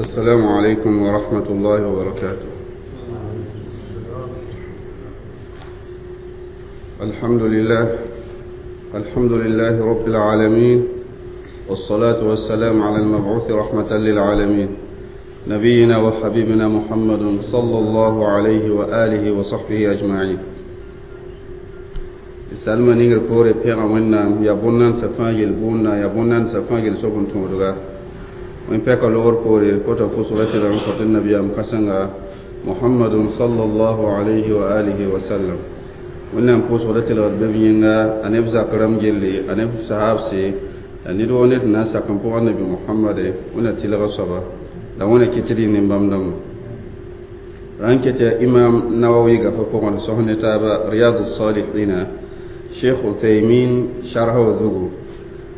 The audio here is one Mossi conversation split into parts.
السلام عليكم ورحمة الله وبركاته. الحمد لله، الحمد لله رب العالمين، والصلاة والسلام على المبعوث رحمة للعالمين، نبينا وحبيبنا محمد صلى الله عليه وآله وصحبه أجمعين. Salma ningr poore pẽga Wẽnnaam yaa bõn-nansã fãa yel bʋʋnda, yaa bõn-nansã fãa yel soab n tõodga. Wẽn pɛka logr poore kota pʋsga tɩ rãmb sot nabiyaam kãsenga Muhammadun sallallahu alayhi wa alihi wa sallam. Wẽnnaam pʋʋsgda tɩlgd bɩ b yẽnga, a neb zak rãmb gelle, a neb sahabse, la ned woo ned na n sak n pʋga nabi Muhammade. Wẽnna tɩlga soaba la Wẽnna kɩt tɩ rɩ nin-bãmb dãmba. Rãn ket yaa Imam Nawawi gafa pʋgẽ d sõs ne taaba Riyadu Salihina, Sheikh Uthaymin sharha wa zugu,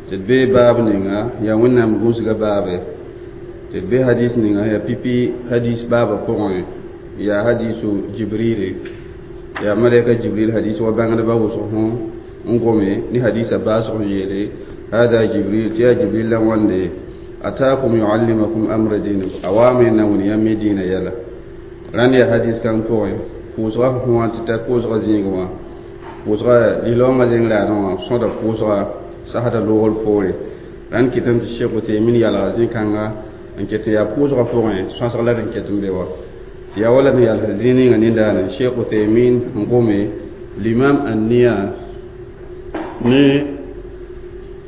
tɩ d bee baab ninga yaa Wẽnnaam gũusga baabe, tɩ d be hadis ninga yaa pipi hadis baabã pʋgẽ, yaa hadisu Jibrile, yaa malaika Jibril hadis wa bãngdbã wʋsg hõ n gome ne hadisa baasg n yeele hada Jibril, tɩ yaa Jibril la wãnde ataakum yuallimakum amra dinikum, a waame na wẽn yãmb me dĩinã yɛla. Rãnd yaa hadis kãng pʋgẽ pʋʋsga fõ wã tɩ ta pʋʋsga zĩig wã pʋʋsga lislaoongã zẽng raadẽ wã sõda pʋʋsga sasda loogr poore. Rãnd kɩtame tɩ Sheikh Uthaymin yalga zĩ-kãnga n ket n yaa pʋʋsga pʋgẽ sõsg la d n ket n be wa tɩ yaa wala d n yals zĩ ninga nindaane Sheikh Uthaymin n gome limam anniya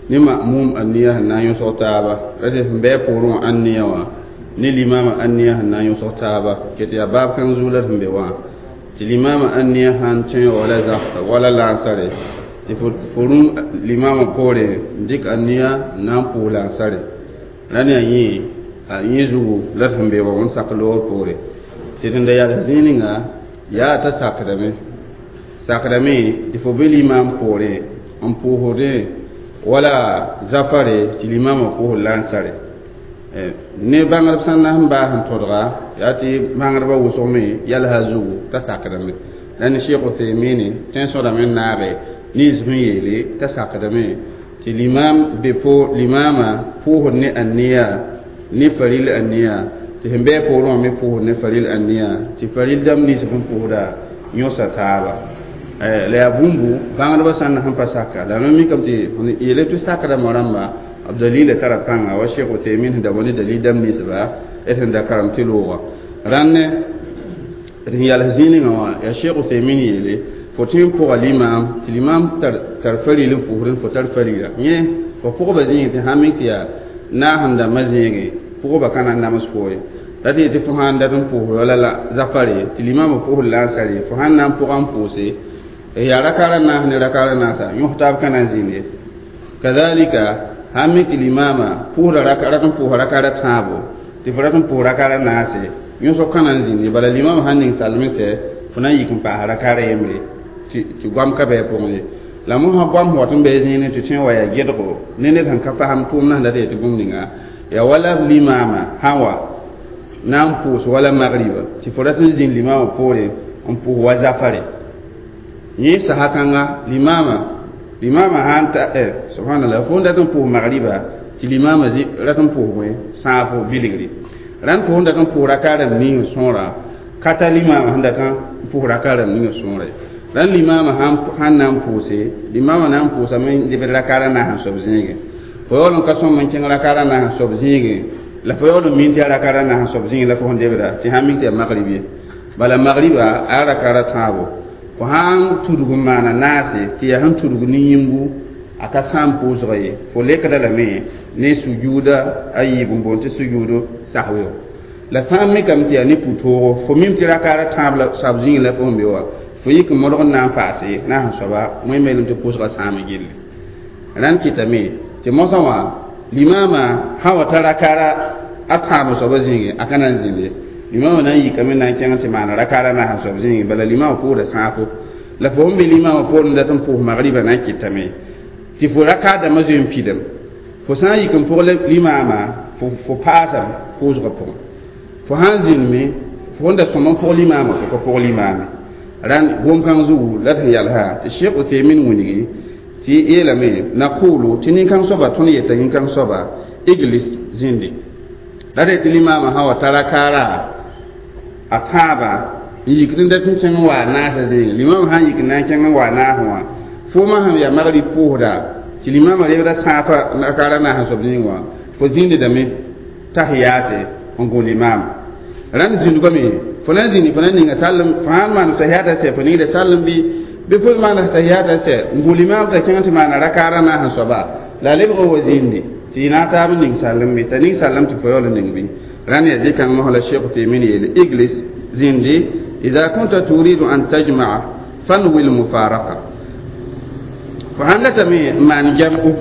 ne ma'mum anniya sẽn na n yõsg taaba ra tɩ sẽn bɩ a poorẽ wã anniya wã ne limama anniya sẽn na n yõsg taaba ket yaa baab kãng zugu la d sẽn be wã tɩ limama anniya sãn tõe wala zak wala lansare tɩ fo rũm limama poore n dɩk anniya n na n pʋʋs lansare. Rãnd yaa yẽ a yẽ zugu la d sẽn be wa wẽnd sak loogr poore tɩ d da yals zĩig ninga yaa t'a sakdame sakdame tɩ fo be limam poore n pʋʋsdẽ wala zafare tɩ limama pʋʋsd lansare ne bãngdb sã n na sẽn baas n tõdga yaa tɩ bãngdbã wʋsg me yalsa zugu t'a sakdame. La ne Sheikh Uthaymin tẽn sõdame n naage nins sẽn yeele t'a sakdame tɩ limam be po limama pʋʋsd ne anniya ne faril anniya, tɩ sẽn bɩ a poorẽ wã me pʋʋsd ne faril anniya, tɩ faril dãmb nins sẽn pʋʋsda yõsa taaba. La yaa bũmbu bãngdbã sã n na sẽn pa saka la mam mikame tɩ yeele tɩ sakdame rãmba b dalila tara pãnga wa Sheikh Uthaymin sẽn da wa ne dalil dãmb ninsba d sẽn da karem tɩ looga. Rãnd d sẽn yals zĩig ninga wã yaa Sheikh Uthaymin yeele fo tõe n pʋga limam tɩ limam tar faril n pʋʋsd fo tar farila yẽ fo pʋgba zĩig tɩ sã n mik tɩ yaa naas n dãmbã zĩige pʋgba ka na n nams fo ye ra tɩ tɩ fo sãn dat n pʋʋsd wala la zafare tɩ limamã pʋʋsd lansare fo sãn na n pʋga n pʋʋse yaa rakaara naas ne rakaara naasa yõs taab ka na n zĩnd ye. Kadalika sãn mi tɩ limama pʋʋsda rat n pʋʋsa rakaara tãabo tɩ fo rat n pʋʋs rakaara naase yõsg ka na n zĩnd ye. Bala limama sãn ning salme sɛ fo na n yik n paasa rakaara yembre tɩ goam ka bɩ a pʋgẽ ye. La mosã goam wat n be zĩine tɩ tõe n wa yaa gẽdgo ne ned sẽn ka fasem tʋʋmdã sẽn dat yetɩ bũmb ninga yaa wala limama sã wa na n pʋʋs wala magriba tɩ fo rat n zĩnd limama poore n pʋʋs wa zafare yẽ sasa kãnga limama sãn ta subhanallah fo n dat n pʋʋs magriba tɩ limama rat n pʋʋs bõe sãafo bilgre. Rãnd fo sẽn dat n pʋʋs raka rãmb ning sõora ka ta limama sẽn dat n pʋʋs raka rãmb ning sõora ye. Rãnd limama sãn na n pʋʋse limama na n pʋʋsame n debd rakaara naas n soab zĩigẽ fo yaool n ka sõm n kẽng rakaara naas n soab zĩigẽ la fo yaool n min tɩ yaa rakaara naas n soab zĩigẽ la fo sẽn debda tɩ sãn mik tɩ yaa magrib ye. Bala magriba a rakaara tãabo fo sãn tudg n maana naase tɩ yaa sẽn tudg ne yĩmbu a ka sãam pʋʋsga ye fo lekda lame ne sujuuda a yiib n boond tɩ sujuudu sahweo. La sã n mikame tɩ yaa ne pʋ-toogo fo mim tɩ rakaara tãab la soab zĩig la fo sẽn be wa fo yik n modg n na n paase naas n soaba wẽn meelem tɩ pʋʋsga sãam gilli. Rãnd kɩtame tɩ mosã wã limama sã wa ta rakaara a tãab soaba zĩige a ka na n zĩnd ye. Limama na n yikame na n kẽng tɩ maana rakaara naas n soab zĩige bala limama pʋʋsda sãafo la fo sẽn be limama poorẽ dat n pʋʋs magriba na n kɩtame tɩ fo rakaar dãmbã zoe n pidem fo sã n yik n pʋg limama fo paasame pʋʋsgã pʋgẽ fo sãn zĩndme fo sẽn da sõm n pʋg limama fo ka pʋg limame. Rãnd gom-kãng zugu la d sẽn yalsa tɩ Sheikh Uthaymin wilgi tɩ yeelame naqulu tɩ nin-kãng soaba tõnd yeta nin-kãng soaba iglis zĩndi La tɩ limaamã sã wa tara kaara a tãabã n yikd n dat n kẽng n wa a naasã zĩig limaamã sã n yik n na n kẽng n wa a naasẽ wã foomã sẽn yaa magrib pʋʋsda tɩ limaamã lebda sãafa rakaara naasã soab zĩig wã fo zĩndame tahiyaate n gũ limaam rãnd zĩndgame fo na n zĩndi fo na n ninga sallem fo sãn maan tahiyata sɛ fo ningda sallem bɩ fo maan tahiyata sɛ n gũ limaam t'a kẽng tɩ maana rakaara naasã soaba la a lebg n wa zĩndi tɩ y na n taab n ning sallem bɩ t'a ning sallem tɩ fo yaool n ning bɩ rãnd yaa zĩ-kãng mosã la Sheikh Uthaymin yeele iglis zĩndi إذا كنت تريد أن تجمع فانوي المفارقة fo sãn datame n maan jam'u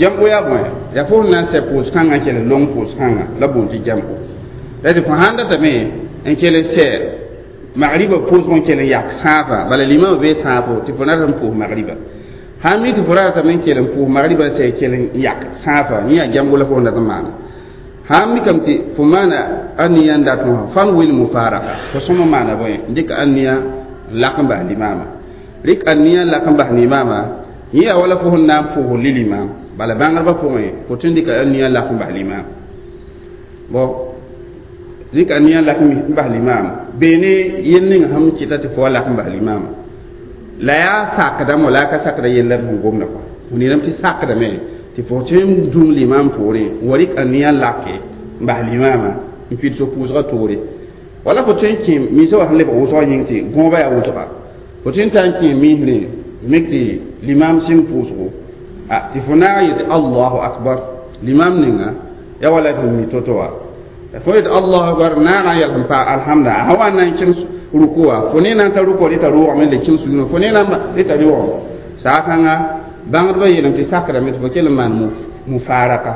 jam'u yaa bõe yaa fo sẽn na n sɛ pʋʋs-kãngã n kell long pʋʋs-kãngã la boond tɩ jam'u la tɩ fo sãn datame n kell sɛ magriba pʋʋsg n kell n yak sãafa bala limamã bee sãafo tɩ fo nat n pʋʋs magriba sãn mi tɩ fo ratame n kell n pʋʋs magriba n sɛ kell n yak sãafa yẽ yaa jam'u la fo sẽn dat n maana sãn mikame tɩ fo maana aniya n dat wã fanwil mufaraka fo sõma maana bõe n dɩk aniya n lak n bas limaamã rɩk aniya n lak n bas limaamã yẽ yaa wala fo sẽn na n pʋʋs li-limaam bala bãngrbã pʋgẽ fo tõe n dɩka aniya n lak n bas limaam bon rɩk aniya n lak n bas limaam beene yel ning sẽn kɩta tɩ fo wa lak n bas limaamã la yaa sakdame la a ka sakda yella d sẽn gomda kɔa fo neerame tɩ sakdame tɩ fo tõe n dũm limaam poorẽ n wa rɩk aniya n lake n bas limaamã n pid so pʋʋsgã toore wala fo tõe n kẽ miisã wa sẽn lebg wʋsgã yĩng tɩ gõoba yaa wʋsga fo tõe n tar n kẽ miisrẽ mik tɩ limaam sɩng pʋʋsgo tɩ fo naag yetɩ allahu akbar limaam ninga yaa wala tɩ mi to-to wa fo yetɩ allahu akbar naagã n yɛls n paa alhamda a sã wa n na n kẽng ruku wã fo ne na n ta rukɔ rɩta rʋʋgame le kẽng sugẽ fo ne na rɩta rʋʋgame saa-kãnga bãngdbã yeelame tɩ sakrame tɩ fo kell n maan mufaraka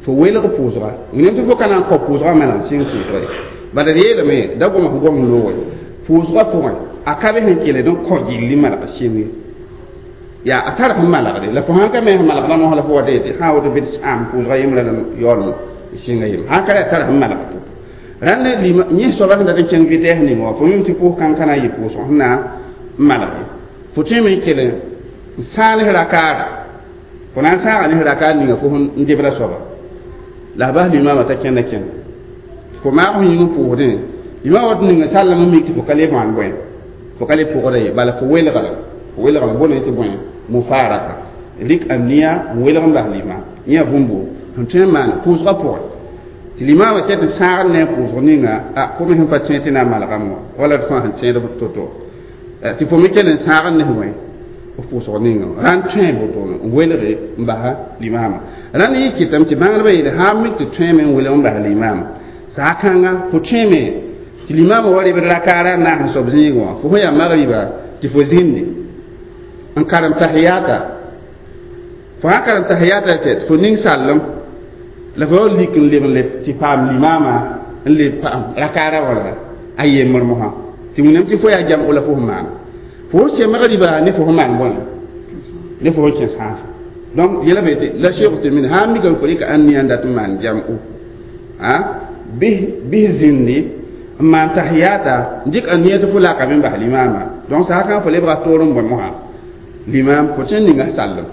fo welg pʋʋsga wẽnem tɩ fo ka na n kao pʋʋsgã mala n sɩng pʋʋsga ye bala d yeelame da gom f gom looge pʋʋsgã pʋgẽ a ka be sẽn keled n kõ gilli malg sɩng ye yaa a tar sẽn malgde la fo sãn ka me sẽn malgdã mosã la fo wa tɩ sã woto bɩ tɩ sãam pʋʋsgã yembra la yaool sɩnga yem sãn ka yaa tar sẽn malg to rãnd yẽ soaba sẽn dat n kẽng vitɛɛs ning wã fo mim tɩ pʋʋs kãng ka na n yɩ pʋʋsg sẽn na n malge fo tõeme n kell n sãag ne rakaara fo na n sãaga ne rakaar ninga fo n debra soaba la a bas limaamã t'a kẽnda kẽng fo maag f yĩng n pʋʋsdẽ limaam wat ninga sallame n mik tɩ fo ka le maan bõe fo ka le pʋgda ye bala fo welgame fo welgame bõne tɩ bõe mufaraka rɩk aniya n welg n bas limaam yẽ bũmbo sẽn tõe n maan pʋʋsgã pʋgẽ tɩ limaamã ket n sãagd ne a pʋʋsg ninga a fo me sẽn pa tẽed tɩ na n malgame wã wala d fãa sẽn tẽed to-to tɩ fo me kell n sãagd ne bõe f pʋʋsg ninga rãnd tõe wotone n welge n basa limaamã rãnd yɩ kɩtame tɩ bãngdbã yeele sã n mik tɩ tõeme n welg n bas limaamã saa-kãnga fo tõeme tɩ limaamã wa rebd rakaara n naas n soab zĩig wã fo sẽn yaa magriba tɩ fo zĩndi n karem tahiyata fo sã karem tahiyata tɩ fo ning sallem la fo yaool lik n leb n leb tɩ paam limaamã n leb paam rakaara wala a yembr mosã tɩ wẽnnaam tɩ fo yaa jam'o la fo sẽn maana fo sẽn sɛ magriba ne fo sẽn maan bõe ne fo sẽn kẽ sãafa donc yɛla be tɩ la Sheikh Uthaymin sã n mikame fo rɩka aniya n dat n maan jam'o a bɩs zĩndi n maan tahiyata n dɩk aniya tɩ fo lakame n bas limaamã donc saa-kãng fo lebga toor n bõe mosã limaam fo tõe n ninga sallem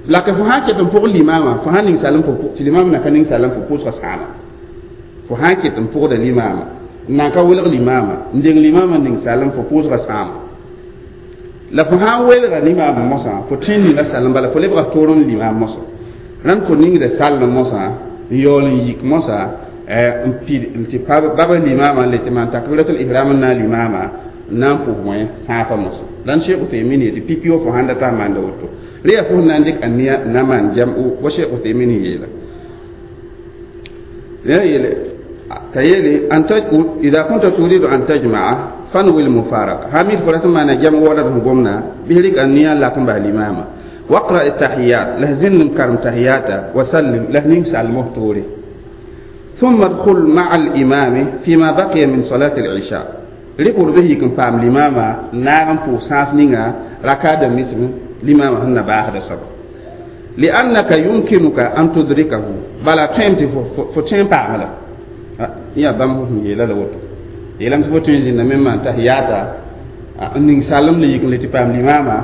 la ke fo sã n ket n pʋgd limaamã fo sã n ning sallem tɩ limaam na ka ning sallem fo pʋʋsgã sãama fo sã n ket n pʋgda limaamã n nan ka welg limaamã n deng limaamã n ning sallem fo pʋʋsgã sãama la fo sã n welga limaamã mosã fo tõe n ninga sallem bala fo lebga toor n limaam mosã rãnd fo ningda sallem mosã n yaool n yik mosã n pid tɩ baba limaamã n le tɩ maan takbiratul ihram n na limaamã n na n pʋs bõe sãafa mosã rãnd Sheikh Uthaymin yetɩ pipi wa fo sãn data n maanda woto rẽ yaa fo sẽn na n dɩk aniya n na maan jam'u wa Sheikh Uthaymin yeela yeele t'a yeele إذا كنت تريد أن تجمع فانوي المفارقة hamid fo rat n maana jam'u wala d sẽn gomna bɩ rɩk aniya n lak n bas limaamã واقرأ التحيات له زن كرم تحياتا وسلم له نين سلمه توري ثم ادخل مع الإمام فيما بقي من صلاة العشاء ريبور به يكن فام الإمام ناغم بو ساف نيغا ركعة مسلم الإمام هن باخد صبر لأنك يمكنك أن تدركه بلا تيمتي فتين بعمله يا بام يلا لوتو يلام فتين زين مما تحياتا ning salam le yik le ti pam limama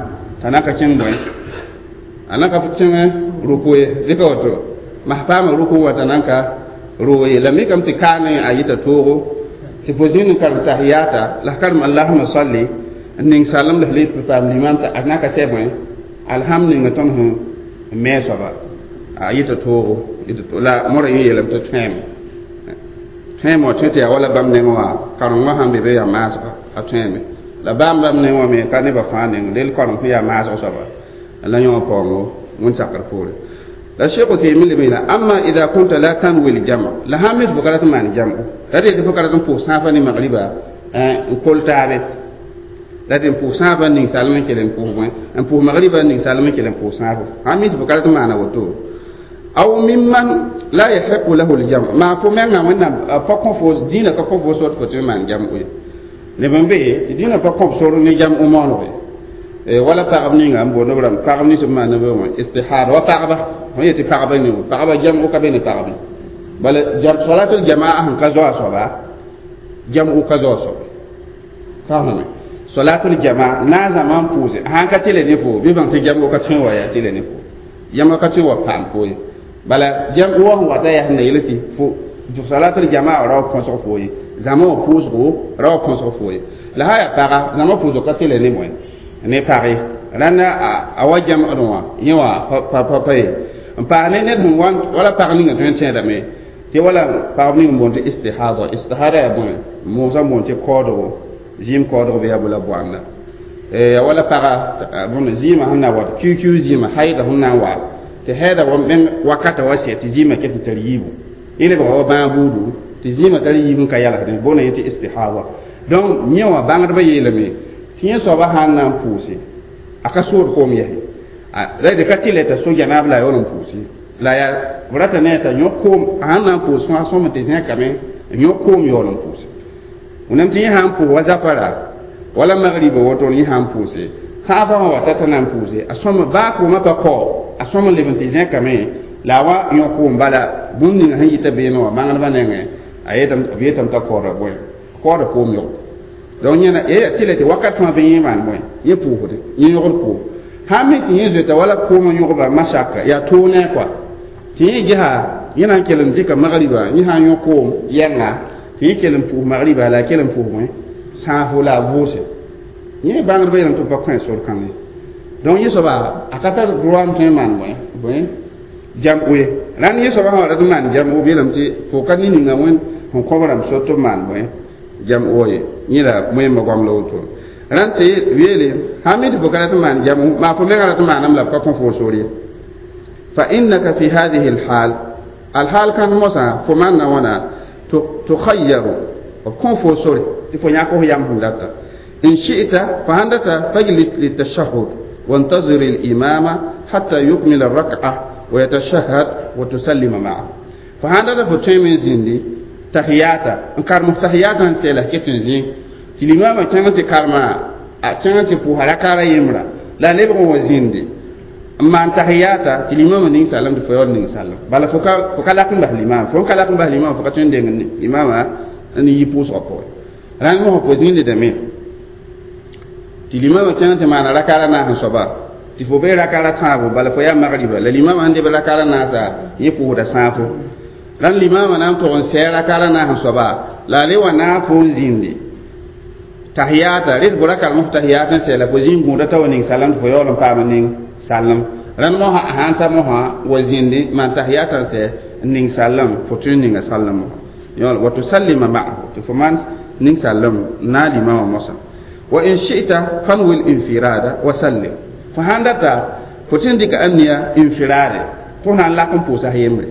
tanaka kẽng bõe a na ka kẽng ruku ye dɩka woto mas paama ruku wa t'a nan ka Roye la mikame tɩ kaane a yita toogo tɩ fo zĩnd n karem tahiyata la f karem allahuma salli n ning salem la f le paam limam t'a na ka sɛ bõe alhamd ninga tõnd sẽn me soaba a yita toogo la mora yẽ yeelame tɩ tõeme tõeme wã tõe tɩ yaa wala bãmb nengẽ wã karengã sãn be be yaa maasga a tõeme la bãmb bãmb nengẽ wã me ka nebã fãa neng del kareng sẽn yaa maasg soaba la yõ paoongo wẽn-sakr poore la Cheikh Uthaymin le la amma idha kunta la tanwi al jam' la hamid bukarat man jam'u la de bukarat pour safa ni maghriba n kol taabe la de pour safa ni salama kelen pour point n pour maghriba ni salama kelen pour safa hamid bukarat man woto aw mimman la yahiqu lahu al jam' ma fo menga wẽnnaam pa kõ fo dĩinã ka kõ fo sor fo tɩ maan jam'u ye neb n be tɩ dĩinã pa kõ sor ne jam'u moonege wala pagb ninga n boond b rãmb pagb nins b maand b wã istihada wa pagba fõ yetɩ pagba ne pagba jam'u ka be ne pagb bala salatul jamaa sẽn ka zoa soaba jam'u ka zoa soaba faamame salatul jamaa na zãma n pʋʋse sãn ka tɩle ne fo bɩ bãng tɩ jam'u ka tõe wa yaa tɩle ne fo jam'u ka tõe wa paam fo ye bala jam'u wã sẽn wata yaa sẽn na yel tɩ fo salatul jamaa ra wa põsg fo ye zãma wã pʋʋsgo ra wa põsg fo ye la sã yaa paga zãma pʋʋsg ka tɩle ne bõe ne page rãnda a wa jam'd wã yẽ wã pa ye n paas ne ned sẽn wala pag ninga tõe n tẽedame tɩ wala pagb ning n boond tɩ istihada istihada yaa bõe moosã n boond tɩ koodgo zɩɩm koodg bɩ yaa bo la boanda ya wala paga bõnd zɩɩmã sẽn na wat kiu-kiu zɩɩmã haida sẽn na n wa tɩ haida wa meng wakata wa sɛ tɩ zɩɩmã ket n tar yiibu yẽ lebga wa bãag buudu tɩ zɩɩmã tar yiib n ka yalsdẽ boonda yẽ tɩ istihada donc yẽ wã bãngdbã yeelame tɩ yẽ soaba sãn na n pʋʋse a ka sood koom yɛse la d ka tɩ t'a so janaab la a yaool n pʋʋse la yaa b rata ne t'a yõk koom a sãn na n pʋʋs fãa sõm tɩ zẽkame n yõk koom yaool n pʋʋse wẽnnaam tɩ yẽ sã n pʋʋs wa zafara wala magriba woto yẽ sã n pʋʋse sãafã wã wata t'a na n pʋʋse a sõm baa koomã pa kao a sõm n leb n tɩ zẽkame la a wa yõk koom bala bũmb ninga sẽn yita beene wã bãngdbã nengẽ a yetame t'a kaooda bõe kaooda koom yõk donc yẽna tɩ la tɩ wakat fãa bɩ yẽ maan bõe yẽ pʋʋsde yẽ yõgd koom sãn me tɩ yẽ zoeta wala koomã yõgba masaka yaa toog ne kɔa tɩ yẽ gesa yẽ na n kell n dɩka magriba yẽ sã n yõ koom yɛnga tɩ yẽ kell n pʋʋs magriba la a kell n pʋʋs bõe sãafo la a vʋʋse yẽ bãngdbã yeelame tɩ b pa kõ sor kãng ye donc yẽ soaba a ka tar droit n tõe n maan bõe bõe jam'u ye rãnd yẽ soaba sã wa rat n maan jam'u b yeelame tɩ fo ka ne ninga wẽnd sẽn kõ b rãmb sor tɩ b maan bõe jam'u wa ye yẽ la wẽmba goam la woto rãnd tɩ yeele sãn mi tɩ fo ka rat n maan jam'u maa fo mengã rat n maanam la b ka kõ fo sor ye fa innaka fi hadihi alhal alhal kãng mosã fo maanda wãna tukhayyaru b kõ fo sore tɩ fo yãk f yam sẽn data in shi'ta fa sãn data fajlis litashahud وانتظر الإمام حتى يكمل الركعة ويتشهد وتسلم معه فهذا فتوين زندي tahiyata n karem tahiyata n sɛla ket n zĩ tɩ limaamã kẽng tɩ karema a kẽng tɩ pʋʋsa rakaara yembra la a lebg n wa zĩndi n maan tahiyata tɩ limaamã ning salem tɩ fo yaool ning salem bala fo ka lak n bas limaam fo n ka lak n bas limaam fo ka tõe n deng limaamã n yi pʋʋsgã pʋgẽ rãnd mosã fo zĩndidame tɩ limaamã kẽng tɩ maana rakaara naas n soaba tɩ fo bee rakaara tãabo bala fo yaa magriba la limaamã sẽn deb rakaara naasa yẽ pʋʋsda sãafo rãnd limaamã na n tog n sɛɛ rakaara naas n soaba la a le wa naag fo n zĩndi tahiyata res bora karem f tahiyat n sɛla fo zĩig gũuda t'a wa ning salem tɩ fo yaool n paam n ning salem rãnd mosã sãn ta mosã wa zĩndi maan tahiyata n sɛ n ning salem fo tõe n ninga salem yõl wa tusallima ma'ahu tɩ fo maan ning salem na limaamã mosã wa in shi'ta fanwil infirada wa sallim fo sãn data fo tɩ n dɩka aniya infirade tɩ f na n lak n pʋʋsa yembre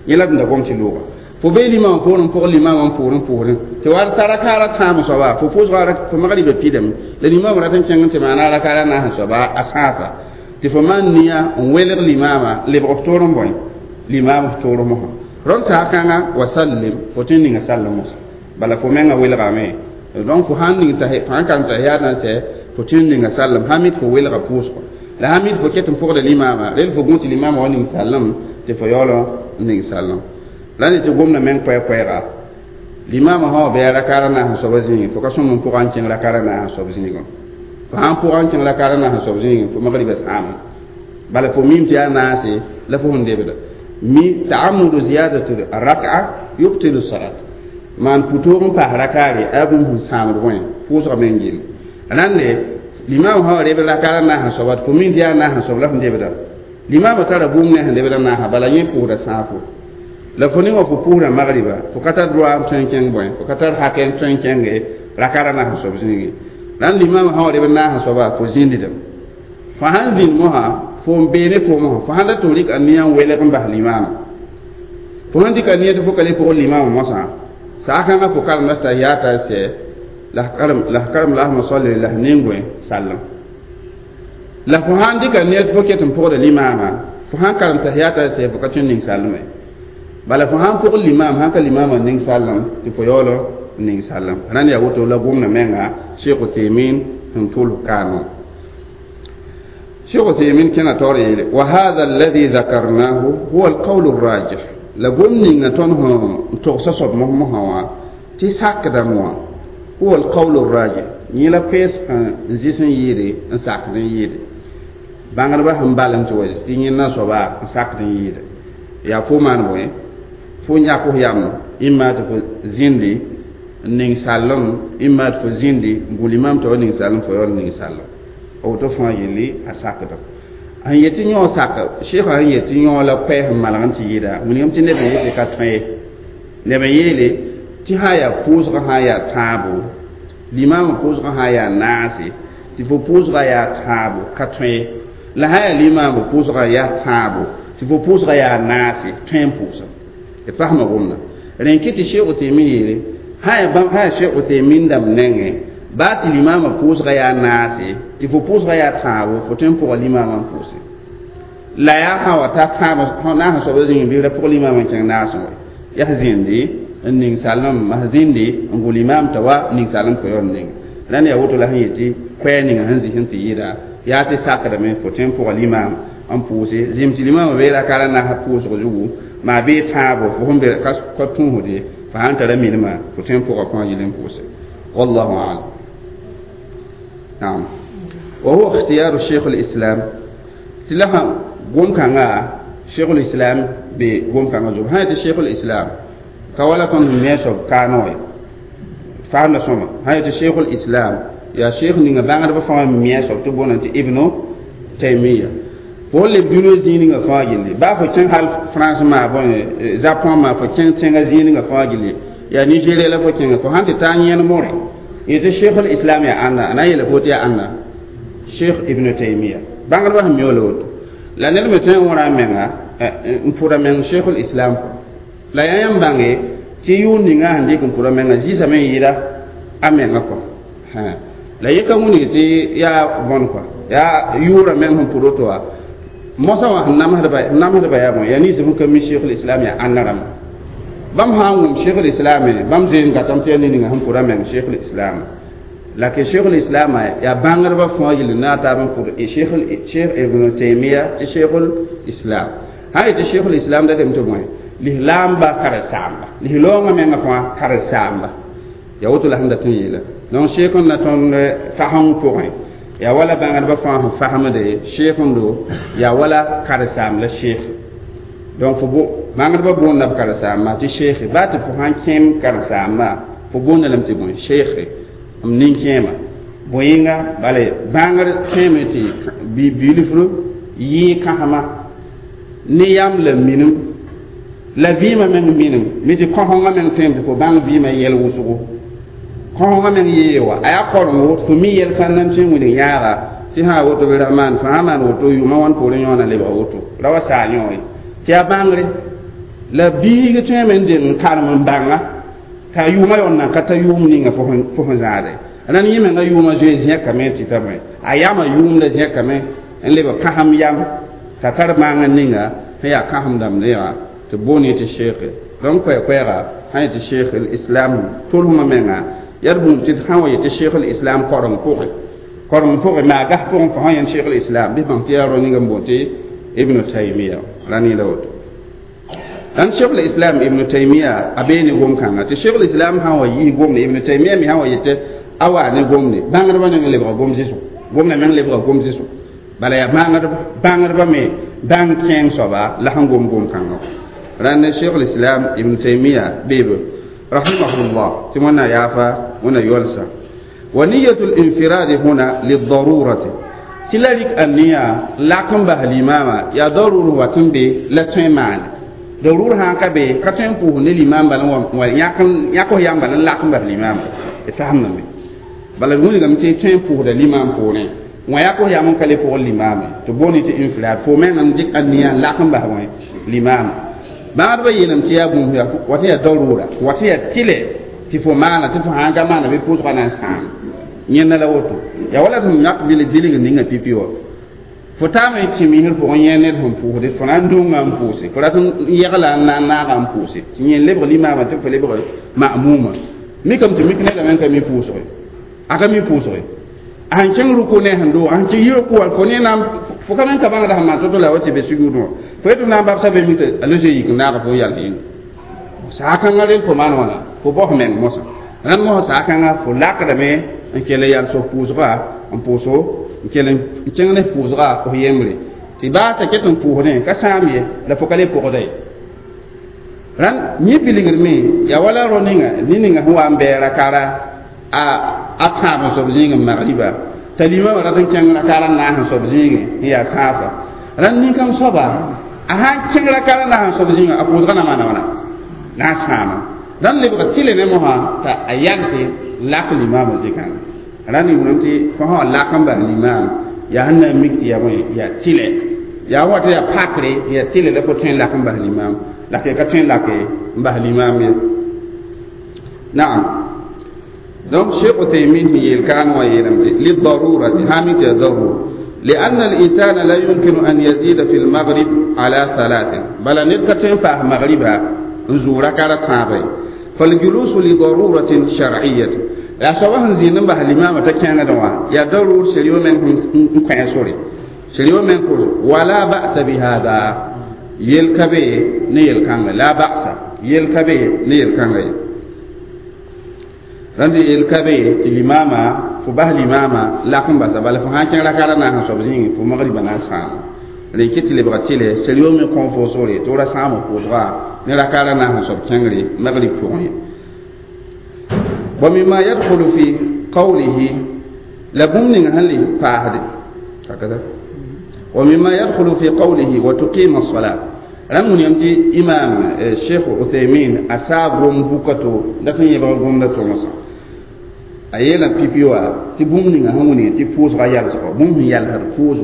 yẽ la d da gom tɩ looga fo bee limaamã poorẽ pʋgẽ limaamã n poorẽ poorẽ tɩ wa ta rakaara tãam soaba fo pʋʋsga fo magriba pidame la limaamã rat n kẽng n tɩ maana rakaara naas n soaba a sãasa tɩ fo maan nia n welg limaamã lebg f toor n bõe limaam f toor mosã rõnd saag kãnga wa sallim fo tõe n ninga sallem mosã bala fo menga welgame donc fo sãn ning fo sãn karem tahiyaat n sɛ fo tõe n ninga sallem sãn mi tɩ fo welga pʋʋsgo la sãn mi tɩ fo ket n pʋgda limaamã rel fo gũ tɩ limaamã wa ning sallem tɩ fo yaool n ning sallem la ne tɩ gomda meng koɛɛ-koɛɛga limaamã sã wa bɩ rakaara naas n soaba zĩigẽ fo ka sõm n pʋga n kẽng rakaara naas n soab zĩigẽ fo sãn pʋga n kẽng rakaara naas n soab zĩigẽ fo magriba sãame bala fo mim tɩ yaa naase la fo sẽn debda Mi ta'ammudu ziyadatu rak'a yubtilu salat man putoog n paas rakaare a bũmb sẽn sãamd wẽ pʋʋsga me n gel rãnde limaam sã wa rebd rakaar a naasã soaba tɩ fo min tɩ yaa naasã soab la f debda limaamã tara bũmb ne sẽn lebd a naasã bala yẽ pʋʋsda sãafo la fo ning wã fo pʋʋsda magriba fo ka tar droa n tõe n kẽng bõe fo ka tar hakɛ n tõe n kẽnge rakaar a naasã soab zĩige rãnd limaamã sã wa rebd naasã soaba fo zĩndidame fo sãn zĩnd mosã fo n bee ne foom wã fo sãn dat tɩ f rɩk a nia n welg n bas limaamã fo sãn dɩka nia tɩ fo ka le pʋgd limaamã mosã saakãngã fo karemda tahiyaata sɛ la f karem lasma salli la f ning-bõe sallem la fo sãn dɩka nia tɩ fo ket n pʋgda limaamã fo sãn karem tahiyaata sɛ fo ka tõe n ning sallme bala fo sãn pʋgd limaam sãn ka limaamã ning sallem tɩ fo yaool n ning sallem rãnd yaa woto la gomdã menga Sheikh Uthaymin sẽn tʋls kaano Sheikh Uthaymin kẽna taoor yeele wa hadha alladhi dhakarnahu huwa alqawl arrajih la gom ninga tõnd sẽn togsa soab mos-mosã wã tɩ sakdame wã huwa alqawl arrajih yẽ la koɛɛs sẽn zɩs n yɩɩde n sakd n yɩɩde bãngdbã sẽn bal n tɩ wa tɩ yẽnda soaba n sakd n yɩɩde yaa fo maan bõe fo yãk f yam ĩmma tɩ fo zĩndi n ning sallem ĩmma tɩ fo zĩndi n gũl imam tɩ wa ning sallem fo yaool n ning sallem woto fãa yelli a sakda sẽn yet tɩ yõ sak sheikã sẽn yet tɩ yõ la koɛɛ sẽn malg n tɩ yɩɩda wilgame tɩ neb n yetɩ ka tõe ye neb n yeele tɩ sã yaa pʋʋsgã sã yaa tãabo limaamã pʋʋsgã sã yaa naase tɩ fo pʋʋsgã yaa tãabo ka tõe ye la sã yaa limaamã pʋʋsgã yaa tãabo tɩ fo pʋʋsgã yaa naase tõe n pʋʋsa d fasma gomda rẽn kɩ tɩ Sheikh Uthaymin yeele sã yaa bãmb sã yaa Sheikh Uthaymin dãmb nengẽ baa tɩ limaamã pʋʋsgã yaa naase tɩ fo pʋʋsgã yaa tãabo fo tõe n pʋga limaamã n pʋʋse la yaa sã wa ta tãab naasã soabã zĩngi bɩ ra pʋg limaamã n kẽng naasẽ wa yaa zĩndi n ning sallem mas zĩndi n gʋl imaam t'a wa ning sallem fo yaool n ning rãnd yaa woto la sẽn yetɩ koɛɛ ninga sẽn zis n tɩ yɩɩda yaa tɩ sakdame fo tõe n pʋga limaam n pʋʋse zĩm tɩ limaamã bee rakaara naasã pʋʋsg zugu maa bee tãabo fo sẽn be ka tũusde fo sãn tara milmã fo tõe n pʋga fãa yel n pʋʋse wallahu alam. نعم وهو اختيار الشيخ الإسلام تلها قوم كان شيخ الإسلام بقوم كان زوب هاي الشيخ الإسلام كولا كون ميسو كانوي فهم سما هاي الشيخ الإسلام يا شيخ نيغا بانغ بفهم ميسو تبون انت ابن تيمية fo leb dũniyã zĩig ninga fãa gilli baa fo kẽng hal France maa bõe Japon maa fo kẽng tẽngã zĩig ninga fãa gilli yaa Nigeria la fo kẽnga fo sãn tɩ taa yẽn more yetɩ Sheikh islam yaa ãnna a na n yeela fo tɩ yaa ãnna Sheikh Ibn Taymiya bãngdbã sẽn mi la woto la ned me tõe n wõra a menga n pʋda meng Sheikh islam la yaa yãmb bãnge tɩ yʋʋn ninga sẽn dɩk n pʋda menga zɩɩsame n yɩɩda a menga kɔ la yẽ ka wilg tɩ yaa bõn kɔa yaa yʋʋra meng sẽn pʋd woto wã mosã wã sẽn namsdba yaa bõe yaa ninsb sẽn ka mi Sheikh islam yaa ãnna rãmba bãmb sã n wʋm Sheikh islam bãmb zeen gatame tɩ yaa ned ninga sẽn pʋda meng Sheikh islam la ke Sheikh islam yaa bãngdbã fãa yel na a taab n pʋd Sheikh Ibn Taymiya tɩ Sheikh islam sã yetɩ Sheikh islam datame tɩ bõe lislaamba karen-saamba lislaoongã menga fãa karen-saamba yaa woto la sẽn dat n yeela donc sheikh n na tõnd fasẽng pʋgẽ yaa wala bãngdbã fãa sẽn fasmde sheikh-ndo yaa wala karen-saam la sheikh donc fo bãngdbã boonda b karen-saambã tɩ sheikh baa tɩ fo sãn kẽem karen-saambã fo boonda lame tɩ bõe sheikh m nin-kẽema bõe-yĩnga bala bãngr tõeme tɩ bilfr yɩɩ kãsema ne yam la minim la vɩɩmã meng minim mi tɩ kõsengã meng tõeme tɩ fo bãng vɩɩmã yɛl wʋsgo kõsengã meng yee wa a yaa korengo fo mi yɛl sãn nan tõe n wilg yãaga tɩ sã woto bɩ ra maan fãa maan woto yʋʋmã wãn poorẽ yõona lebga woto ra wa saa yõ ye tɩ yaa bãngre la biig tõeme n deng n karem n bãnga t'a yʋʋmã yaool nan ka ta yʋʋm ninga fo sẽn zãade rãnd yẽ menga yʋʋmã zoe zẽkame tɩ ta bõe a yamã yʋʋm la zẽkame n lebg kãsem yam t'a tar maang ninga sẽn yaa kãsem dãmb wã tɩ boon yetɩ sheekh donc koɛɛ-koɛɛga sã yetɩ sheikh islam tolsmã menga yaa d bũmb tɩ sã n wa yetɩ sheikh islam koreng pʋgẽ koreng pʋgẽ maa gas pʋgẽ fo sã yẽnd sheikh islam bɩ bãng tɩ yaa rao ninga n boon tɩ Ibn Taymiya ra ne la woto rãnd sheikh islam Ibn Taymiya a bee ne gom-kãnga tɩ sheikh islam sã n wa yis gomde Ibn Taymiya me sã n wa yetɩ a waa ne gomde bãngdbã neng lebga gom zɩsgo gomda meng lebga gom zɩsgo Bala yaa bãngdbã me bãng kẽeng soaba la sẽn gom gom-kãngã rãnd Cheikh l'Islam Ibn Taymiya beebe rahimahullah tɩ wẽnna yaafa wẽnna yolsa wa niyatul infiradi huna lidarurati tɩ la rɩk aniya lak n bas limama yaa darur wat n be la tõe n maane darur sã n ka be ka tõe n pʋʋs ne limam bala yãk f yam bala n lak n bas limama d fasemdame bala d wilgame tɩ tõe n pʋʋsda limam poorẽ wã yak f yam n ka le pʋgr limame tɩ booni tɩ infirad fo meng n dɩk aniya n lak n bas wẽ limama bãadbã yeelame tɩ yaa bũmb wa tɩ yaa darura wa tɩ yaa tɩlɛ tɩ fo maana tɩ fo sãn ka maana bɩ pʋʋsgã na n sãam yẽnda la woto yaa wala sẽn yãk bilg ninga pipi wã fo taame tɩ misr pʋgẽ yẽ ned sẽn pʋʋsde fo na n dũngã n pʋʋse fo rat n yɛgla n na n naaga n pʋʋse tɩ yẽ lebg limaamã tɩ fo lebg ma'muma mikame tɩ mik nedame n ka mi pʋʋsge a ka mi pʋʋsge a sẽn kẽng ruku ne sẽn doog a sẽn kẽ yi ruku wã fo ne na fo ka me n ka bãngda sẽn maan to-to la wa tɩ be sugudẽ wã fo yetɩ na n babsa be mi tɩ a loe yik n naaga fo yal yĩnga saakãngã rel fo maan wãna fo baos meng mosã rãnd mosã saakãngã fo lakdame n kell n yal sob pʋʋsga n pʋʋso n kell n kẽng ne pʋʋsga f yembre tɩ baa t'a ket n pʋʋsdẽ ka sãam ye la fo ka le pʋgda ye rãnd yẽ bilgr me yaa wala rao ninga ne ninga sẽn wa n bɛɛ rakara a tãab n soab zĩig n magriba t'a limamã rat n kẽng rakara n naas n soab zĩige n yaa sãafa rãnd nin-kãng soaba a sãn kẽng rakara n naas n soab zĩigã a pʋʋsga na maana wãna na n sãama rãnd lebga tɩle ne mosã t'a a yalse lak limamã zɩkãngã rãnd yʋʋlem tɩ fo sã wa lak n bas limam yaa sẽn na n mik tɩ yaa bõe yaa tɩlɛ yaa wa tɩ yaa pakre yaa tɩlɛ la fo tõe n lak n bas limam la ka tõe n lake n bas limam ye naam. Donc Cheikh Uthaymin yeel kaan wã yeelame tɩ lidarurati sã mi tɩ yaa darur لأن الإنسان لا يمكن أن يزيد في المغرب على ثلاث بل ند ka tõe n paas magriba n zʋʋg rakara tãabã ye فالجلوس لضرورة شرعية la soaba sẽn zĩnd n bas limamã t'a kẽngdẽ wã yaa darur sharia meng n kõ sore sharia meng kos wala ba'sa bihada yel ka be ne yel-kãnga la ba'sa yel ka be ne yel-kãnga ye rãnd yel ka be tɩ limama fo bas limama lak n basa bala fo sã n kẽng rakara na sẽn soab zĩig fo magriba na n sãama rẽn kɩ tɩ lebga tɩlɛ sharia me kõ fo sore tɩ ra sãam pʋʋsga ne rakara na sẽn soab kẽngre magrib pʋgẽ ye. ومما يدخل في قوله لبن هل فاهد هكذا ومما يدخل في قوله وتقيم الصلاة رمون يمتي إمام الشيخ عثيمين أصاب رمبوكتو دفن يبقى قمنا تومسا أيلا بيبيوا تبوم نغا هموني تبوس غيال سقو بوم يال فوس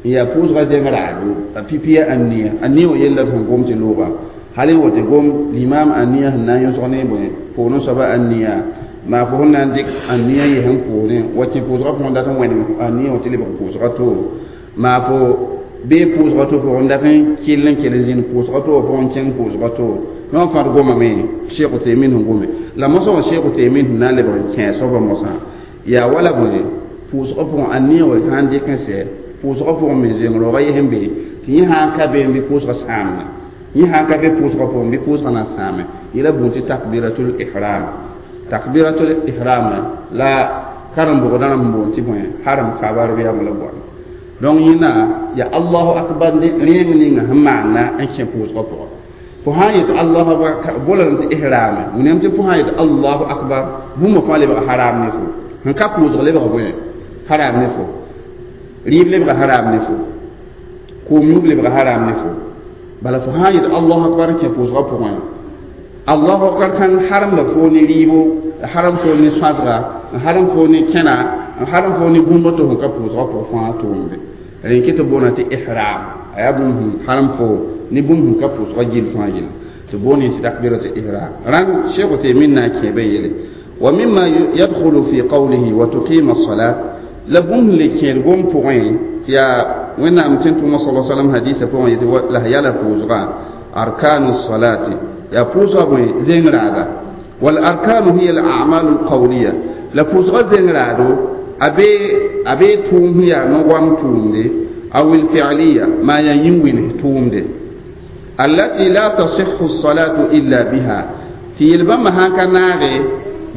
يا فوس غزي مرادو بيبيا النية النية ويلا فهم قوم تلوغا هل هو تقوم الإمام النية هنا يسغني بني فونو سبا النية ما فهنا عندك النية يهم فوني وتي فوس غا فون داتن وين النية وتلي بفوس غا ما فو be pʋʋsgã to pʋgẽ dat n kell n kell zĩnd pʋʋsgã to pʋgẽ kẽng pʋʋsgã to yõ fãd goma me Cheikh Uthaymin sẽn gome la mosã wã Cheikh Uthaymin sẽn na n lebg n kẽes soabã mosã yaa wala bõe pʋʋsgã pʋgẽ a nia wa sã n dɩk n sɛ pʋʋsgã pʋgẽ me zeng-roogã yes n be tɩ yẽ sã n ka be n bɩ pʋʋsgã sãamna yẽ sã n ka be pʋʋsgã pʋgẽ bɩ pʋʋsgã na n sãame yela bũn tɩ takbiratul ihram takbiratul ihram la karen-bʋgdã rãmb boond tɩ bõe haram kabar bɩ yaa la goam donc yẽna ya Allahu akbar rẽem ninga sẽn maanda n kẽ pʋʋsgã pʋgã fo sã n yet Allahu akbar bolame tɩ ihrame william tɩ fo sã n yet Allahu akbar bũmb fãa lebg haram ne fo sẽn ka pʋʋsg lebg bõe haram ne fo rɩɩb lebg haram ne fo koom yũub lebg haram ne fo bala fo sã n yet Allahu akbar n kẽ pʋʋsgã pʋgẽ Allahu akbar kan haram la fo ne rɩɩbo haram fo ne sõasga n haram fo ne kẽna n haram fo ne bũmb tɩ sẽn ka pʋʋsgã pʋgẽ fãa tʋʋmde rẽn kɩ tɩ boona tɩ ihram a yaa bũmb sẽn haram fo ne bũmb sẽn ka pʋʋsgã gill fãa yelle tɩ boone tɩ takbiratu ihram rãnd Cheikh Uthaymin na n kẽebã yele wa mimma yadkhulu fi qawlihi wa tuqima as-salat la bũmb le kẽed gom pʋgẽ tɩ yaa wẽnnaam tɩ tʋʋma sala salam hadisa pʋgẽ yetɩ la yala pʋʋsgã arkanu salati yaa pʋʋsgã bõe zeng-raaga wal arkanu hiya al a'malu al qawliya la pʋʋsgã zeng-raado a be tʋʋm sẽn yaa no-goam tʋʋmde aw الفعلية ما ينوين tʋʋmde التي لا تصح الصلاة إلا بها tɩ yel-bãmba sãn ka naage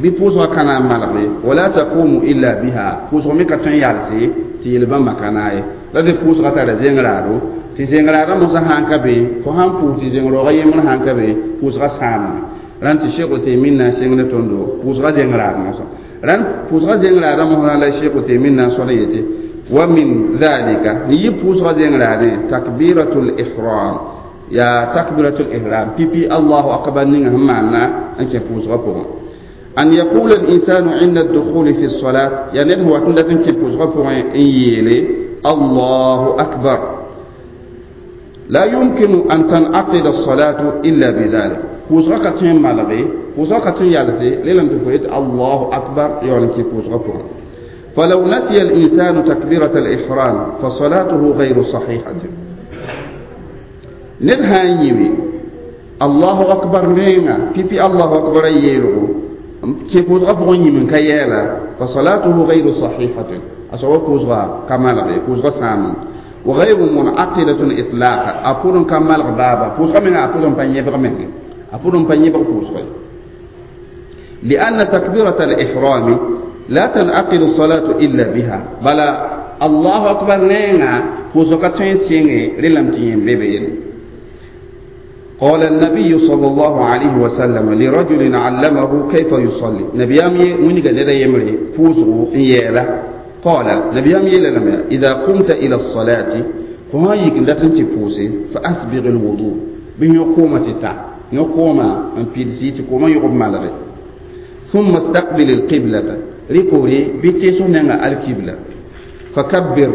bɩ pʋʋsgã ka na n malge wala taqumu illa biha pʋʋsg me ka tõe n yalse tɩ yel-bãmba ka naage. La tɩ pʋʋsgã tara zẽng-raado tɩ zẽng-raadã mosã sãn ka be fo sãn pʋʋs tɩ zẽng-raoogã yembr sãn ka be pʋʋsgã sãamame rãnd tɩ Sheikh Uthaymin na n sẽng ne tõndo pʋʋsgã zẽng-raad mosã rãnd pʋʋsgã zẽng-raadã mosã la Sheikh Uthaymin na n sõd n yetɩ wa min dhalika n yɩ pʋʋsgã zẽng-raadẽ takbiratul ihram ya takbiratul ihram pipi Allahu akbar ninga sẽn maanna n kẽ pʋʋsgã pʋgẽ أن يقول الإنسان عند الدخول في الصلاة يعني هو تندتن كي pʋʋsgã pʋgẽ n yeele الله أكبر لا يمكن أن تنعقد الصلاة إلا بذلك pʋʋsgã ka tõe n malge pʋʋsgã ka tõe n yalse lelame tɩ fo yet Allahu akbar yaool n kẽ pʋʋsgã pʋgẽ فلو نسي الإنسان تكبيرة الإحرام فصلاته غير صحيحة ned sã n yĩme Allahu akbar menga pipi Allahu akbar a yeelgo kẽ pʋʋsgã pʋgẽ yĩm n ka yɛɛla فصلاته غير صحيحة a soaba pʋʋsga ka malge pʋʋsga sãamem وغير منعقدة إطلاقا أقول كمال بابا pʋʋsga menga a pʋʋs n pa yẽbg menge a pʋʋs n pa yẽbg pʋʋsga لأن تكبيرة الإحرام لا تنعقد الصلاة إلا بها بل الله أكبر نينا pʋʋsga ka tõe n sɩnge rẽlame tɩ yẽm be be قال النبي صلى الله عليه وسلم لرجل علمه كيف يصلي نبيام ونيغا ندا يمري فوزو يلا قال نبيام يلا لما إذا قمت إلى الصلاة فما يكن تفوسي فأسبغ الوضوء به يقوم تتا يقوم ان بيدسي تقوم يقوم مالغي ثم استقبل القبلة ريكوري بيتيسو نغا القبلة فكبر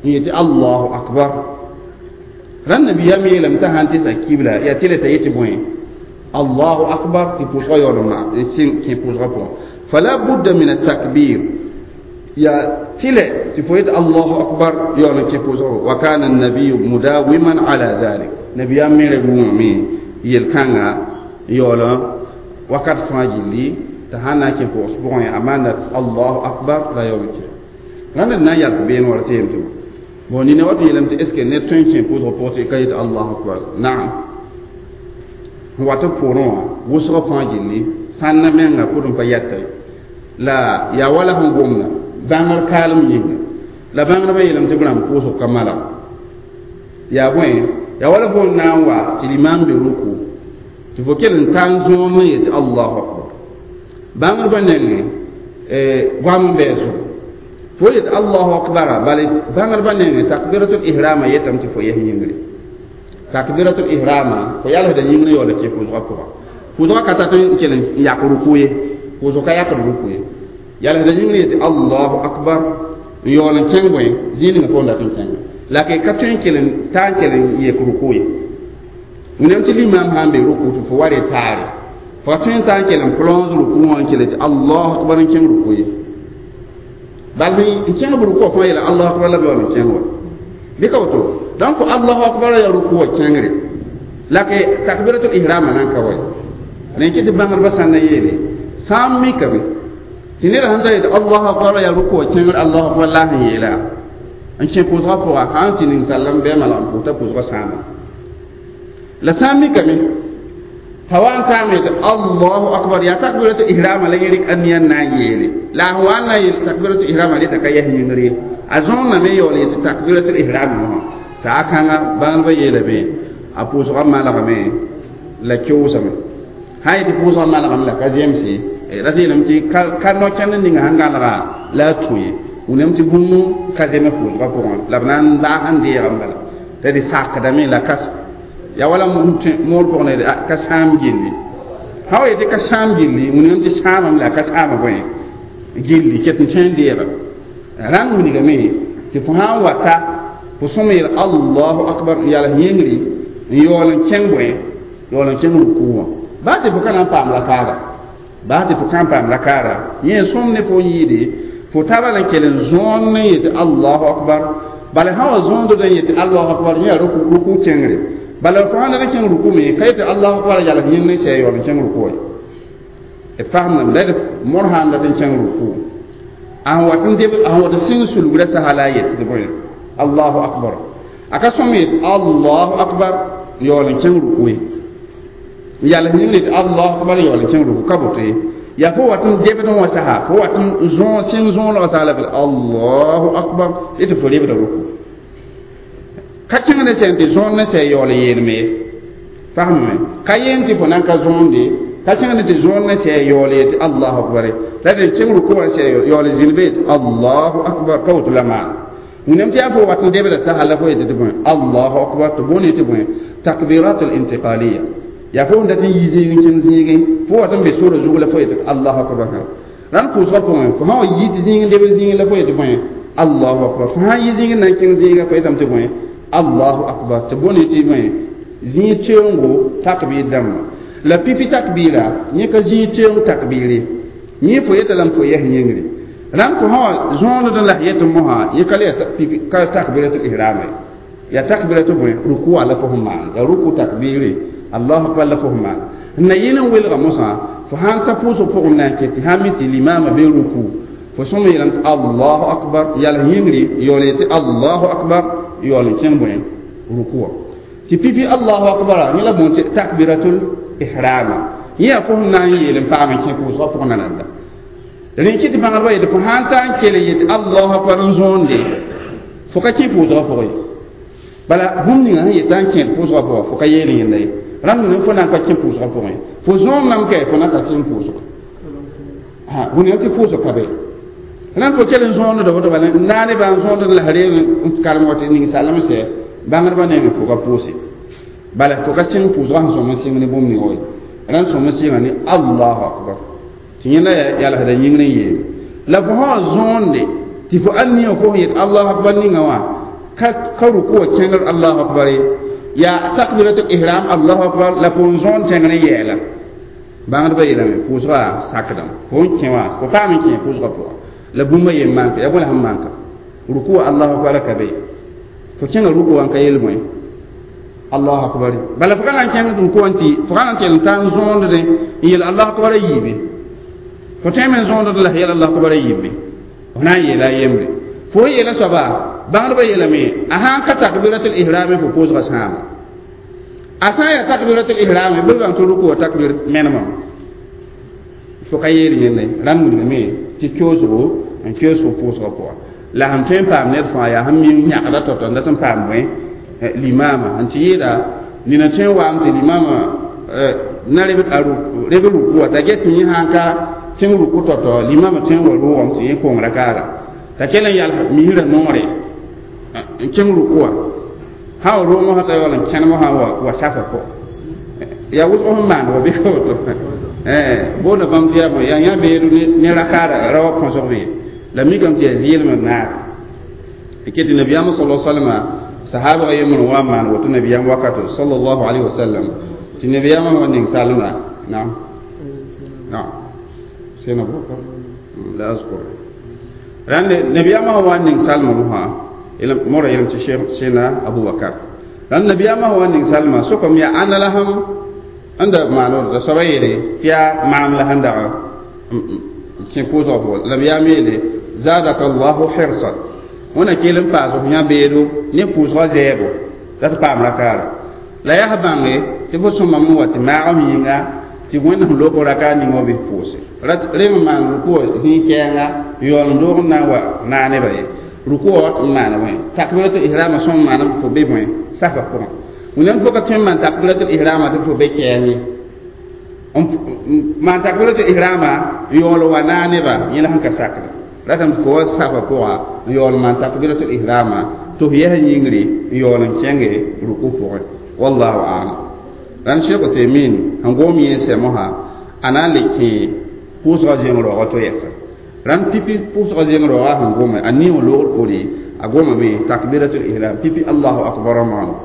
يتي الله أكبر ran nabiyam yeelame t'a sãn tɩ sa kibla yaa tɩ t'a yetɩ bõe Allahu akbar tɩ pʋʋsgã yaool n kẽ pʋʋsgã pʋgẽ fala budda min atakbir ya tɩlɛ tɩ fo yetɩ Allahu akbar yaool n kẽ pʋʋsgã pʋgẽ wa kana annabiyu mudawiman ala dhalik nabiyam me ra wʋmame yel-kãnga yaool wakat fãa gilli t'a sãn na n kẽ pʋʋs pʋgẽ a maanda Allahu akbar la yaool n kẽ rãnd d na n yalk beene wala tɩ yem tɩ bon nina wat yeelame tɩ est ce que ned tõe n kẽ pʋʋsgã pʋgẽ tɩ ka yetɩ Allahu akbar naam n wat b poorẽ wã wʋsgã fãa gilli sãnna menga pʋd n pa yɛta ye la yaa wala sẽn gomda bãngr kaalem yĩnga la bãngdbã yeelame tɩ b rãmb pʋʋsg ka malg yaa bõe yaa wala fo n na n wa tɩ limaam be ruku tɩ fo kell n taa n zõom n yetɩ Allahu akbar bãngdbã nengẽ goam n bɩ zugu fo yetɩ Allahu akbar bala bãngdbã nengẽ takbiratul ihrama yetame tɩ fo yes yĩngre takbiratul ihrama fo yalsda yĩngre yaool n kẽ pʋʋsgã pʋga pʋʋsgã ka tat n kell n yak ruku ye pʋʋsg ka yakd ruku ye yalsda yĩngre yetɩ Allahu akbar n yaool n kẽng bõe zĩig ninga fo n dat n kẽnga la ka tõe n kell n taa n kell n yek ruku ye wẽnnaam tɩ limaam sã n be ruku tɩ fo wa re taare fo ka tõe n taa n kell n plonge ruku wã n kell tɩ Allahu akbar n kẽng ruku ye bal n kẽng b ruku wã fãa yeela Allahu akbar la b yaool n kẽng wa bɩ ka woto donc Allahu akbar ya ruku wã kẽngre la ke takbiratul ihrama nan ka wa rẽ kɩ tɩ bãngdbã sã n na yeele sã n mikame tɩ ned sãn ta yetɩ Allahu akbar ya ruku wã kẽngr Allahu akbar la sẽn yeela n kẽ pʋʋsgã pʋga sã n tɩ ninsal n bɩ malg n pʋʋs t'a pʋʋsgã sãama la sã n mikame t'a wa n taame tɩ Allahu akbar yaa takbiratul ihrama la yẽ rɩk aniya n na n yeele la a sẽn wa n na n yeel takbiratul ihrama reta ka yɛs yĩngr ye a zõoname yaool yetɩ takbiratul ihrama wã saa kãnga bãngdbã yeelame a pʋʋsgã malgame la keoosame sã yetɩ pʋʋsgã malgame la ka zemse ra tɩ yeelame tɩ ka no-kẽnd ninga sẽn gãlga la a tũ ye wẽnnaam tɩ bũmb ka zeme pʋʋsgã pʋgẽ la b na n laag n deegame bala t'a d sakdame la ka yaa wala moor pʋgẽ la ka sãam gilli sã wa yetɩ ka sãam gilli wẽnnaam tɩ sãamame la ka sãama bõe gilli ket n tõe n deega rãng wilgame tɩ fo sã n wata fo sõm yeel Allahu akbar n yals yĩngri n yaool n kẽng bõe yaool n kẽng ruku wã baa tɩ fo ka na n paam rakaara baa tɩ fo ka n paam rakaara yẽ sõm ne fo n yɩɩde fo taaba la n kell n zõon n yetɩ Allahu akbar bala sã wa zõond n yetɩ Allahu akbar yẽ yaa ruku kẽngre bala fo sãn dat n kẽng ruku me ka yetɩ Allahu akbar yals yĩngr n sɛ yaool n kẽng ruku wã d fasemdame la d mor sã n dat n kẽng ruku a sẽn wat n deb a sẽn wat n sɩng sulgrã sasa la a yet tɩ bõe Allahu akbar a ka sõm yet Allahu akbar yaool n kẽng ruku ye n yals yĩngr yetɩ Allahu akbar yaool n kẽng ruku ka boto ye yaa fo wat n debd wã sasa fo wat n zõo sɩng zõolgã sasa la b Allahu akbar tɩ fo lebda ruku Ka kẽng ne sẽn tɩ zõond ne sɛ yaool n yeelme ye fasme ka yeen tɩ fo nan ka zõonde ka kẽng ne tɩ zõond ne sɛ yaool yetɩ allahu akbar la dẽ kẽng ruku wã sɛ yaool zĩnd be yetɩ allahu akbar ka woto la maan wẽnnaam tɩ yaa fo wat n debda sasa la fo yetɩ tɩ bõe allahu akbar tɩ boond tɩ bõe takbiratul intiqaliya yaa fo n dat n yi zĩig n kẽng zĩigẽ fo wat n be sora zug la fo yetɩ allahu akbar rãnd pʋʋsgã pʋgẽ fo sã wa yi tɩ zĩig n debd zĩigẽ la fo yetɩ bõe allahu akbar fo sã n yi zĩig n na n kẽng zĩiga fo yetame tɩ bõe allahu akbar tɩ boond tɩ bõe zĩig teoongo takbir dãmba la pipi takbira yẽ ka zĩig teoong takbire yẽ fo yeta lame fo yɛs yĩngre rãnd fo sã wa zõond la yetɩ mosã yẽ ka le ka takbiratul ihram ya takbiratu bõe rukuwa la fo sẽn maan ya ruku takbire allahu akbar la fo sẽn maan n na yɩl n welga mosã fo sãn ta pʋʋsg pʋgẽ na n ket tɩ sãn mi tɩ limaamã be ruku fo sõm yeelame tɩ allahu akbar yals yĩngre yaool yetɩ allahu akbar yaool n kẽng bõe rukuwa tɩ pipi allahu akbar yẽ la bõe tɩ takbiratul ihrama yẽ yaa fo sẽn na n yeel n paam n kẽ pʋʋsgã pʋgẽ nananda rẽ kɩ tɩ bãngdbã yetɩ fo sãn ta n kell yetɩ allahu akbar n zõonde fo ka kẽ pʋʋsgã pʋgẽ ye bala bũmb ninga sẽn yetã n kẽed pʋʋsgã pʋga fo ka yeel yẽnda ye rãnd ne fo na n ka kẽ pʋʋsgã pʋgẽ fo zõom nam kɛ fo na ka sẽn pʋʋsga wẽnnaam tɩ pʋʋsg ka be rãnd fo kell n zõonda woto bala naanebã n zõond la reeg n karem wa tɩ ning-saalem sɛ bãngdbã nengẽ fo ka pʋʋse bala fo ka sẽng pʋʋsgã sẽn sõm n sɩng ne bũmb ning ye rãnd sõm n sɩnga ne allahu akbar tɩ yẽnda yalsda yĩngr n yeel la fo sã wa zõonde tɩ fo ãn nia fo sẽn yet allahu akbar ninga wã ka ruku wa kẽngr allahu akbar ye yaa takbiratul ihram allahu akbar la fo n zõond tẽngr n yɛɛla bãngdbã yeelame pʋʋsgã sakdame fo n kẽ wã fo paam n kẽ pʋʋsgã pʋga la bũmba yen manka ya bõe la sẽn manka ruku wa allahu akbar ka be fo kẽnga ruku wã n ka yel bõe allahu akbar bala fo ka na n kẽng ruku wã tɩ fo ka na n kell n ta n zõondẽ n yel allahu akbar a yiibe fo tõeme n zõond la yel allahu akbar a yiibe fo na n yeela a yembre fo yeela soaba bãngdbã yeelame a sãn ka takbiratul ihrame fo pʋʋsgã sãama a sã n yaa takbiratul ihrame bɩ bãng tɩ ruku wa takbir menemã fo ka yeel yẽnda ye rãmb wilgame tɩ koosgo n keoos fo pʋʋsgã pʋga la sẽn tõe n paam ned fãa yaa sẽn mi yãgda tao-tao n dat n paam bõe limaama n tɩ yɩɩda nina tõe n waam tɩ limaama na reb ruku wa t'a get tɩ yẽ sãn ka kẽng ruku tao-tao limaamã tõe n wa roogame tɩ yẽ kong rakaara t'a kell n yals misrã noore n kẽng ruku wã sã wa roog mosã t'a yaool n kẽnem sã wa safa pʋgã yaa wʋsg sẽn maan wa bɩ ka woto boonda bãmb tɩ yaa bõe yaa yã beedo ne rakaara ra wa põsg be la mikame tɩ yaa zɩɩlem n naar ket nabiyaamã sala salama sahaba yembr wa maan woto nabiyaam wakato sallallahu alaihi wasallam tɩ nabiyaamã wa ning salma naam naam sẽna abubakar la azkur rãnd nabiyaamã wa ning salma mosã mora yeelame tɩ sẽna abubakar rãnd nabiyaamã wa ning salma sokame yaa ãnna la sẽm n da maan t'a soaba yeele tɩ yaa maam la sẽn dag kẽ pʋʋsgã pʋgã nabiyaam yeele zadaka allahu hirsan wẽna kell n paas f yã beedo ne pʋʋsgã zɛɛbo la tɩ paam rakaara la yaa bãnge tɩ fo sõmame n wa tɩ maagem yĩnga tɩ wẽnnaam lobg rakaar ning wã bɩ pʋʋse rem n maan ruku wã zĩig kɛɛnga yaool n doog n na n wa naanebã ye ruku wã wat n maana bõe takbiratul ihrama sõm maana fo be bõe safa pʋgẽ wẽnnaam fo ka tõe n maan takbiratul ihrama tɩ fo be kɛɛng ye maan takbiratul ihrama n yaool wa naanebã yẽ la sẽn ka sakda ratame tɩ fo wa safa pʋgã n yaool maan takbiratul ihrama tɩ f yɛs yĩngre n yaool n kẽnge ruku pʋgẽ wallahu alam rãnd Sheikh Uthaymin sẽn gom yẽ sɛ mosã a na n le kẽ pʋʋsgã zẽng raoogã to yɛsa rãnd pipi pʋʋsgã zẽng raoogã sẽn gome a ning loogr poore a gomame takbiratul ihram pipi allahu akbar maano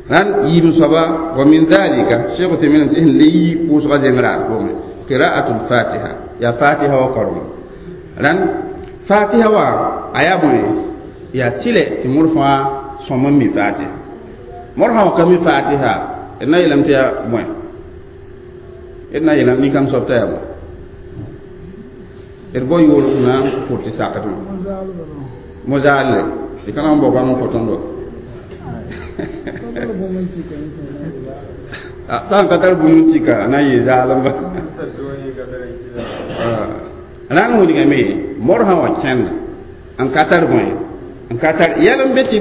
rãnd yiib soaba wa min dhalika Sheikh Uthaymin tɩ sẽn le yi pʋʋsgã zẽng raar pʋgẽ qira'atul fatiha ya fatiha wa karma rãnd fatiha wa a yaa bõe yaa tɩlɛ tɩ mor fãa sõm n mi fatiha mor sã wa ka mi fatiha d na yeelame tɩ yaa bõe d na yeelame nin-kãng soab t'a yaa bõe d bao yoolg na n pʋr tɩ sakdmã mo-zaalle d ka na n bao bãmb n kõ tõndo sã n ka tar bũmb n tika a na n yɩ zaalemba rãng wilgame mor sã wa kẽnda n ka tar bõe N ka tar yɛl n be tɩ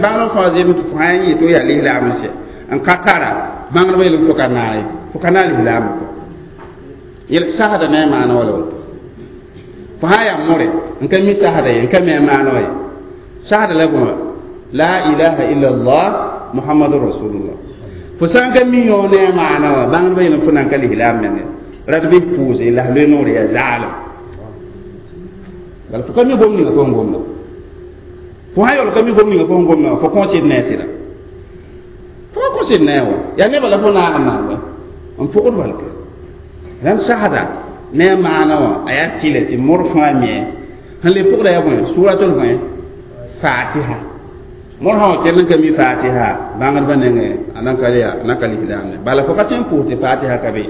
bãngr fãa zeem tɩ fo sã n yet yaa lislaam n sɛ n ka tara bãngdbã yeelame fo ka naag ye fo ka naag lislaamã pʋgẽ yel sasda ne a maana wala woto fo sã n yaa more n ka mi sasda ye n ka mi a maana wa ye sasda la bõe la ilaha illa allah muhammadu rasulullah fo sã n ka mi yõ ne a maana wã bãngdbã yeelame fo nan ka lislaam menge rat bɩ pʋʋse la f loe noor yaa zaalem bala fo ka mi gom ninga fo sẽn gomda fo sã yaool ka mi gom ninga fo sẽn gomda fo kõ sɩd ne a sɩda fo ka kõ sɩd ne a wa yaa nebã la fo naag n maan wa n pʋgd balke rãmb sasda ne a maana wã a yaa tɩlɛ tɩ mor fãa mie sẽn le pʋgda yaa bõe suratul bõe fatiha mor sã wa kell n ka mi fatiha bãngdbã nengẽ a nan ka yaa a nan ka lislaam ne bala fo ka tõe n pʋʋs tɩ fatiha ka be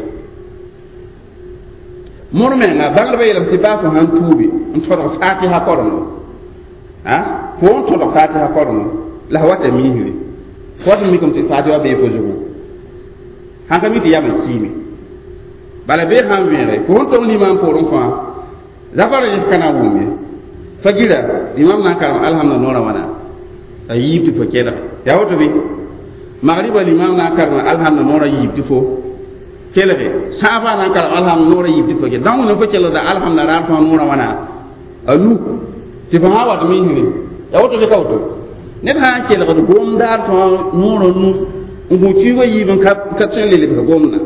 mor menga bãngdbã yeelame tɩ baa fo sãn tuubi n tõdg fatiha korengɔ a fo n tõdg fatiha korengɔ la f wata miisre fo wat n mikame tɩ fatiha bee fo zugu sãn ka mi tɩ yam n kiime bala bee sãn vẽege fo sẽn tong limam poorẽ fãa zabara yẽs ka na n wʋm ye fa gira limam na n karem alhamda noorã wãna a yiib tɩ fo kelg yaa woto bɩ magriba limam na n karem alhamda noorã yiib tɩ fo kelge sãafã na n karem alhamda noorã yiib tɩ fo kelg dãng wẽnnaam fo kelgda alhamda raar fãa noorã wãna a nu tɩ fo sã n wat misre yaa woto bɩ ka woto ned sã n kelgd gomdaar fãa noorã nu n gũ kiuugã yiib n ka tõe n le lebg gomdã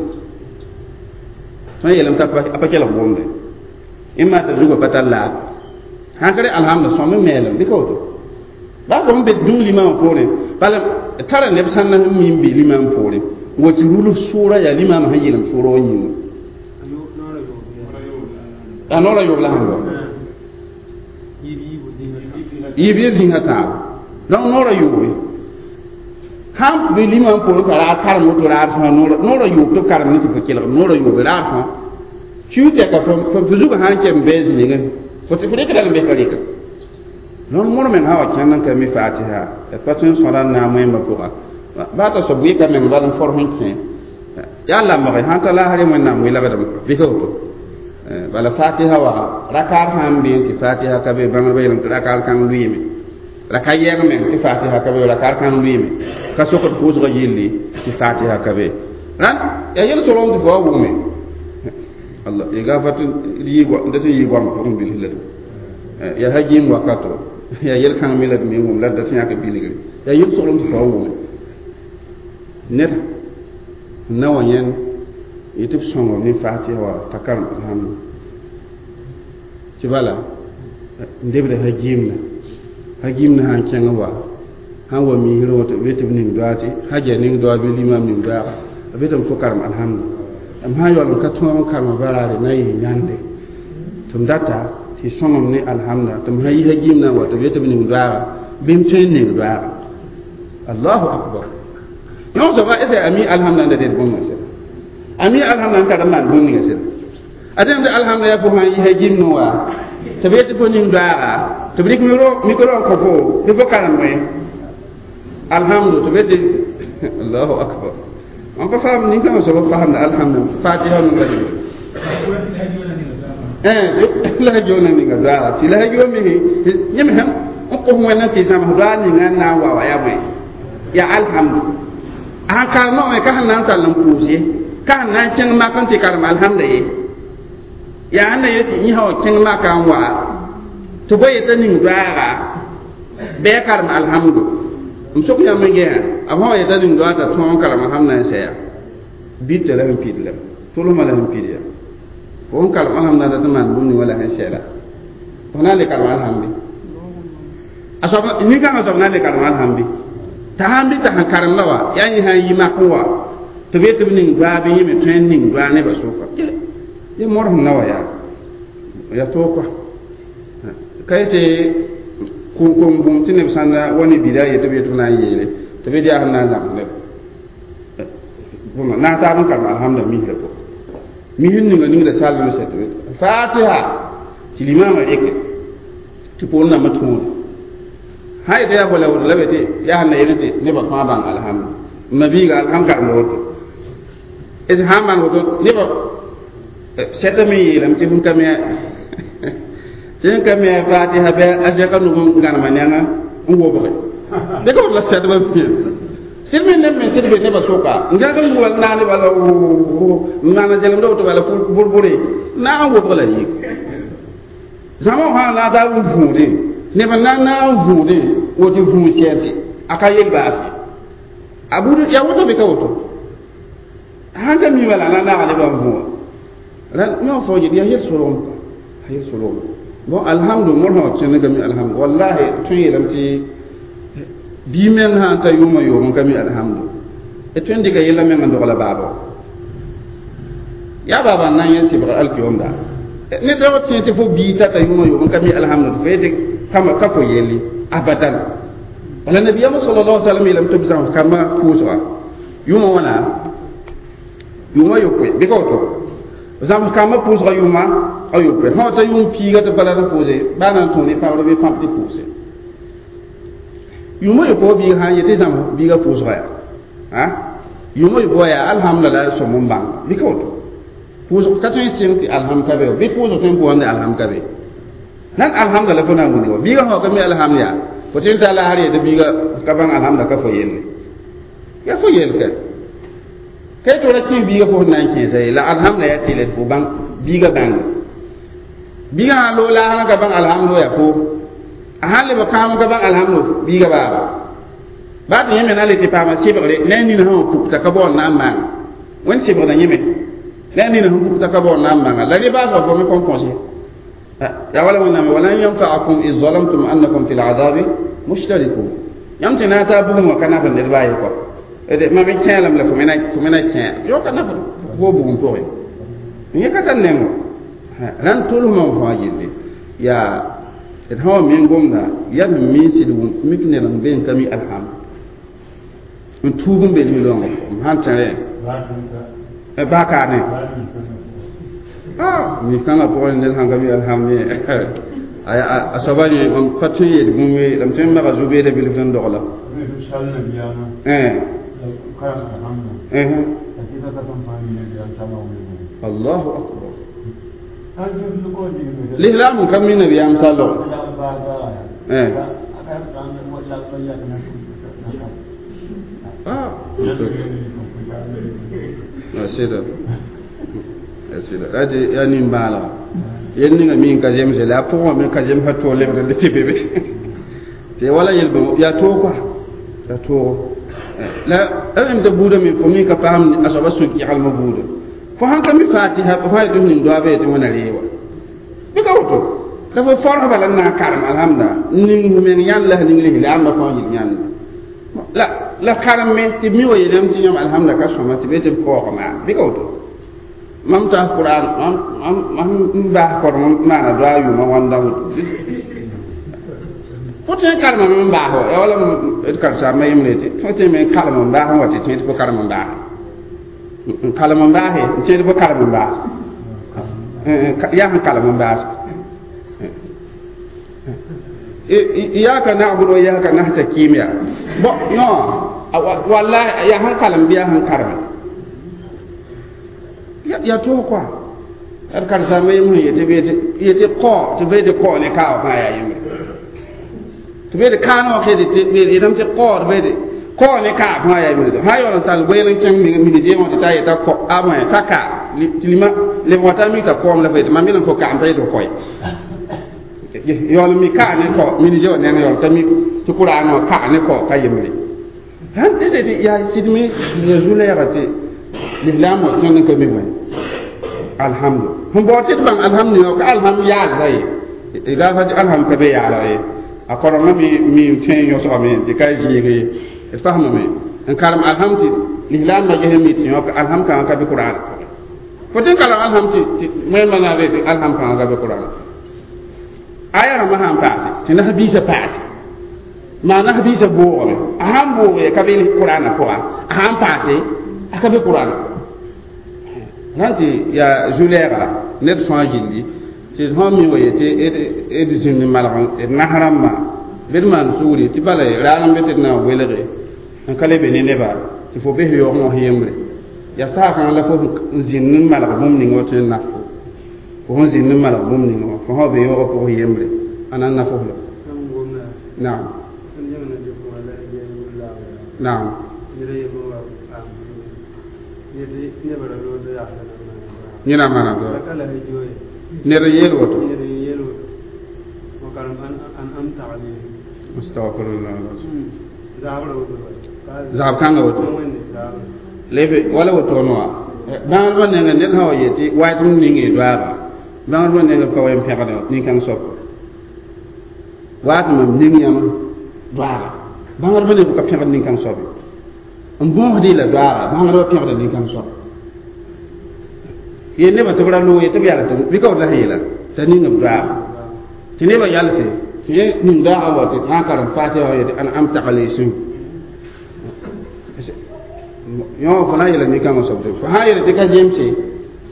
tõe n yeelame t'a pa kelg gomde ẽn maa t'a zugã pa tar laag sãn ka re alhamda sõm n meelem bɩ ka woto baa fo n be dũm limamã poorẽ bala tara neb sãnda sẽn mi n be limam poorẽ n wa tɩ rulg sʋʋra yaa limamã sẽn yeelem sʋʋra wã yĩnga a noorã yoob la sẽn wa yiib yɩ zĩsã tãabo donc noorã yoobe sãn be limam poorẽ t'a raar karem woto raar fãa noorã yoob tɩ b karem ne tɩ fo kelg noorã yoobe raar fãa kiu tɛka fo zugã sã n kem bɩ zĩigẽ fo tɩ fo rɩkda n be ka rɩka donc mor meng sã wa kẽnd n ka mi fatiha d pa tõe n sõda n na n wẽmba pʋga baa t'a soab wɩka meng bala n for sẽn kẽ yaa lamge sãn ta laasre wẽnnaam welgdame bɩ ka woto bala fatiha wa rakaar sã n bee tɩ fatiha ka be bãngdbã yeelame tɩ rakaar kãng lʋɩɩme raka yɛng meng tɩ fatiha ka be rakaar kãng lʋɩɩme ka sokd pʋʋsgã yelli tɩ fatiha ka be rãnd yaa yel solgem tɩ fo wa wʋme Allah ya gafarta yi da tɩ yɩ goam pʋgẽ bilf la yaa ha gĩim wakato yaa yel kãng me la d me wʋm la d da tɩ yãk bilgre yaa yel soglem tɩ fo wa wʋme ned n na wa yẽnd yetɩ b sõngr ne fatiha wa t'a karem alhamdu tɩ bala n debda ha gĩimda ha gĩimda sãn kẽng wa sãn wa misrẽ woto b tɩ b ning doa tɩ haja ning doa bɩ limam ning doaaga b be tɩ m fo karem alhamdu m sãn yaool n ka tõog n karema baraare na n yɩ yãnde tɩ m data tɩ sõngem ne alhamda tɩ m sã yi ha gĩimdã n wa tɩ b yetɩ b ning doaaga bɩ m tõe n ning doaaga allahu akbar yõ soaba ese a mi alhamda n da ded bũmb sẽda a mi alhamda n tar n maan bũmb ninga sẽda a dẽmd alhamda yaa fo sãn yi ha gĩimdẽ wa tɩ b yetɩ fo ning doaaga tɩ b rɩk micro n kõ fo tɩ fo karem bõe alhamdu tɩ b yetɩ allahu akbar n pa faam nin-kãngã soab faamda alhamdu fatiha nunga la ha joona ninga doaaga tɩ la ha joon me yẽm sẽm n kos wẽnd n tɩ zãms doaag ninga n na n wa wa yaa bõe yaa alhamdu a sãn karemã wã ka sẽn na n tall n pʋʋs ye ka sẽn na n kẽng mak n tɩ karem alhamda ye yaa sẽn na yet tɩ yĩsã wa kẽng maka n wa tɩ bõe yetã ning doaaga bɩ a karem alhamdu m sok yãmb n gẽa a fõ wa yetã ning doaag t'a tõog n karem alhamda n sɛya bita la sẽn pid la tʋlsmã la sẽn pid ya fo n karem alhamda la tɩ maan bũmb ning wala sẽn sɛla fo na n le karem alhamdi a soab nin-kãngã soab na n le karem alhamdi t'a sãn bɩ t'a sẽn karem la wa yaa yẽ sã n yi mak n wa tɩ b yet tɩ b ning doaag bɩ yẽ me tõe n ning doaag nebã sʋka yẽ mor sẽn na wa yaa yaa toog kɔa ka yetɩ kom bũmb tɩ neb sãnda wa ne bida yetɩ b yetɩ b na n yeele tɩ b yet yaa sẽn na n zãms neb bõmba naag taab n karem alhamda misrã pʋgẽ misr ninga ningda sall n sɛ tɩ fatiha tɩ limamã rɩke tɩ poor nambã tõode sã yetɩ yaa bala woto la be tɩ yaa sẽn na yel tɩ nebã fãa bãng alhamdu ma biiga alham karemda woto d sã n maan woto nebã sɛta me yeelame tɩ fõn ka me Tɩ ka me fatiha bɩ a zɛka nug n gãnema nengã n wobge dɩk b la sɛdbã pĩa sɩd me neb me sɩd be nebã soka n gãg n wal naane bala n maana zelemda woto bala borbore naag n wobg la yik zãma sã na taa n vũudẽ neb n na n naag n vũudẽ woto vũu sɛɛte a ka yel baase a bud ya woto bɩ ka woto sãn ka mi bala na naag nebã n vũa ra yõ fo yel yaa yel-solgem a yel-solgem bon alhamdu mor sã tẽnegame alhamdu wallahi tõe yeelame tɩ bii meng sã n ta yʋʋmã yoom n ka mi alhamdu d tõe n dɩka yella meng n dogla baaba yaa baaba n na n yẽ sɩbg alkiyomda ne daoog tẽ tɩ fo bii tata yʋʋmã yoom n ka mi alhamdu tɩ fo yetɩ kama ka fo yelli abadan wala nabiyama sallallahu alaihi wasallam yeelame tɩ b zãms kambã pʋʋsga yʋʋmã wãna yʋʋmã yopoe bɩ ka woto zãms kambã pʋʋsga yʋʋma a yopoe sã ta yʋʋm piiga tɩ bala d pʋʋse baa na n tõog ne pãbr bɩ pãp tɩ pʋʋse yʋʋmã yopoe biig sã n yetɩ zãms biigã pʋʋsga yaa yʋʋmã yopoe yaa alhamdulillah sõm n bãng bɩ ka woto pʋʋsg ka tõe n sɩng tɩ alham ka be bɩ pʋʋsg tõe n pʋʋsd alham ka be nan alhamdulillah fo na n wini wa biigã sã ka mi alham yaa fo tɩ n taa la har yetɩ biigã ka bãng alhamda ka fo yelle yaa fo yel ka ka tɩ ra kẽ biigã fo sẽn na n kẽesa ye la alhamda yaa tɩ la fo bãng biigã bãnga biigã sã loog laasrã ka bãng alhamdo yaa fo a sãn leb kãam ka bãng alhamdo biigã baaba baa tɩ yẽ me na le tɩ paama sɩbgre ne a nina sã wã pukta ka baool na n maanga wẽnd sɩbgda yẽ me ne a nina sẽn pukta ka baool na n maanga la rẽ baasgã fo me kõn kõs ye yaa wala wẽnnaam walan yanfaakum id zalamtum annakum fi ladabi mushtarikun yãmb tɩ na n taa bugum wã ka naf n ned baa ye kɔa mam kẽelem la fo me na kẽ yo ka naf fo bugum pʋgẽ yẽ ka tar nengo rãnd tʋlsmã fãa gilli yaa d sã wa me gomda yaa sẽn mi sɩd mik ned n be n ka mi alhamd n tuug n be ning-loongã m sãn tẽre baa kaane mi-kãngã pʋgẽ ned sãn ka mi alhamd ye a soaba yẽ mam pa tõe n yeel bũmb ye la m tõe n maga zu-beeda bilf n dogla allahu akbar lislaam n ka mi nabiyaam sallg sɩda sɩda ra tɩ yaa nin-bãalga yel ninga mi n ka zemse la a pʋgẽ me ka zemsã toog lebd le tɩ be be tɩ wala yel yaa toog koa yaa toogo la rẽm tɩ buudã me fo mi ka paam a soaba sũ-kɛgelmã buudã fo sãn ka mi fatiha fo sã yetɩ f ning doaaba yetɩ wẽna reewa bɩ ka woto la fo forg bala n na n karem alhamda n ning f meng yãnd la f ning lis la amba fãa yel yãnd la la karem me tɩ mi wa yeelame tɩ yãmb alhamda ka sõma tɩ be tɩ b kaoog maa bɩ ka woto mam taas qur'an mam n baas korem n maana doa yʋʋmã wãnda woto fo tõe n karemame n baas wa yaa wala d karen-saambã yembre tɩ fo tõe me n kalem n baas n wa tɩ tẽ tɩ fo karem n baas n kalem n baase n tẽed fo kalem n baas yaa sẽn kalem n baas iyaka na'budu wa iyaka nasta'in ya bon non wallahi yaa sẽn kalem bɩ yaa sẽn kareme yaa toog koa d karen-saambã yem sẽn yetɩ yetɩ kao tɩ be tɩ kao ne kaaba fãa yaa yembre tɩ be tɩ kaanã wã yetame tɩ kao tɩ be tɩ kao ne kaab fãa yaa yembre sã yaool n tall goɛɛl n kẽng minidieemã tɩ ta yeta ta ka tɩ lima leb wã t'a mik t'a koom la fo yetɩ mam yeelame fo kaam pa yetɩ fo koe yaool mi ka ne kao minidie wã neng yaool t'a mik tɩ kʋraanã wã ka ne kao ka yembre sãn tɩ yaa sɩdme ya zu-lɛɛga tɩ lislaam wã tõnd n ka mi wã alhamdu sẽn bao tɩ d bãng alhamdu yã ka alham yaalda ye gafa tɩ alham ka be yaala ye a korengã mi tõe n yõsgame tɩ ka zɩɩg ye d fasmame n karem alham tɩ lislaambã ges mi tɩ yõk alham kãngã ka be qur'an fo tɩ n karem alham tɩ wẽnnaam na n tɩ alham kãngã ka be qur'an aya rãmbã sã n paase tɩ nas-biisã paase maa nas-biisã boogame a sãn boog ka be qur'anã pʋga a sãn paase a ka be qur'anã sãn tɩ yaa zu-lɛɛga ned fãa gilli tɩ sãn mi wa yetɩ d zĩnd malg d nas rãmbã bɩ d maan sugri tɩ bala raag n be tɩ d na n welge n ka le be ne neba tɩ fo bes yaoogẽ wã yembre yaa saag-kãngã la fo n zĩnd n malg bũmb ning wã tõe n naf fo fo sẽn zĩnd n malg bũmb ning wã fo fo sã be yõogã pʋgẽ yembre a na n na fo la naam naam yẽna maana ned n yeel woto astagfirullah zab kãngã woto lebe wala woto wã bãngdbã nengẽ ned sã wa yetɩ waat m ning y doaaga bãngdbã nengẽ ka wa n pẽgd nin-kãng soab waat mam ning yãmb doaaga bãngdbã neng ka pẽgd nin-kãng soab n bõosd la doaaga bãngdbã pẽgda nin-kãng soab ye nebã tɩ b ra loog ye tɩ b yaa tɩ bɩ ka b la sẽn yeela t'a ning b doaaga tɩ nebã yalse tɩ yẽ ning doaaga wa tɩ sã n karem fatiha wã yetɩ ãn am taglesẽ yõ fo na n yeela nin-kãngã soab tɩ fo sã n yeela tɩ ka zemse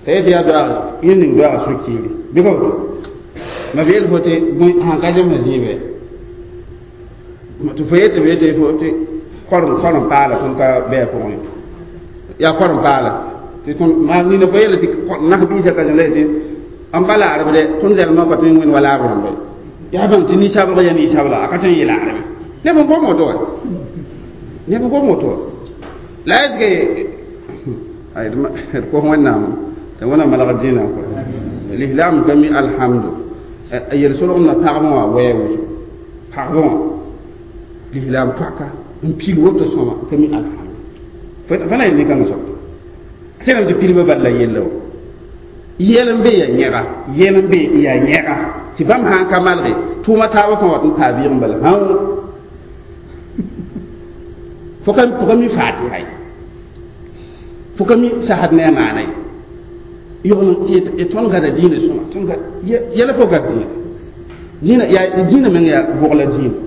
t'a yetɩ yaa doaaga yẽ ning doaaga sũ-kiiri bɩ ka woto ma b yeel fo tɩ sãn ka zemsã zĩibe tɩ fo yetɩ b yetɩ fo tɩ korem paala tõnd ka bɩ a pʋgẽ yaa korem paala tɩ tõnd maa nina fo yeela tɩ nas-biisã ka zẽm la yetɩ n pa laarb dɛ tõnd zɛlmã ka tõe n wẽnd wa laab rãmba yaa bãng tɩ ninsabg yaa ninsabla a ka tõe n yeel arbe neb n gom woto wa neb n gom woto wa la est ce que d kos wẽnnaam tɩ wẽnnaam malg dĩinã kɔ l'islam ka mi alhamdu a yel-solgem na pagb wã wɛɛ wʋsgo pagb wã l'islam paka n pil woto sõma ka mi alhamdu fa na yel nin-kãngã soab tẽlem tɩ pilbã bal la yella wa yɛl n be ya yẽga yɛl n be ya yẽga tɩ bãmb sã n ka malge tʋʋma taabã fãa wat n paa vɩɩg n bala hão fo ka mi fatiha ye fo ka mi sasd ne a maana ye yogl tɩ tõnd gada dĩinã sõma tõnd yɛla fo gad dĩinã dĩinã yaa dĩinã meng yaa bogla dĩinã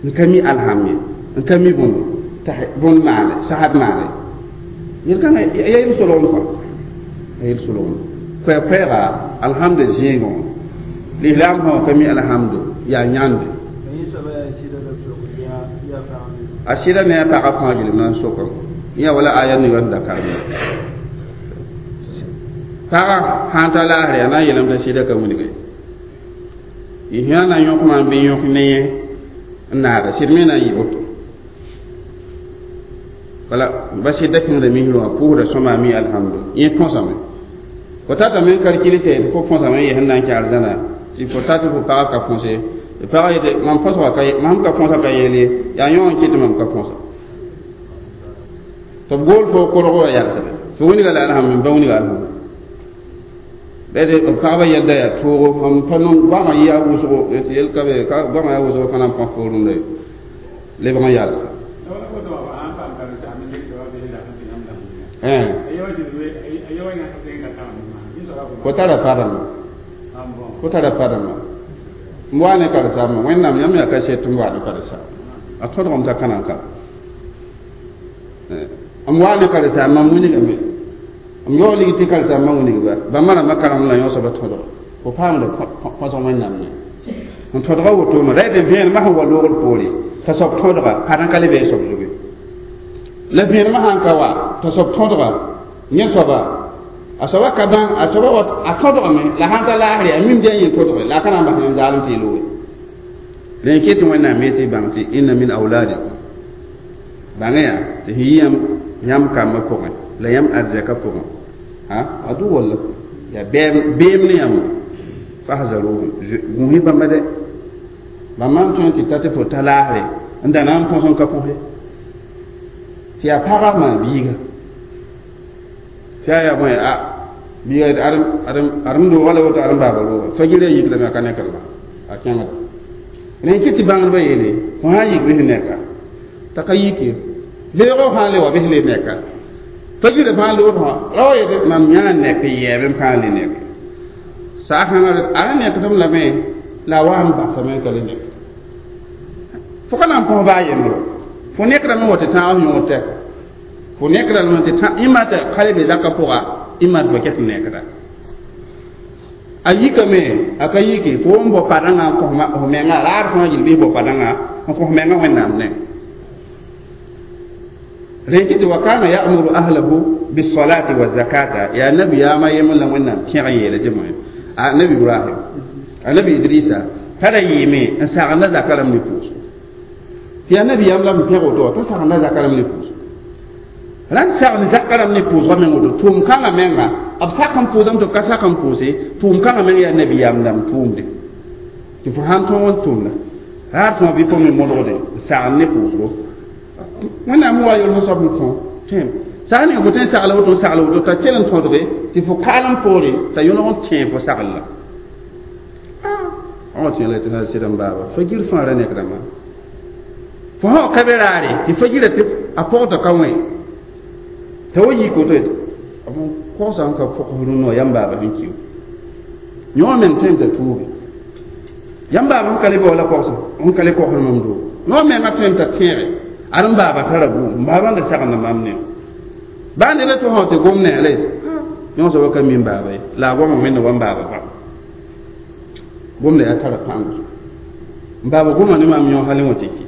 n ka mi alham ye n ka mi bõmb bõnd maane sasd maane yel-kãngã ya yel-solgem kɔa ya yel-solgem koɛɛ-koɛɛga alhamdu zẽegẽ wã l'islam sã ka mi alhamdu yaa yãnde a sɩda ne a pagã fãa gilem na n soka yã wala aya ninga sẽn da karem pagã sãn ta laasre yaa na n yeelame t'a sɩda ka wilge y sã na n yõk maam bɩ yõk ne yẽ n naaga sɩd me na n yɩ woto wala ba sɩda kẽngda misrã wã pʋʋsda sõma a mi alhamdu yẽ põsame fo tatame n kalkilse tɩ fo põsame n yɛs n na n kɛ arzãna tɩ fo tat fo pagã ka põse tɩ pagã yetɩ mam põsga ka mam ka põsa ka yeel ye yaa yõ n kɩt tɩ mam ka põsa tɩ b gool fo korgo wã yalsda fo wilga la alhamdu ba wilga alhamdu bɩ b pagba yɛlda yaa toogo mam pa nong goamã yɩ a wʋsgo tɩ yel ka be ka goamã yaa wʋsgo fãa na n põs fo rũndã ye lebg n yalsa fo tara padama fo tara padama n wa ne karen-saambã wẽnnaam yãmb yaa kaset tɩ m wa ne karen-saamba a tõdgem t'a ka na n ka m wa ne karen-saambã m wilgame m yaoog lig tɩ karen-saambã wilgba bãmba rãmbã karem la yõ soaba tõdg fo paamda põsg wẽnnaam ne n tõdga wotone ra tɩ vẽenemã sẽn wa loogd poore t'a soab tõdga pa n ka le bɩ soab zugu la vẽenemã sãn ka wa t'a soab tõdga yẽ soaba a soaba ka bãng a soaba wa a tõdgame la sãn ta laasre a mim dẽn yẽ tõdge la a ka na n bas yãmb zaalem tɩ y looge la yẽ ket wẽnnaam me tɩ bãng tɩ inna min auladikum bãngã yaa tɩ sẽn yɩ yãmb kambã pʋgẽ la yãmb arzɛkã pʋgẽ a adu walla yaa beem ne yãmb fahzaruhum gũus bãmba dɛ bãmba n tõe tɩ ta tɩ fo ta laasre n da na n põs n ka põse tɩ yaa pagã maa biiga tɩ yaa yaa bõe a biiga adem roogã la woto adem baaba rooga fagirã yikrame a ka nekrma a kẽngda rẽ kɩ tɩ bãngdbã yeele fo sã n yik bɩ neka t'a ka yike leoogã sã n le wa bɩ le neka fagirã fãa lood wã ra wa yetɩ mam yãa nek yɛɛbem fãa le nek saasãngã a ra nekdem lame la a wa n basame ka le nek fo ka na n põs baa yembre fo nekrame wa tɩ tãag yõod tɛka fo nekrame tɩ ɩma tɩ ka le be zakã pʋga ɩma tɩ fo ket nekda a yikame a ka yike fo n bao padãngã n kõ f menga raad fãa gil bɩ bao padãngã n kõ f menga wẽnnaam ne rẽ kɩ tɩ wa kana ya'muru ahlahu bisalati wa zakata yaa nabiyaamã yembr la wẽnnaam pẽg n yeela tɩ bõe Annabi Ibrahim annabi Idrisa tara yɩɩme n sagenda zaka rãmb ne pʋʋsgo tɩ yaa nabiyaam la m pẽg woto t'a sagenda zaka rãmb ne pʋʋsgo rãnd sagn zaka rãmb ne pʋʋsgã meng woto tʋʋm kãngã menga b sak n pʋʋsame tɩ b ka sak n pʋʋse tʋʋm kãngã meng yaa nabiyaam dãmb tʋʋmde tɩ fo sãn tõog n tʋmda raar tõog bɩ fo me modgde n sagn ne pʋʋsgo wẽnnaam wa yol fo soab n kõ tẽem sag ninga fo tõe n sagla woto n sagla woto t'a kell n tõdge tɩ fo kaalem poore t'a yõlg n tẽe fo sagl la wã tẽ la tɩ sɩd n baaba fagir fãa ra nekdãmbã fo sã ka be raare tɩ fagira tɩ a pɔgda ka wẽ t'a wa yik woto b kogsa n ka pɔgs rũnnã yãmb baaba sẽn kiu yõ meng tõe n t'a tuuge yãmb baaba sẽn ka le bao la kogsa sẽn ka le kogsd mam doogo yõ menga tõe n t'a tẽege ad n baaba tara buum n baaba n da sagenda mam ne baa neda tɩ fõ tɩ gom ne la yetɩ yõ soaba ka mi n baaba ye la a goma wẽnda wa n baaba pa gomda yaa tara pãng n baaba goma ne maam yõ hal wã tɩ ki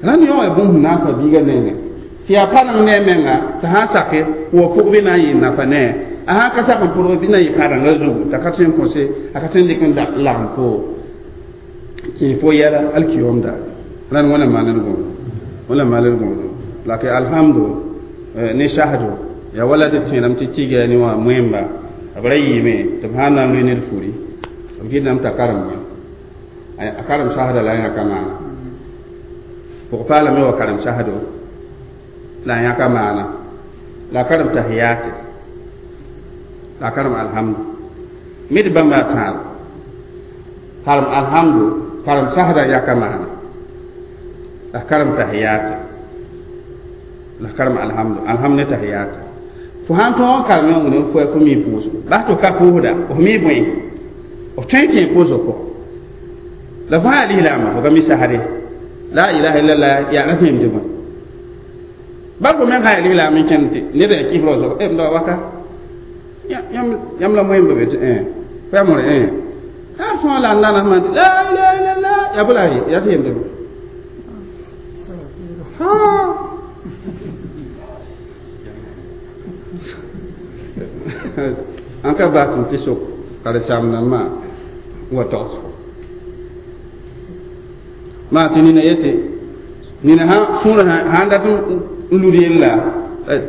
rãnd yõ ya bũmb sẽn na n pa biigã nengẽ tɩ yaa pa rãng ne a menga t'a sã n sake wa pʋg bɩ na n yɩ nafa ne a sã n ka sak n pʋdg bɩ na n yɩ pa-rãngã zugu t'a ka tõe n kõse a ka tõe n dɩk n lagem fo kẽ fo yɛla alkiyom daare rãnd wẽna maaned gõodo wẽna maaned gõodo la ke alhamdu ne sahdo yaa wala tɩ tẽedame tɩ tɩga ne wã moẽmba b ra yɩɩme tɩ b sãn na n loe ned furi b kɩtdame t'a karem wẽ a karem sasda la a yãka maana pʋg-paalame wa karem sasdo la a yãka maana la a karem tahiyate la a karem alhamdu mid bãmba a tãab karem alhamdu karem sasda yãka maana la karem tahiyate la karem alhamdu alhamdu ne tahiyate fo sãn tõog n karem yõ wẽnd fo fo mi pʋʋsgo bas tɩ f ka pʋʋsda f mi bõe f tõe n kẽ pʋʋsg pʋgẽ la fo sã yaa lislaamba fo ka mi sasde la ilaha illallah yaa ra tẽem tɩ bõe bal fo meng sã yaa lislaam n kẽnd tɩ ned yaa kɩs raoosg m da waka yãmb la moẽmba be tɩ fo yaa more yaa tõog la n nanas maan tɩ la ilaha illallah yaa bõ la yaa tɩ yem tɩ bõe n ka bas tɩ tɩ sok karen-saam-dãmbã wa togs fo maa tɩ nina yetɩ nina sã sũurã sãn dat n lud yella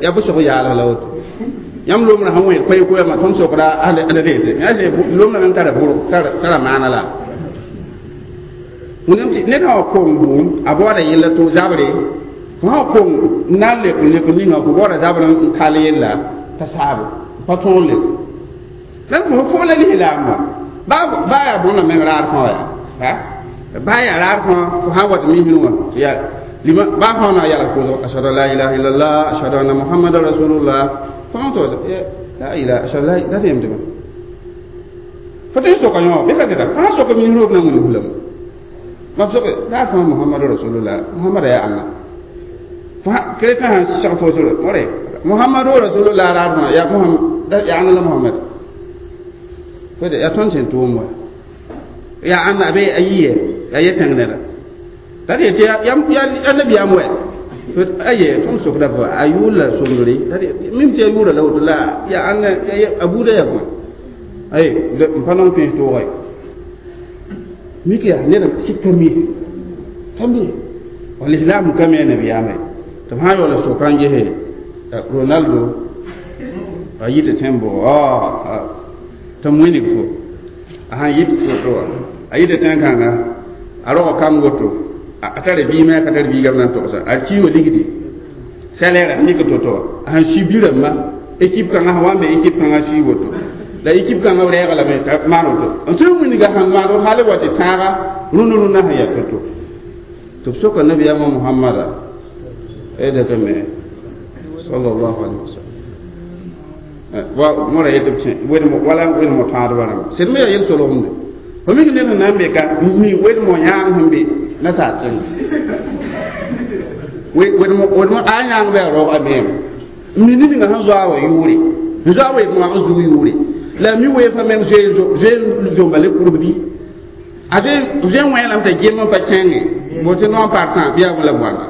yaa bʋ sog yaalg la woto yãmb lomrã sẽn wẽed koe-koɛɛmã tõnd sokda lomrã meng tara bʋrg tara maana la wẽnnaam tɩ ned sã wa kong bʋʋm a baooda yella tɩ zabre fo sã wa kong n na n lek n lek ninga fo baooda zabr n kal yella t'a saabo pa tõog lek la fo fo la lislaam wã baa yaa bõna meng raar fãa yaa baa yaa raar fãa fo sã n wa tɩ misrẽ wã yaa lima baa fãa na yala pʋʋsg ashhadu an la ilaha illallah ashhadu anna muhammadan rasulullah fo sã tɩ la ilaha ashhadu la da tɩ yem tɩ fo tɩ soka yõ bɩ ka tɩta fo sã soka misrẽ b na n wilg lame ma f soke daa fãa muhammadu rasulullah muhammada yaa ãnna fo keretã sã seg fo sore more muhammadu rasulullah raar fãa yaa muhammad yaa ãnna la muhammad fo de yaa tõnd sẽn tʋʋm wa yaa ãnna be a yiye yaa yetẽng neda t'a tɩ yetɩ yaa nabiyaam wɛ aye tõnd sokda fo a yʋʋr la somdre mim tɩ a yʋʋra la woto la yaa ãnna a buuda yaa bõe ay n pa nong pẽes tooga ye mik yaa ned sik ka mi ka mi walislaam ka mi a nabiyaama ye tɩ b sã n yaoola soka n gese Ronaldo a yɩ tɩ tẽn bʋgo tɩ m wĩnig fo a sãn yɩt woto wã a yɩ tɩ tẽn-kãnga a rog kam woto a tara biimã a ka tar biigame na n togsa a kiiwã ligdi salaire a yik to-to wã a sãn sui bi-rãmbã équipe kãngã sã wa n be équipe kãngã sui woto la équipe kãngã b rɛɛga lame t'a maan woto n tõe n wilga sãn maan woto hal wa tɩ tãaga rũnd rũndã sẽn yaa to-to tɩ b soka nabiyaamã Muhammada me sallallahu alaihi wasallam wa mora yetɩ b tẽ wala wedmo tãadbã rãmba sed me yaa yel-solgemde fo mik ned sẽn na n be ka mi wedmo yãang sẽn be nasaar tẽnga wedmo a yãang bɩ a raoog a meeme n mi ned ninga sẽn zoa wa yʋʋre n zoa wa wãg zug yʋʋre la mi weefã meng zoe zomba le kurb bɩ a zoe n wẽ lame t'a gem n pa kẽnge bote non partant bɩ yaa la bõana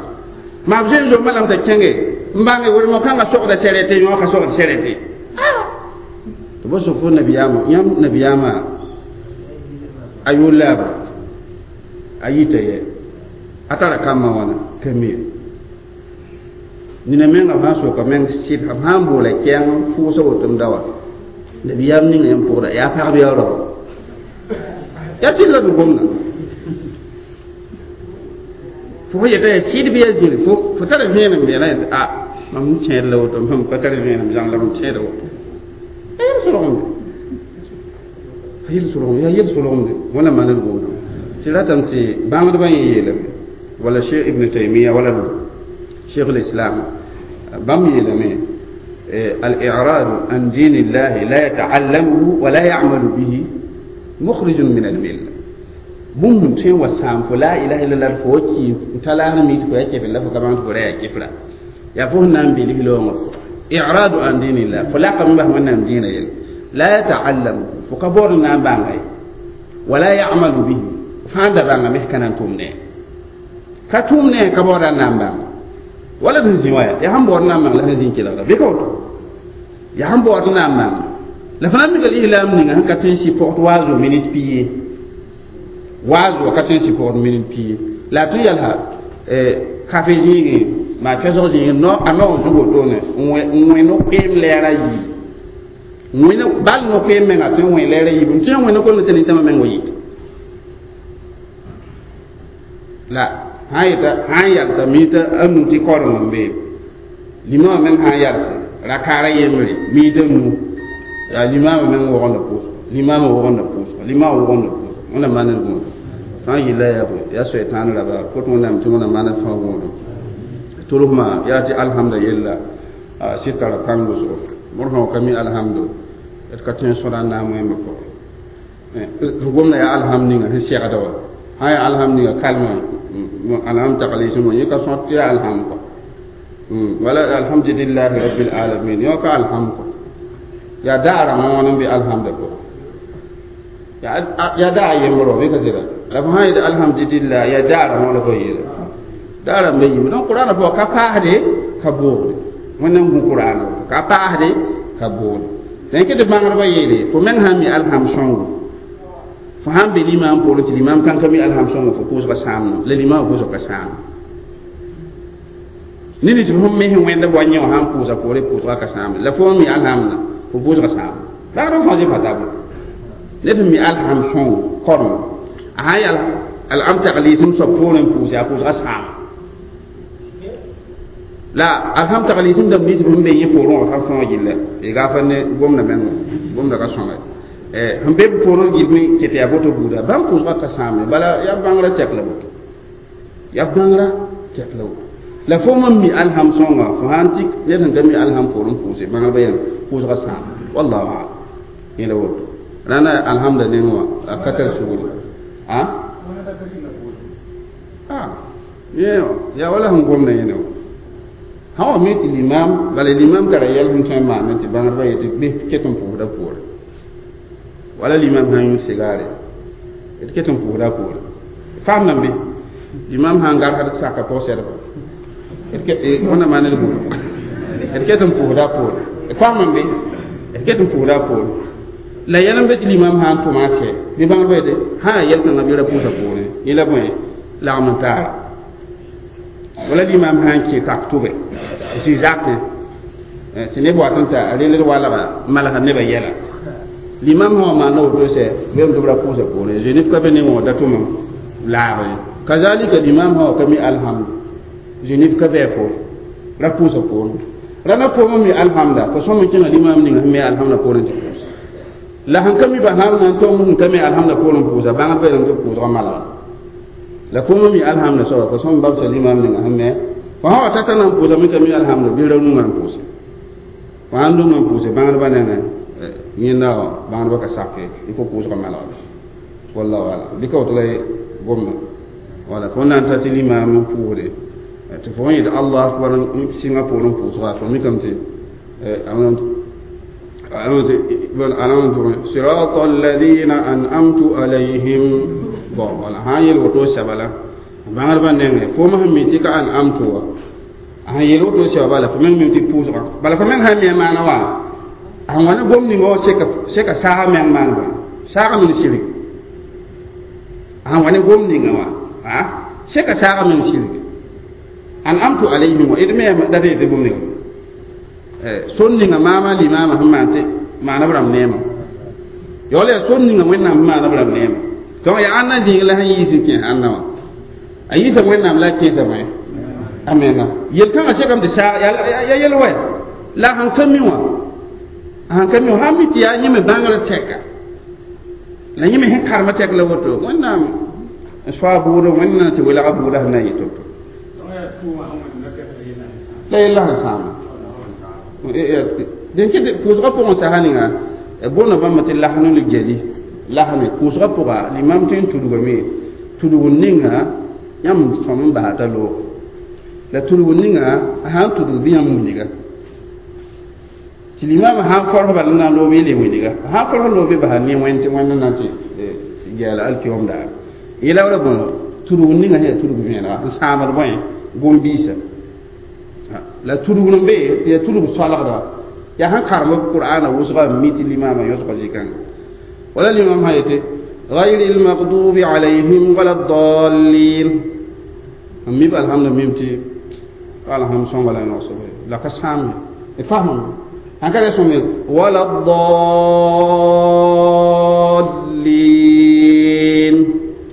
maa b zoe n zomba lame t'a kẽnge n bãnge wedmo kãngã sogda sɛrɛte yõ ka sogd sɛrɛte Tɩ b sok fo nabiyaamã yãmb nabiyaamã a yʋʋr laabra a yita yɛ a tara kambã wãna ka mi ye nina menga b sã n soka meng sɩd b sã n boola kɛɛng fʋʋsa woto m da wa nabiyaam ninga yãmb pʋgda yaa pagb yaa rao yaa sɩd la d gomda fo fo yeta yaa sɩd bɩ yaa zĩri fo tara vẽenem beena yetɩ a mam tẽed la woto mam ka tar vẽenem zãng la mam tẽeda woto yaa yel solgemde yel solgemde yaa yel solgemde wẽnnaam maan d gomdã tɩ ratame tɩ bãngdbã yẽ yeelame wala Cheikh Ibn Taymiya wala Cheikh l'Islam bãmb yeelame الإعراض عن دين الله لا يتعلمه ولا يعمل به مخرج من الملة bũmb tõe n wa sãam fo la ilaha illallah fo wa ki n ta laag mi tɩ fo ya kefel la fo ka bãng tɩ fo ra yaa kefra yaa fo sẽn na n bilg loongã i'radu an dinillah fo lakame bas wẽnnaam dĩinã yelle la yata'allamu fo ka baood n na n bãnga ye wala ya'malu bihi fãa da bãnga mes ka na n tʋm ne ka tʋm ne ka baooda n na n bãnga wala d sẽn zĩ wa yaa sẽn baood n na n bãng la sẽn zĩ n kelgda bɩ ka woto yaa sẽn baood n na n bãnga la fo na n mika lislaam ninga sẽn ka tõe n sɩ pɔgd waazo minit pii ye waazo ka tõe n sɩ pɔgd minit pii la a tõe n yalsa kafe zĩigẽ maa kɛsg zĩigẽ a nao zug wotone n wẽ no-koeem lɛɛr a yiib bal no-koeem menga tõe n wẽ lɛɛr a yiib n tõe n wẽ no-koeem tɩ nintãmã meng wa yit la sã n yeta sã n yalsa miita a nu tɩ koreng n bee limama meng sã n yalse rakaara yembre miita nu yaa limama meng wogenda pʋʋsga limama wogenda pʋʋsga limama wogenda pʋʋsga wẽnnaam maan d gũudum fãa yilla yaa bõe yaa soɛtãan raba kot wẽnnaam tɩ wẽnnaam maana fãa gũudum tʋlsmã yaa tɩ alhamda yella sɩd tara pãng wʋsgo bõr sã wa ka mi alhamdo d ka tõe n sõda n na n wẽmba pʋgẽ f gomda yaa alhamd ninga sẽn segda wa sã yaa alhamd ninga kalmã alhamd taglisẽ wã yẽ ka sõt tɩ yaa alhamd kɔ wala alhamdulillahi rabbil alamin yõ ka alhamd kɔ yaa daarãmã wãn n be alhamda pʋgẽ yaa daa yembr wa bɩ ka sɩda la fo sã n yetɩ alhamdulillah yaa daarãmã la fo yeela daarãmba yiime donc qur'ana pʋgã ka paasde ka boogde wẽnnaam gũ qur'ana woto ka paasde ka boogde dẽn tɩ bãngdbã yeele fo meng sã n mi alham sõngo fo sã n be limaam poorẽ tɩ limaam kãn ka mi alham sõngo fo pʋʋsga sãamna la limaamã pʋʋsg ka sãam ne tɩ fo me sẽn wẽnda wa yẽ wã sã n pʋʋsa poore pʋʋsga ka sãamne la fo n mi alhamna fo pʋʋsga sãam bãgdb fãa zĩ pa tabl ned sẽn mi alham sõngo korem a sã n yal alham tagliisem soab poorẽ n pʋʋse a pʋʋsga sãam la alham tagliisem dãmb nins sẽn be yẽ poorẽ wã ka sõog gilla y gafa ne gomda meng gomda ka sõnga sẽn be b poorẽ gill me ket yaa boto buuda bãmb pʋʋsga ka sãame bala yaa bãngrã tɛk la woto yaa bãngrã tɛk la woto la fo mam mi alham sõnga fo sã n tɩ ned sẽn ka mi alham poorẽ pʋʋse bãngrba yãmb pʋʋsga sãam wallahu alam yẽla woto rãna alhamda neng wã a ka tar sugri a yaa wala sẽn gomda yẽne wã sã wa mi tɩ limam bala limam tara yɛl sẽn tõe n maame tɩ bãngdbã yetɩ bɩ ket n pʋʋsda poore wala limam sã n yũ sigaare d ket n pʋʋsda poore faam nan be limam sã n garsd saka pʋg-sɛdba wẽnnaam maan d gũudum d ket n pʋʋsda poore faam n be d ket n pʋʋsda poore la yɛl n be tɩ limam sã n tʋma a sɛ bɩ bãngdbã yetɩ sã yaa yɛl-kãngã bɩ ra pʋʋsa poorẽ yẽ la bõe lagm n taara wala limam sã n kẽ tak tʋbɛ zĩ zakẽ tɩ neb wat n ta relg walga malga nebã yɛla limam sã wa maanda woto sɛ bɩ tɩ b ra pʋʋsa poorẽ zenif ka be ne wã da tʋm laag ye kazalika limam sã wa ka mi alhamdu zenif ka bɩ a poore ra pʋʋsa poorẽ rãna foom mi alhamda fo sõm n kẽnga limam ninga sẽn mi alhamda poorẽ tɩ pʋʋsa la sẽn ka mi basamna n tõm sẽn ka mi alhamda poorẽ pʋʋsa bãngd ba tɩ pʋʋsga malga la fo mi alhamda soaba fo sõm babsa limam ninga sẽn me fo sã wa tata na n pʋʋsa me ka mi alhamda bɩ ra nungã n pʋʋse fo sãn nungã n pʋʋse bãngdbã nengẽ yẽnda bãngdbã ka sake il faut pʋʋsga malga wallahu alam bɩ ka woto la gomda wala fo na n ta tɩ limam n pʋʋsde tɩ fo yet allah akbar n sɩngã poorẽ pʋʋsga fo mikame tɩ صراط الذين أنعمت عليهم bon wala sã n yel woto sɛba la bãngdbã nengẽ fo sẽn mi tɩ ka an'amtu wa sẽn yel woto sɛba bala fo meng mi tɩ pʋʋsga bala fo meng sã n mi a maana wa A wãna gom ninga wã seka saagã meng maan bõe saagã meng sɩrg a wã ne gom ninga wã seka saagã meng sɩrg an'amtu alayhim wa d me da reed bũmb ninga sor ninga maama limaamã sẽn maan tɩ maana b rãmb neema yaool yaa sor ninga wẽnnaam sẽn maana b rãmb neema donc yaa ãnna zĩig la sẽn yiis n kẽes ãnna wã a yiisa wẽnnaam la a kẽesa bõe a menga yel-kãngã sekame tɩ saag ya yel wɛ la a sẽn ka mi wã a sẽn ka mi wã sã n mi tɩ yaa yẽ me bãngrã tɛka la yẽ me sẽn karema tɛk la woto wẽnnaam n soa bʋʋdã wẽnnaam tɩ welga bʋʋdã sẽn na n yɩ to-to la yella sẽn sãama dẽn ket pʋʋsgã pʋgẽ sasa ninga boonda bãmba tɩ lasn l geli lasme pʋʋsgã pʋga limam tõe n tudgame tudg ninga yãmb sõm n basa t'a loog la tudg ninga a sãn tudg bɩ yãmb wilga tɩ limam sãn fɔrs bala n na n loog bɩ le wilga a sãn fɔrs loog bɩ basa ne wẽnd tɩ wẽnd na n tɩ gɛɛla alkiom daar yela wala bõe tudg ninga sẽn yaa tudg vẽenega n sãamd bõe gom-biisã la tudg n be tɩ yaa tudg soalgda yaa sẽn karem b qur'ana wʋsga n mi tɩ limaamã yõsga zĩ-kãnga wala limam sã yetɩ غير المغضوب عليهم ولا الضالين n mib alhamda mim tɩ alham sõnga la noosb la ka sãam ye fasmame sãn ka re sõm wala ddallin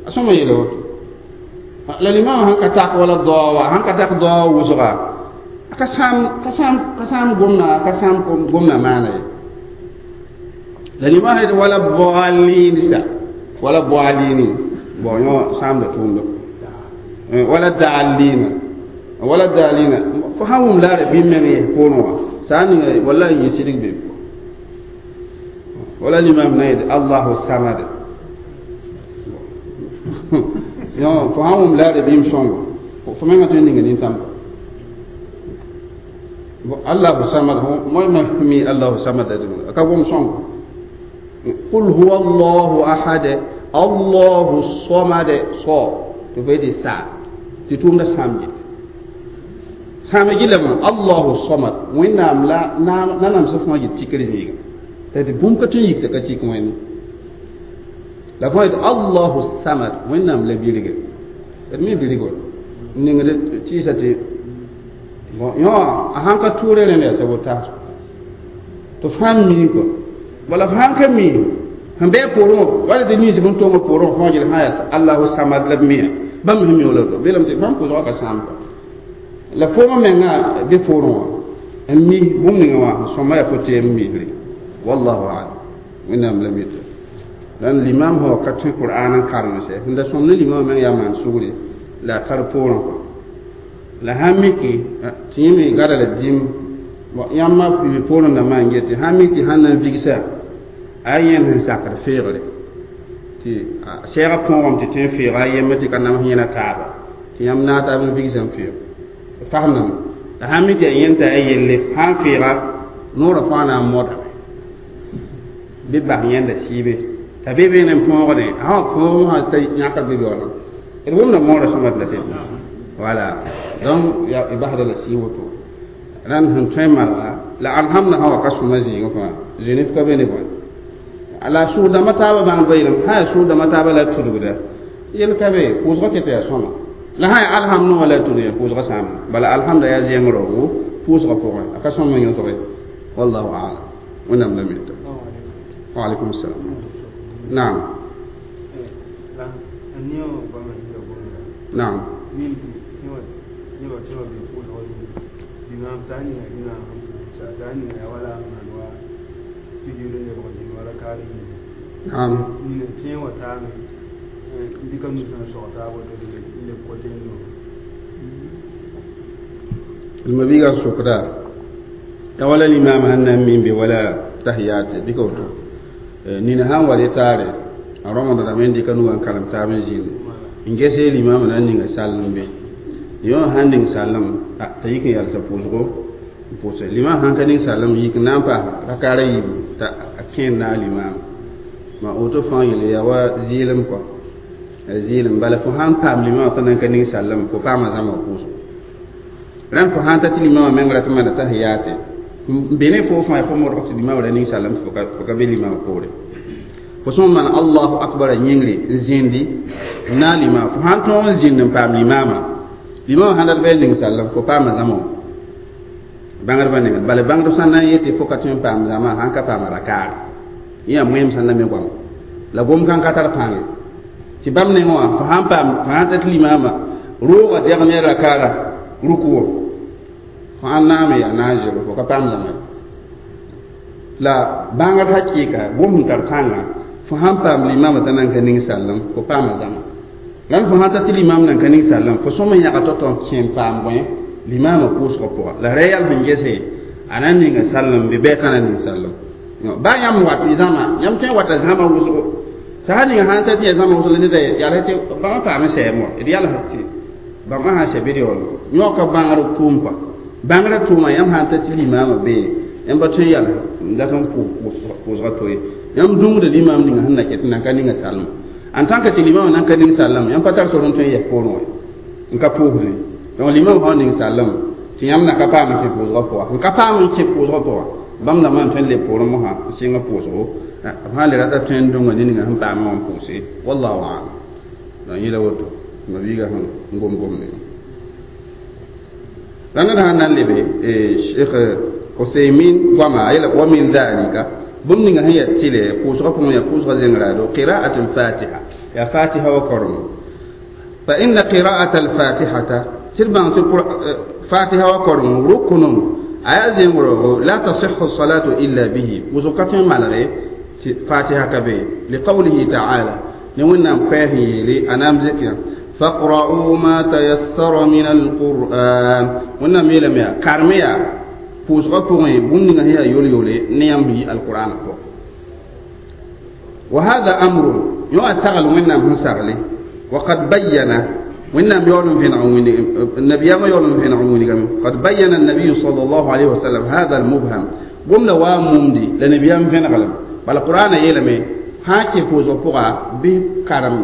a sõma yeela woto la limam sãn ka tak wala daowa sãn ka tak dao wʋsga ka sãam ka sãam ka sãam gomna ka sãam gomna maana ye la limam sã yetɩ wala dallin sa wala dallini bon yõ sãamda tʋʋmda wala dallina wala dallina fo sãn wʋm laara bɩ meng yɛs poorẽ wã sã n ninga wala n yẽ sɩdg be wala limam na yetɩ allahu samad yõ fo sãn wʋm laara bɩm sõngo fo mengã tõe n ninga nintãmba allahu samad moy ma mi allahu samad ka gom sõngo qul huwa allahu ahad allahu samad so tɩ fo yetɩ sa tɩ tʋʋmda sãam gil sãam gillame allahu samad wẽnnaam la nanamsã fõa yɩ tikr zĩiga tɩ bũmb ka tõe n yik t'a ka tik wẽnde la fõa yetɩ allahu samad wẽnnaam la birge d mi birg wa n ningd tɩɩsa tɩ bon yõ a sãn ka tʋʋre rẽnd yaa sabo taas tɩ fãa mii kɔ wala fo sãn ka mi sẽn bɩ a poorẽ wã wala tɩ ninsb n tong poorẽ wã fõa gil sã yaa allahu samad la b miã bãmb sẽn mi wala to belame tɩ bãmb pʋʋsgã ka sãam kɔ la foomã menga bɩ poorẽ wã n mi bũmb ninga wã sõma yaa fo tɩ n misre wallahu alam wẽnnaam la mita dãn limam sã wa ka tõe qur'an n karemse sẽn da sõm ne limamã meng yaa maan sugre la a tar poorẽ kɔ la sãn miki tɩ yẽ me gada la dĩm yãmba bɩ poorẽ dãmbã n get tɩ sãn mik tɩ sãn na n vigsa a yẽnd sẽn sakd feegre tɩ sɛɛgã põogame tɩ tõe n feega a yembre tɩ ka nams yẽna taaba tɩ yãmb naag taab n vigsa n feeg fasmdame la sãn mi tɩ yaa yẽnd t'a yaa yelle sãn feega noorã fãa na n modame bɩ bas yẽnda sɩɩbe t'a be beene n põogdẽ a sã wa põog sã t'a yãkd bɩ beoolẽ d wʋmda moorã sõma tɩ la tɩ voilà donc y basda la sɩ woto rãnd sẽn tõe n malga la alhamda sã wa ka sõma zĩigẽ fãa zĩnif ka be ne bõe la sʋʋg-dãmbã taabã bãngdbã yeelame sã yaa sʋʋg-dãmbã taabã la tudgda yel ka be pʋʋsgã ket yaa sõma la sã yaa alhamd wã la tudg yaa pʋʋsgã sãamda bala alhamda yaa zẽng raoogo pʋʋsgã pʋgẽ a ka sõm n yõsge wallahu alam wẽnnaam la mita waalaikum salam naam naam naam المبيغا سكرا ya wala limam hanna min be wala tahiyat dika woto nina han wale tare a ramadan da men dika nugan kalam tabe jini ngese limam nan ninga sallam be yo han ning sallam ta yik yalsa pʋʋsgo n pʋʋse limam sãn ka ning sallam yik na n paas rakaara yiibu t'a a kẽer naag limam ma woto fãa yele yaa wa zɩɩlem kɔ zɩɩlem bala fo sãn paam limamã t'a nan ka ning sallam fo paama zãma pʋʋsgo rãmb fo sãn ta tɩ limamã meng rat n maana tahiyate Bene fo fãa fo modg tɩ limaam ra ning salem fo ka be limaam poore fo sõm maan allahu akbar a yĩngre n zĩndi n naag limaam fo sãn tõog n zĩnd n paam limaamã limaamã sãn dat bɩ a ning sallem fo paama zãma wã bãngdbã nengẽ bala bãngdb sãn na n yetɩ fo ka tõe n paam zãma sãn ka paama rakaare yẽ yaa moeem sẽn na me goama la gom kãn ka tar pãnge tɩ bãmb nengẽ wã fo sãn paam fo sãn ta tɩ limaamã roogã dɛg ne rakaara ruku wã fo sãn naame yaa na n zɩg fo ka paam zãma la bãngd hakɩɩka gom sẽn tar pãnga fo sãn paam limaamã t'a nan ka ning sallem fo paama zãma la fo sãn ta tɩ limaam nan ka ning sallem fo sõm n yãga tao-tao n kẽ n paam bõe limaamã pʋʋsgã pʋga la ra yɛl sẽn gese a na n ninga sallem bɩ bɛɛ ka na ning sallem baa yãmb wat y zãma yãmb tõe n wata zãma wʋsgo sã ninga sãn ta tɩ ya zãma wʋsg la neda yals tɩ bãmba paam sɛɛm wã d yals tɩ bãmba sãn sɛ bɩ d yaool yõka bãngr tʋʋm kɔa bãngrã tʋʋma yãmb sãn ta tɩ limaamã bee yãmb pa tõe n yals n dat n pʋʋsga to ye yãmb dũngda limaam ninga sẽn na ket n nan ka ninga salma en tant que tɩ limaamã nan ka ning sallem yãmb pa tar sor n tõe n yɛs poorẽ wã n ka pʋʋsdẽ donc limaam sã ning sallem tɩ yãmb na ka paam n kẽ pʋʋsgã pʋga n ka paam n kẽ pʋʋsgã pʋga bãmb dãmbã n tõe n leb poorẽ mosã n sɩng pʋʋsgo b sã le rata tõe n dũnga ne ninga sẽn paamã wã n pʋʋse wallahu alam donc yẽla woto mabiiga sẽn gom gomde la ned sãn na n lebe Cheikh Usaymin goama a yeela wa min dhalika bũmb ninga sẽn yaa tɩlɛ pʋʋsgã pʋgẽ yaa pʋʋsgã zẽngraado qira'at al-fatiha yaa fatiha wa korem fa inna qira'at al-fatihata tɩ d bãng tɩ fatiha wa korem ruknun a yaa zẽngroogo la tasihhu salatu illa bihi wʋsg ka tõe n malge tɩ fatiha ka be liqawlihi ta'ala ne wẽnnaam koɛɛs n yeele a naam zɩk faqra'u ma tayassara min alquran wẽnnaam yeelame yaa karme yaa pʋʋsgã pʋgẽ bũmb ninga sẽn yaa yol-yole ne yãmb yi alqur'an pʋgẽ wa hada amrun yõ a sagl wẽnnaam sẽn sagle وقد بين wẽnnaam yaool n vẽneg n wilg nabiyaamã yaool n vẽneg n wilgame قد بين النبي صلى الله عليه وسلم هذا المبهم gomda waa mumdi la nabiyaam vẽneglem bala qur'ana yeelame sã kẽ pʋʋsgã pʋga bɩ karem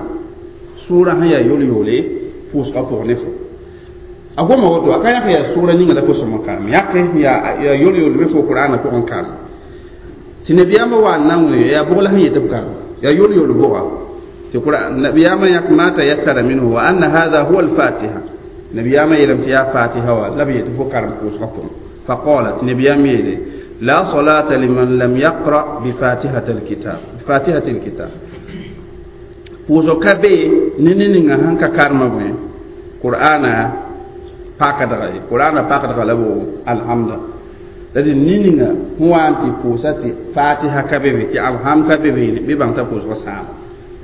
sʋʋrã sẽn yaa yol-yoole pʋʋsgã pʋg ne fo a goma woto a ka yãk yaa sʋʋra ninga la fo sõm n karem yãke yaa yol-yool bɩ fo qur'ana pʋgẽ karem tɩ nabiyaamã wa n na n wẽ yaa bʋg la sẽn yet b karem yaa yol-yool bʋga tɩ nabiyaamã yãk ma tayassara minhu wa anna hadha huwa alfatiha nabiyaamã yeelame tɩ yaa fatiha wa la b yetɩ fo karem pʋʋsgã pʋgẽ faqala tɩ nabiyaam yeele la salata liman lam yaqra bifatihati alkitab bifatihati alkitab pʋʋsg ka be ne ne ninga sẽn ka karema bõe qur'ana pakdga ye qur'ana pakdga la bo alhamda la dẽ ne ninga sẽn wa n tɩ pʋʋsa tɩ fatiha ka be be tɩ alham ka be be bɩ bãng t'a pʋʋsgã sãama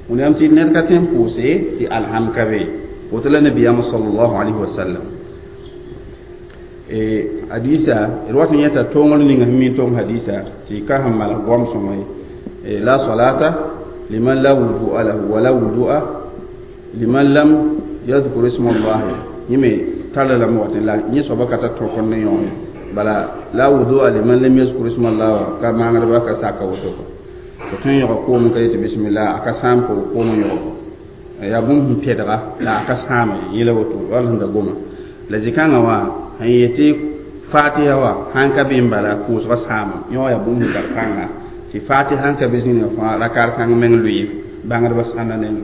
wẽnnaam tɩ ned ka tõe n pʋʋse tɩ alham ka be woto la nabiyaamã sallallahu alayhi wa sallam hadisa d wat n yẽta toongr ninga sẽn mi tong hadisa tɩ ka sẽn malg goam sõma ye la salata liman la wudu'a lahu wala wudu'a liman lam yadhkur isma Allah yẽ me tara lame wat la yẽ soaba ka tar tõkr ne yõ bala la wudu'a liman lam yadhkur isma Allah wa ka maangdba ka saka woto fo tõe n yõga koom ka yetɩ bisimilla a ka sãam fo koom n yõg yaa bũmb sẽn pɛdga la a ka sãama ye yẽla woto wall sẽn da goma la zĩ-kãngã wã sẽn yetɩ fatiha wã sãn ka be n bala pʋʋsgã sãama yõ yaa bũmb sẽn tar pãnga tɩ fatiha sãn ka be zĩnigã fãa rakaar kãng meng lʋɩ bãngdbã sãnda nengẽ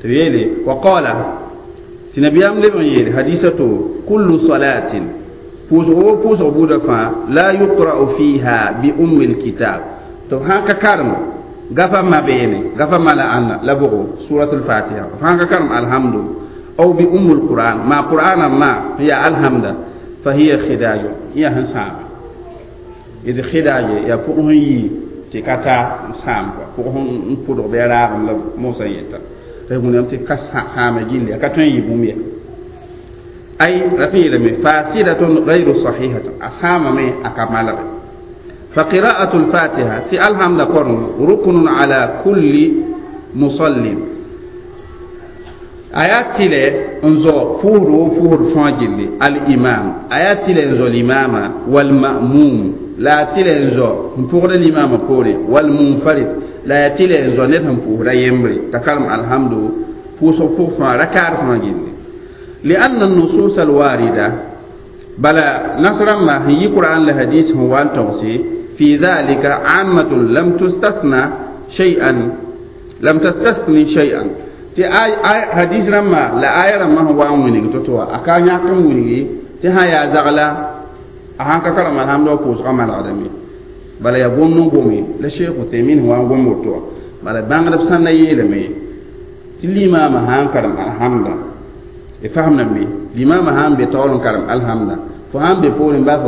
tɩ b yeele wa qala tɩ nabiyaam leb n yeele hadisa to kullu salatin pʋʋsg wo pʋʋsg buudã fãa la yuqra'u fiha bi ummi lkitab tɩ b sãn ka karem gafa mabeene gafa mala ãnna la bʋgo suratul fatiha b sãn ka karem alhamdu aw bi ummul quran ma qur'ana ma ya alhamda fa hiya khidaju ya sẽn sãame d khidaaje yaa pʋg sẽn yi tɩ ka ta n sãam kɔa pʋg sẽn pʋdg bɩ a raagem la mosã yeta tɩ wẽnnaam tɩ ka sãama gilli a ka tõe n yɩ bũmb ye ay rat n yeelame fasidatun gayru sahihatun a sãamame a ka malge فقراءة الفاتحة في الحمد قرن ركن على كل مصل آيات تلي انزو فور فور فاجل الإمام آيات تلي انزو الإمام والمأموم لا تلي انزو فور الإمام كوري والمنفرد لا تلي انزو نتهم فور يمري تكلم الحمد فوسو فوفا ركار فاجل لأن النصوص الواردة Bala nasrãmbã sẽn yi Qur'an la hadis sẽn wa n togse fi dhalika ammatun lam tustasna shay'an lam tastasni shay'an tɩ hadis rãmbã la aya rãmbã sẽn wa n wilg to-to wã a ka yãk n wilgi tɩ sã yaa zagla a sãn ka karem alhamd wã pʋʋsgã malgdame bala yaa gomd n gome la Sheikh Uthaymin sẽn wa n gom woto wã bala bãngdb sãn na yeelame tɩ limaamã sã n karem alhamda y fasemdame limaamã sã n be taoor n karem alhamda fo sãn be poorẽ baa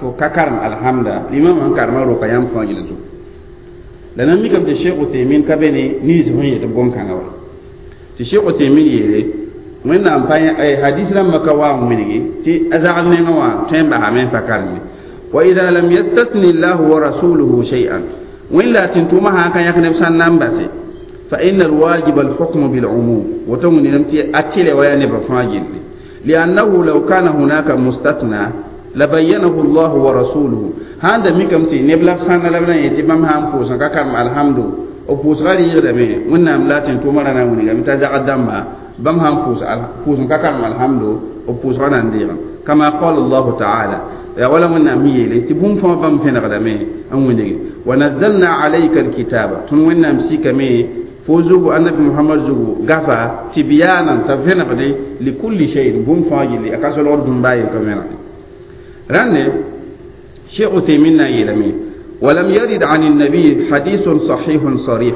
fo ka karem alhamda limaamã sẽn karemã roka yãmb fãa gil zugu la nan mikame tɩ Sheikh Uthaymin ka be ne nins sẽn yet b gom-kãngã wa tɩ Sheikh Uthaymin yeele wẽnnaam pa hadis rãmbã ka wa n wilgi tɩ a zagl nengã wã tõe n basame n pa kareme wa ida lam yastasni llahu wa rasuluhu shay'an wẽn la tɩ-tʋʋmã sã n ka yãk neb sãn na n base fa inna alwajib alhukmu bilumum woto wĩname tɩ a tɩlɛ wa yaa nebã fãa gilli liannahu law kana hunaka mustatna labayyanahu llahu wa rasuluhu sãn da mikame tɩ neb la b sãnda la b na n yet tɩ bãmb sã n pʋʋs n ka karem alhamdu b pʋʋsga rɩɩgdame wẽnnaam la tɩ-tʋʋmã ra na n wilgame t'a zagd dãmba bãmb sãn pʋʋs n ka karem alhamdu b pʋʋsga na n deegame kama qala allahu taala yaa wala wẽnnaam yeele tɩ bũmb fãa bãmb vẽnegdame n wilge wa nazzalna alayka alkitaba tõnd wẽnnaam sikame fo zugu annabi Muhammad zugu gafa tibyanan t'a vẽnegde likulli shayin bũmb fãa gilli a ka solgd dũmba yen ka vẽnegde rãnde Cheikh Uthaymin na n yeelame ولم يرد عن النبي حديث صحيح صريح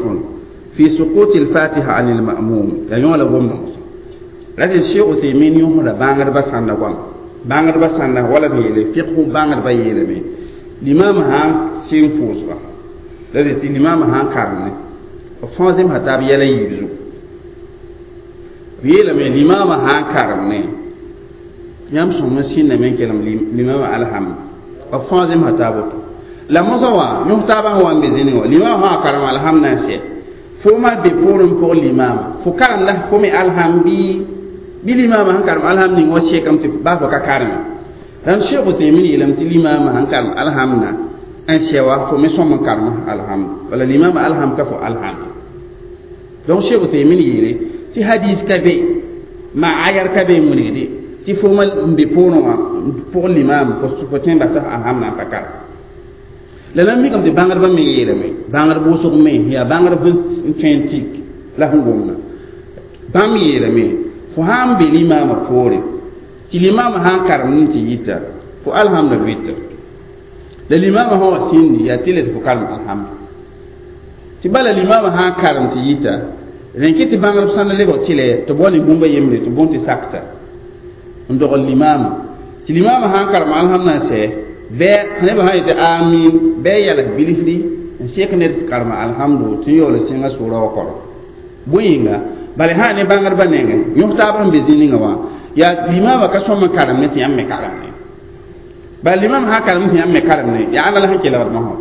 في سقوط الفاتحة عن المأموم يعني ولا قوم لكن الشيخ عثيمين يهرا بانغر بس عن قوم بانغر بس عن ولا يلي فقه بانغر بيلي الإمام ها سين فوزا لكن الإمام ها كارني فانزم حتى بيلا يبزو بيلا من الإمام ها كارني yãmb sõm n sĩndame n kelem limama alhamd b fãa zẽmsa taab woto la mosã wã yõs taabã sẽn wa n be zĩnig wã limama sã karem alhamd na n sɛ fo ma be poorẽ pʋg limama fo karemda fo me alhamd bɩ limama sẽn karem alhamd ning wã sekame tɩ baa fo ka kareme rãnd Sheikh Uthaymin yeelame tɩ limama sẽn karem alhamdã n sɛ wa fo me sõm n karem alhamd wala limama alhamd ka fo alhamd donc Sheikh Uthaymin yeele tɩ hadis ka be ma ayar ka be n wilgde tɩ fo ma n be poorẽ wã pʋg limam fo tõe n basa alhamd na n pa karem la nan mikame tɩ bãngdbã me yeelame bãngd wʋsg me yaa bãngd n tõe n tik la sẽn gomda bãmb yeelame fo sã n be limaamã poore tɩ limaamã sã n karem n tɩ yita fo alhamda vɩta la limaamã sã wa sĩndi yaa tɩ la tɩ fo karem alhamda tɩ bala limaamã sã n karem tɩ yita rẽn kɩ tɩ bãngdb sãn lebg tɩlɛ tɩ b wa ne bũmba yembre tɩ bõn tɩ sakta n dogl limaamã tɩ limaamã sã n karem alhamda n sɛ bɩ nebã sã yetɩ amin bɩ a yals bilfri n sek ned karema alhamdu tɩ n yaool sẽnga sʋʋra wa kɔrɔ bõe yĩnga bala sã ne bãngdbã nengẽ yõs taab sẽn be zĩ-ninga wã yaa limaamã ka sõm n karem ne tɩ yãmb me karem ne bala limaamã sã karem tɩ yãmb me karem ne yaa ãnna la sẽn kelgd mosã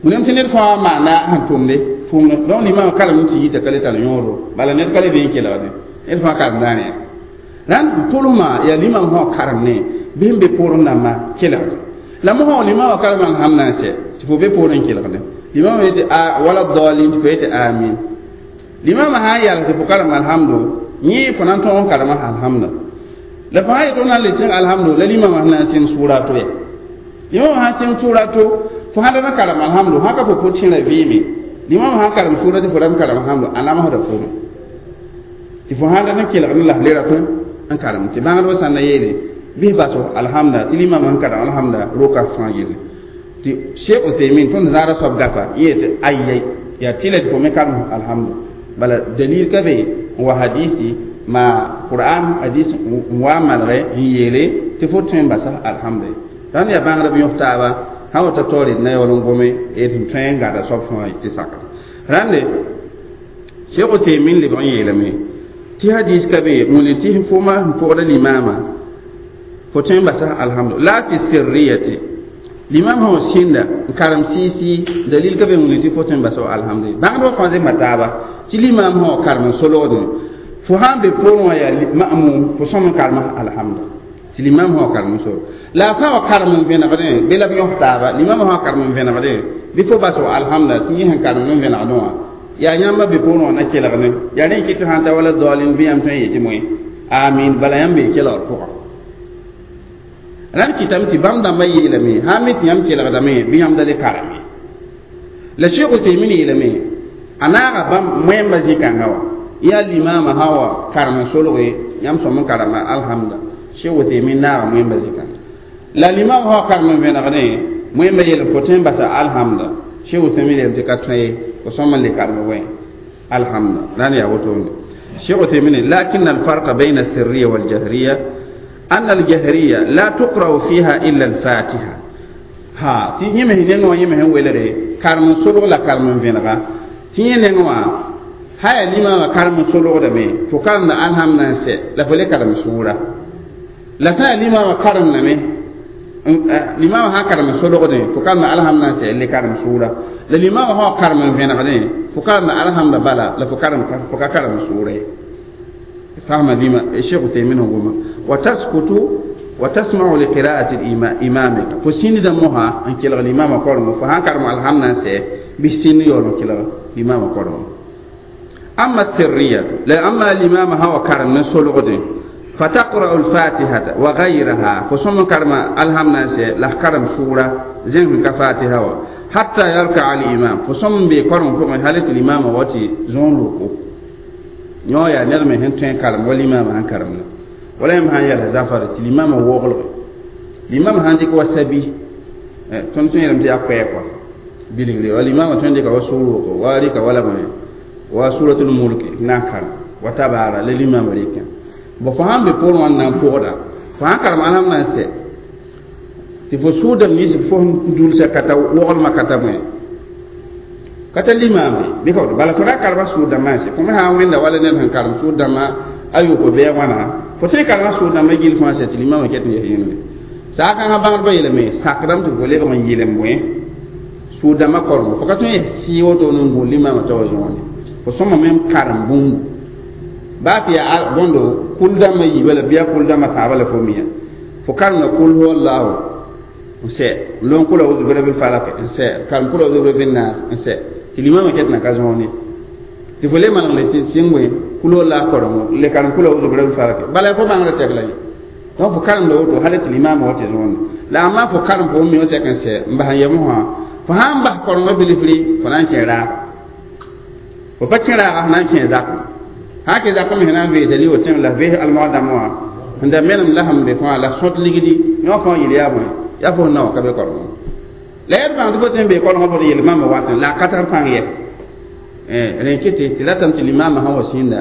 wẽnem tɩ ned fãa maanda sẽn tʋmde tʋʋmd donc limaamã karem tɩ yita ka le tar yõodo bala ned ka le be n kelgde ned fãa karemdaane yaa rãnd tʋlsmã yaa limaam sã karem ne bɩ sẽn be poorẽ dãmbã kelgde la mosã limaamã karem alhamd na n sɛ tɩ fo be poorẽ n kelgde limaamã yetɩ a wala dɔɔlin tɩ fo yetɩ amin limaamã sã n yals tɩ fo karem alhamdo yẽ fo na n tõog n karema alhamda la fo sã yetɩ f na n le sẽng alhamdo la limaamã sẽn na n sẽng sʋʋra to ya limaamã sã n sẽng sʋʋra to fo sã da na karem alhamdo sã ka fo pʋ-tẽera vɩɩme limaamã sã n karem sʋʋra tɩ fo ra n karem alhamdo a namsda fome tɩ fo sã da na kelgd n la f le ratõ n karem tɩ bãngdbã sãn na yeele bɩ baso alhamda tɩ limaamã sẽn karem alhamda roka fãa yelle tɩ Sheikh Uthaymin tõnd zaara soab gafa yẽ tɩ ayai yaa tɩla tɩ fo me karem alhamdu bala dalil ka be n wa hadisi ma Qur'an hadis n wa malgɛ n yeele tɩ fo tõe n basa alhamdu rãnd yaa bãngdb yõs taaba sã wa ta taoor d na yaool n gome d sẽn tõe n gada soab fãa tɩ sakra rãnde Sheikh Uthaymin lebg n yeelame tɩ hadis ka be n wilg tɩ fo ma sẽn pʋgda limaamã fo tõe n basa alhamdu la fi sirriyati limam sã wa sĩnda n karem sɩɩsɩ dalil ka be n wilg tɩ fo tõe n basa alhamdu bãngdbã fãa zemba taaba tɩ limaam sã wa karem n solgdẽ fo sã n be poorẽ wã yaa ma'mum fo sõm n karema alhamdu tɩ limam sã wa karem n sol la a sã wa karem n vẽnegdẽ bɩ la b yõs taaba limam sã wa karem n vẽnegdẽ bɩ fo bas wa alhamda tɩ yẽ sẽn karem n vẽnegdẽ wã yaa yãmba be poorẽ wã na kelgdẽ yaa rẽ kɩ tɩ sãn ta wala daolin bɩ yãmb tõe n yetɩ moe amin bala yãmb bee kelgr pʋgã Ran kɩtame tɩ bãmb dãmbã yeelame sã n mi tɩ yãmb kelgdame bɩ yãmb da le karem ye. La Sheikh Uthaymin yeelame a naaga bãmb moẽmbã zĩ-kãngã wã yaa limaamã sã wa karem n solge yãmb sõm n karema alhamda. Sheikh Uthaymin naaga moẽmbã zĩ-kãngã la limaam sã wa karem n vẽnegdẽ moẽmbã yeelame fo tõe n basa alhamda. Sheikh Uthaymin yeelame tɩ ka tõe ye fo sõm n le karem wẽ alhamda la ne yaa wotone. Sheikh Uthaymin lakin alfarqa bayna alsirriya waljahriya أن الجهرية لا تقرأ فيها إلا الفاتحة. ها تي يمه نينو يمه ويلري كارم سولو لا كارم فينغا تي نينو هاي لما كارم سولو دمي فكارم الهم نانسي لا فلي كارم سورة لا تا لما كارم نمي لما ها كارم سولو دمي فكارم الهم نانسي اللي كارم سورة لا لما ها كارم فينغا دمي فكارم الهم بلا لا فكارم فكارم سورة. فهم لما الشيخ تيمين هو وتسكت وتسمع لقراءة إمامك فسين دمها أن كلا الإمام قرم فهان كرم الحمد سي بسين يولو كلا الإمام قرم. أما السرية لا أما الإمام هو كرم نسولغد فتقرأ الفاتحة وغيرها فسم كرم الحمد سي لا كرم سورة زين كفاتحة حتى يركع الإمام فسم بقرم فوق حالة الإمام وتي زون لوكو yõ yaa ned me sẽn tõe n karem wa limaamã sẽn karemda wala yãmb sã n yɛls zafar tɩ limaamã woglge limaamã sãn dɩk wa sabi tõnd tõe yeelame tɩ yaa koɛɛg wã bilgre wa limaamã tõe n dɩka wa sʋʋr-woko wa rɩka wala bõe wa suratul mulk n na n karem wa tabaara la limaamã rɩkã bõ fo sãn be poorẽ wã n na n pʋgda fo sãn karem alhamd n sɛ tɩ fo sʋʋdame nins fo sẽn dulsa ka ta woglmã ka ta bõe kata limame bi ko bala fo ra karba suudama se fo me ha wenda wala nen han karam suudama ayu ko be wana fo te karba suudama gil fo se ti limame ket ne yene sa ka ha bangar ba yeleme sakram to gole ba yelem moy suudama kormo fo ka to si woto non go limame to zone fo soma mem karam bum ba ti ya bondo kuldama yi wala biya kuldama ta bala fo miya fo karna kul huwallahu se lon kula uzu bi rabbil falaq se karam kula uzu bi rabbin nas se tɩ limaamã ket na ka zõone tɩ fo le maneg le sɩng wẽ kulo la korengo le karem kula uzu bi rabbil falaq bala fo bãngrã tɛk la ye donc fo karemda woto hal tɩ limaamã wa tɩ zõone la a maa fo karem fo mi tɛk n sɛ n bas n yem wã fo sã n bas korengã bilfri fo na n kẽ raaga fo pa kẽ raaga fo na n kẽ zakẽ sã kẽ zakẽ me sẽn na n veesa li tẽng la vees almogdãmbã wã sẽn da menem la sẽn be fãa la sõt ligdi yõ fãa yel yaa bõe yaa fo sẽn na wã ka be korengã la yaa bãng tɩ fo tõe n bee korengã fo yel mãmba watẽ la a ka tar pãng yɛ rẽn kɩ tɩ ratame tɩ limaamã sã wa sĩnda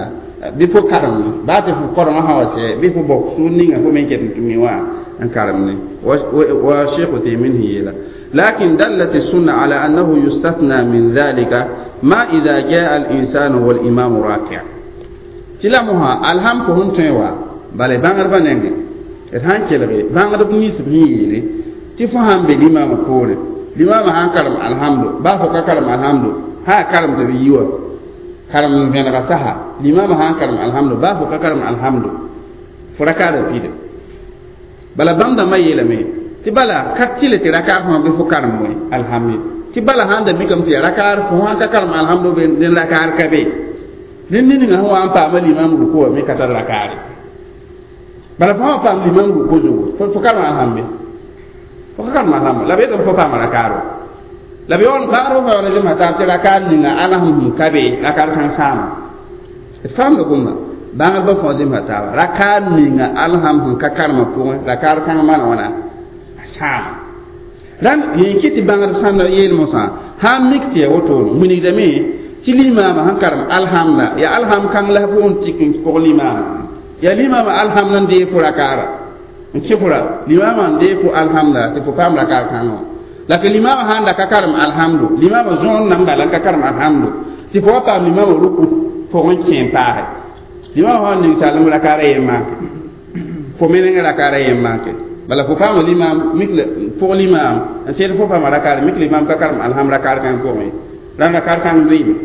bɩ fo karem baa tɩ fo korengã sã wa sɛ bɩ fo bok sũur ninga fo me ket n tɩ mi wã n karem ne wa Sheikh Uthaymin sẽn yeela lakin dallat السنة على أنه يستثنى من ذلك ما إذا جاء الإنسان والإمام راكع tɩ la mosã alham fo sẽn tõe wa bala bãngdbã nengẽ d sãn kelge bãngdb nins b sẽn yeele tɩ fo sãn be limaamã poorẽ limaamã sãn karem alhamdu baa fo ka karem alhamdu sã karem tɩ b yi wa karem n vẽnega sasa limaamã sãn karem alhamdu baa fo ka karem alhamdu fo rakaada pida bala bãmb dãmbã yeelame tɩ bala ka tɩle tɩ rakaar fãa bɩ fo karem wẽ alhamdu tɩ bala sãn da mikame tɩ ya rakaar fo sãn ka karem alhamdu be dẽn rakaar ka be dẽn niningã sẽn wa n paama limaam ruku wã me ka tar rakaare bala fo sã paam limaam ruku zugu fo karem alhamdu fo ka karem alhamdu la b yetame fo paama rakaaro la b yaool bãngr fo yaool zẽmsa taab tɩ rakaar ninga alhamd sẽn ka be rakaar kãng sãama d faamda gomda bãngdbã fãa zemsa taaba rakaar ninga alhamd sẽn ka karemã pʋgẽ rakaar kãng maan wãna a sãama rãnd yẽn kɩ tɩ bãngd sãnda yeel mosã sã n mik tɩ ya wotone wilgdame tɩ limaamã sẽn karem alhamda ya alham kãng la fo n tik n pʋg limaamã ya limaamã alhamda n dee fo rakaara n kẽ fo ra limaamã n dee fo alhamda tɩ fo paam rakaar kãngã la tɩ limaamã sãn da ka karem alhamdu limaamã zõon nan bala n ka karem alhamdu tɩ fo wa paam limaamã ruku pʋgẽ kẽ n paase limaamã sã n ninsalem rakaara yen maake fo me nengã rakaara yen maake bala fo paama limaam mik pʋg limaam n sed fo paama rakaare mik limaam ka karem alham rakaar kãng pʋgẽ rãnd rakaar kãng lʋɩɩme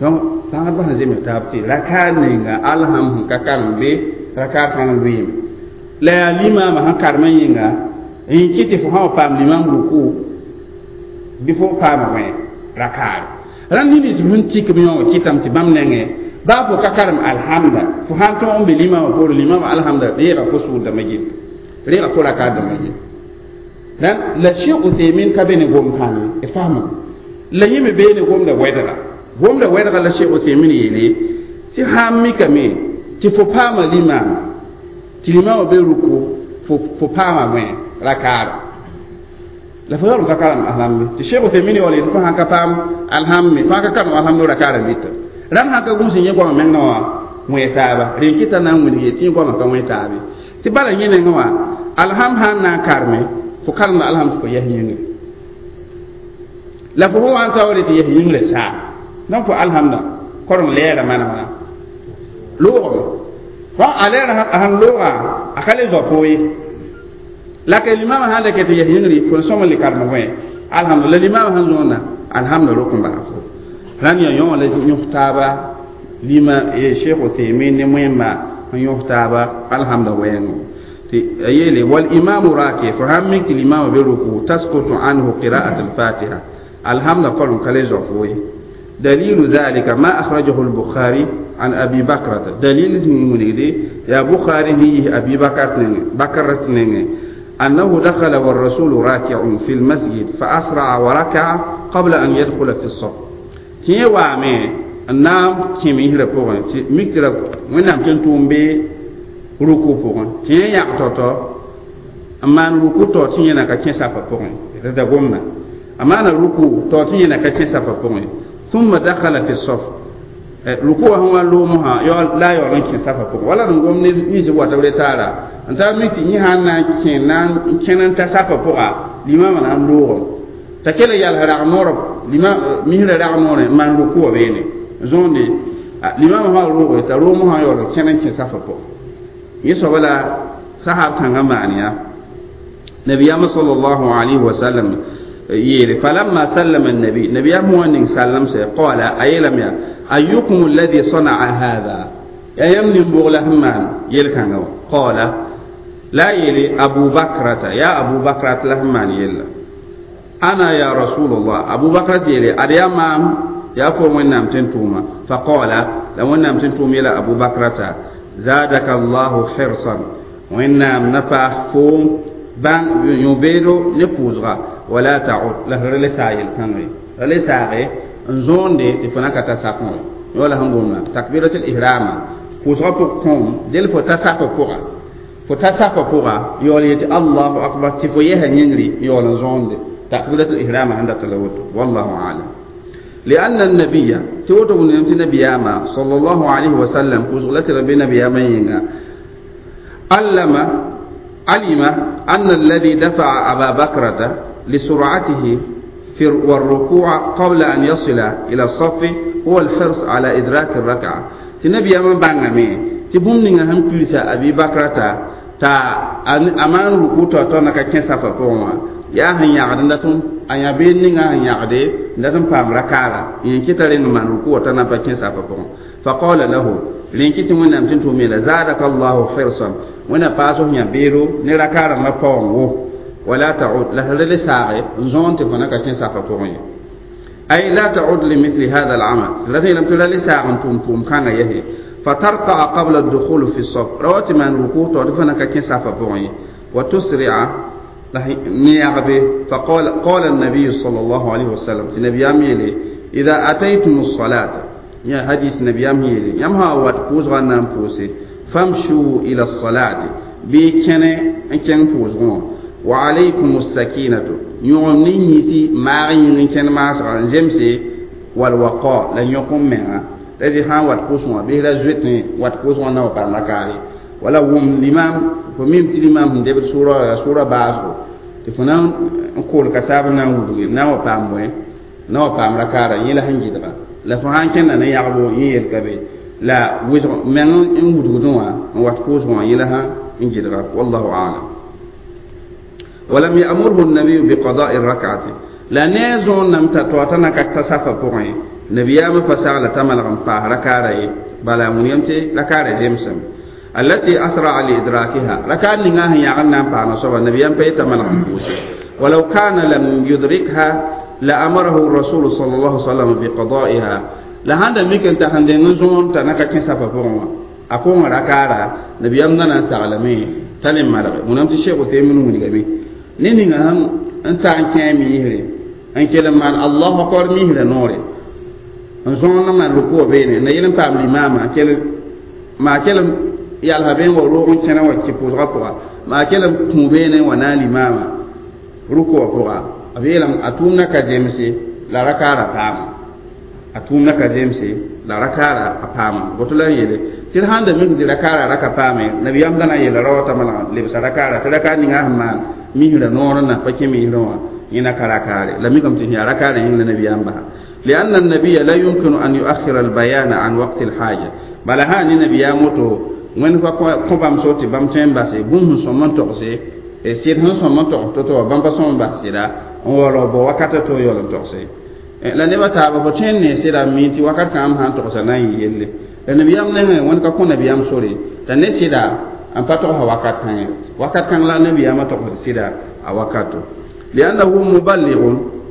donc bãngdbã sẽn zems taab tɩ rakaar ninga alham sẽn ka karem be rakaar kãng lʋɩɩme la yaa limaamã sẽn karemã yĩnga n kɩ tɩ fo sã wa paam limaam ruku bɩ fo paama wẽ rakaare rãnd nins sẽn tik b yõ kɩtame tɩ bãmb nengẽ baa fo ka karem alhamda fo sãn tõog n be limaamã poore limaamã alhamda yeega fo sʋʋr dãmbã gill Rẽga fo rakaat dãmbã ye. La Sheikh Uthaymin ka be ne gom kãngẽ d faamame la yẽ me bee ne gomda wɛdga gomda wɛdga la Sheikh Uthaymin yeele tɩ sãn mikame tɩ fo paama limaam tɩ limaamã be ruku fo paama wẽ rakaara la fo yaool n ka karem alhambe tɩ Sheikh Uthaymin yaool yetɩ fo sãn ka paam alhambe fo sãn ka karem alhamdo rakaara mita rãmb sãn ka gũus n yẽ goamã meng na wã wẽ taaba rẽn kɩta na n wilg tɩ yẽ goamã ka wẽ taabe tɩ bala yẽ nengẽ wã alham sãn na n karme fo karemda alham tɩ fo yɛs yĩngre la fo fo wa n taoore tɩ yɛs yĩngrã saa donc fo alhamda koreng lɛɛra manegã loogame fo a lɛɛra sãn looga a ka le zao fo ye la ka limaamã sãn da kɛ tɩ yɛs yĩngri fo sõm n le karem wẽ alhamda la limaamã sãn zõonna alhamda rok n baa fo rãnd yaa yõ la yõs taaba lima Cheikh Uthaymin ne wẽmba n yõs taaba alhamda wɛɛngõ يلي والإمام راكع فهم الإمام بركوع تسقط عنه قراءة الفاتحة الحمد قول كالي زفوي دليل ذلك ما أخرجه البخاري عن أبي بكرة دليل من يا بخاري هي أبي بكرة أنه دخل والرسول راكع في المسجد فأسرع وركع قبل أن يدخل في الصف تي وامي نام كيمي هربوغن ميكترا وين تنتومبي ruku pʋgẽ tɩ yẽ yãg tao-tao n maan ruku tao tɩ yẽna ka kẽ safã pʋgẽ da gomna a maana ruku tao tɩ yẽna ka kẽ safã pʋgẽ thumma dakhala fi saf ruku wã sẽn wa loomsã la a yaool n kẽ safã pʋgẽ wala d n gom nins wata b re taara n tar mi tɩ yẽ sãn na n kẽ na n kẽn n ta safã pʋga limaamã na n loogem t'a kell yals rag noorb misrã rag noorẽ n maan ruku wã beene zõonde limaamã sã rooge t'a roomsã yaool n kẽn n kẽ safã pʋgẽ yẽ soaba la sahab kãngã maan yaa nabiyama sallallahu alayhi wa sallam yeele falamma sallama annabi nabiyam wã ning sallam sɛ qala a yeelame yaa ayyukum alladhi sana'a hadha yaa yãmb nin-bʋg la sẽn maan yel-kãngã wã qala la a yeele abu bakrata yaa abu bakrat la sẽn maan yella ana ya rasulallah abu bakrat yeele ad yaa maam yaa fo wẽnnaam tɩ n tʋʋma faqala la wẽnnaam tɩ n tʋʋm yeela abu bakrata زادك الله حرصا وإنام نفع فوم بان يبيدو نفوزغا ولا تعود له رلسايل كانوي رلساغي نزون دي تفنا كتا سافون ولا هنغونا تكبيرة الإحرام فوزغا بكم دل فتا سافو فوغا فتا سافو فوغا يولي الله أكبر تفويه ينري يول نزون دي تكبيرة الإحرام عند تلوت والله أعلم لأن النبي توتو نمت نبي صلى الله عليه وسلم كزغلت ربي نبي علم علم أن الذي دفع أبا بكرة لسرعته في والركوع قبل أن يصل إلى الصف هو الحرص على إدراك الركعة تنبي من بانغامي تبوم نيغا هم كلسا أبي بكرة تا أمان ركوع تا نكا كنسا فقوما yaa sẽn yãgd n dat a yã bee ninga sẽn yãgde n dat n paam rakaara yẽ kɩta reng n maan ruku wa t'a na n pa kẽ safã pʋgẽ faqala lahu rẽn kɩ tɩ wẽnnaam tɩ n tʋʋm yeela zadaka llahu hirsan wẽnna paas f yã beero ne rakaarãmbã paoong wo wala taud la sẽn le saage n zõon tɩ fo na ka kẽ safã pʋgẽ ye ay la taud limithli hada alamal la sẽn yeelame tɩ ra le saag n tʋʋm tʋʋm kãngã yɛse fatarkaa qabla dukhul fi saf ra wa tɩ maan ruku tao tɩ fo na ka kẽ safã pʋgẽ ye wa tusria نيعبه فقال قال النبي صلى الله عليه وسلم النبي ياميلي إذا أتيتم الصلاة يا حديث النبي ياميلي يمها وات بوز غنام بوسي فامشوا إلى الصلاة بكن كن بوز وعليكم السكينة يوم نيسي ما غين كن ما جمسي والوقاء لن يقوم منها تجي هان وات بوز به لا زويت وات بوز غنا وبرمكاري ولا وم الإمام فميم تي الإمام دبر سورة سورة باسو tɩ fo na n kool kasaab na n wudge na n wa paam bõe na wa paam rakaara yẽ la sẽn gɩdga la fo sãn kẽnda ne yagbo yẽ yelka be la wɩsg meng n wudgdẽ wã n wat pʋʋsgẽ wã yẽ la sã n gɩdga wallahu alam ولم يأمره النبي بقضاء الركعة لا نيزون نم تتواتنا كتصفى بوغي نبيام فسال تملغ فاه ركعة بلا من يمتي ركعة جيمسم التي أسرع لإدراكها ركعة نغاه يغنى فانا صبا نبيام بيت ملغ ولو كان لم يدركها لأمره الرسول صلى الله عليه وسلم بقضائها لهذا ممكن تهندن زون تنكا كنسا فبوغي أكون ركعة نبيام نانا سعلمي T'a le malge wẽnnaam tɩ Sheikh Uthaymin wilgame ne ninga sẽn n ta n kẽ a miisre n kell n maan Allahu akbar miisrã noore n zõond n maan rukuwã beene n na yel n paam limaamã kell maa kell n yalsa bee n wa roog n kẽna wa kẽ pʋʋsgã pʋga maa kell n kũ beene n wa naag limaamã rukuwã pʋga b yeelame a tʋʋmdã ka zemse la rakaara paama a tʋʋmdã ka zemse la rakaara a paama woto la n yeele tɩ d sãn da mik tɩ rakaara ra ka paame nabiyaam da na n yeela ra wa t'a malg lebsa rakaara tɩ rakaar ninga sẽn maan misrã noor n na pa kẽ misrã wã yẽna ka rakaare la mikame tɩ sẽn yaa rakaarã yĩng la nabiyaam basa لأن النبي لا يمكن أن يؤخر البيان عن وقت الحاجة بل ها نبي موتو وين kõ bãmb so tɩ bãmb tõe n base bũmb sẽn sõm n togse sɩd sẽn sõm n togs to-to wã bãmb pa sõm n bas sɩda n waoolg bao wakata to yaool n togse la nebã taaba fo tõe n ne sɩda n mi tɩ wakat kãngã sãn togsa na n yɩ yelle la nabiyaam nengẽ wẽnd ka kõ nabiyaam sore t'a ne sɩda n pa togsa wakat kãngẽ wakat kãng la nabiyaamã togsd sɩda a wakato لأنه مبلغ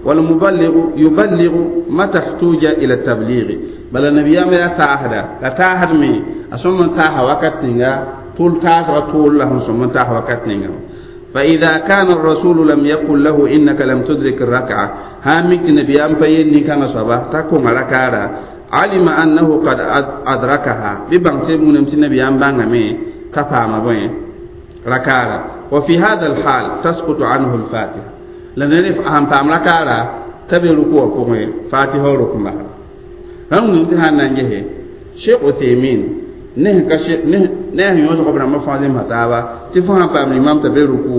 والمبلغ يبلغ متى احتوج إلى التبليغ بل النبي يا تاهدا لا تاهد مي أسمى تاها وقت نيغا طول تاسغ طول لهم سمى تاها وقت نيغا فإذا كان الرسول لم يقل له إنك لم تدرك الركعة هامك النبي أم فين كان صبا تكون ركعة علم أنه قد أدركها ببان سيبون النبي أم بانغمي كفا ما ركعة وفي هذا الحال تسقط عنه الفاتحة la ned sãn paam rakaara t'a be ruku wã pʋgẽ fatiha rʋk n basa rãmb wĩm tɩ sãn na n gese Sheikh Uthaymin ne ne sẽn yõsg b rãmbã fãa zemsa taaba tɩ fo sãn paam limam t'a be ruku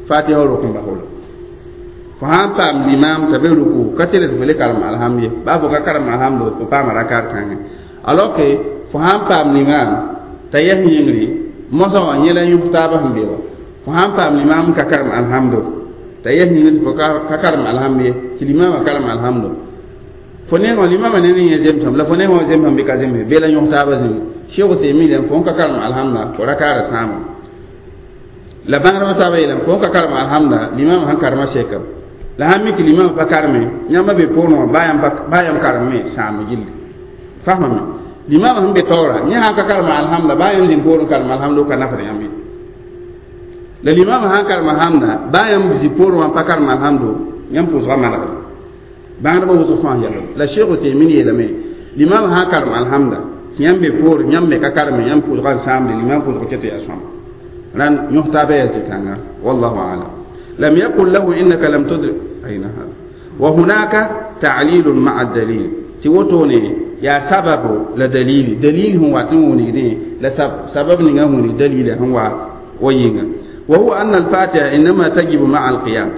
fatiha rʋk n bas fo sãn paam limam t'a be ruku ka tɩ fo le karem alhamd ye baa fo ka karem alhamdo fo paama rakaar kãngẽ alors que fo sãn paam limam t'a yɛs yĩngri mosã wã yẽ la yõs taaba sẽn be wã fo sãn paam limam ka karem alhamdo ta yɛs yĩngr tɩ fo ka karem alhamd ye tɩ limamã karem alhamdo fo nengã limamã ne ne yẽ zemsame la fo nengã wã zemsame bɩ ka zemse bee la yõs taabã zĩnga Sheikh Uthaymin fo n ka karem alhamda fo rakaara sãama la bãngdbã taabã yeelame fo n ka karem alhamda limamã sẽn karema sekam la sãn mi tɩ limamã pa kareme yãmba be poorẽ wã baa yãmb karemme sãam gilli fasmame limamã sẽn be taoora yẽ sãn ka karema alhamda baa yãmb zĩnd poorẽ karem alhamdo ka nafd yãmb ye la limamã sãn karem alhamda baa yãmb zĩ poorẽ wã pa karem alhamdo yãmb pʋʋsgã malgda bãngdbã wʋsg fãa yɛlg la Sheikh Uthaymin yeelame limamã sãn karem alhamda tɩ yãmb be poorẽ yãmb me ka kareme yãmb pʋʋsgã n sãamde limam pʋʋsg kɛ tɩ yaa sõma rãnd yõs taabã yaa zĩ-kãnga wallahu alam لم يقل له إنك لم تدرك أين هذا وهناك تعليل مع الدليل تيوتوني يا سبب لدليل دليل هو توني لا سبب نغا دليل هو وينغا وهو أن الفاتحة إنما تجب مع القيام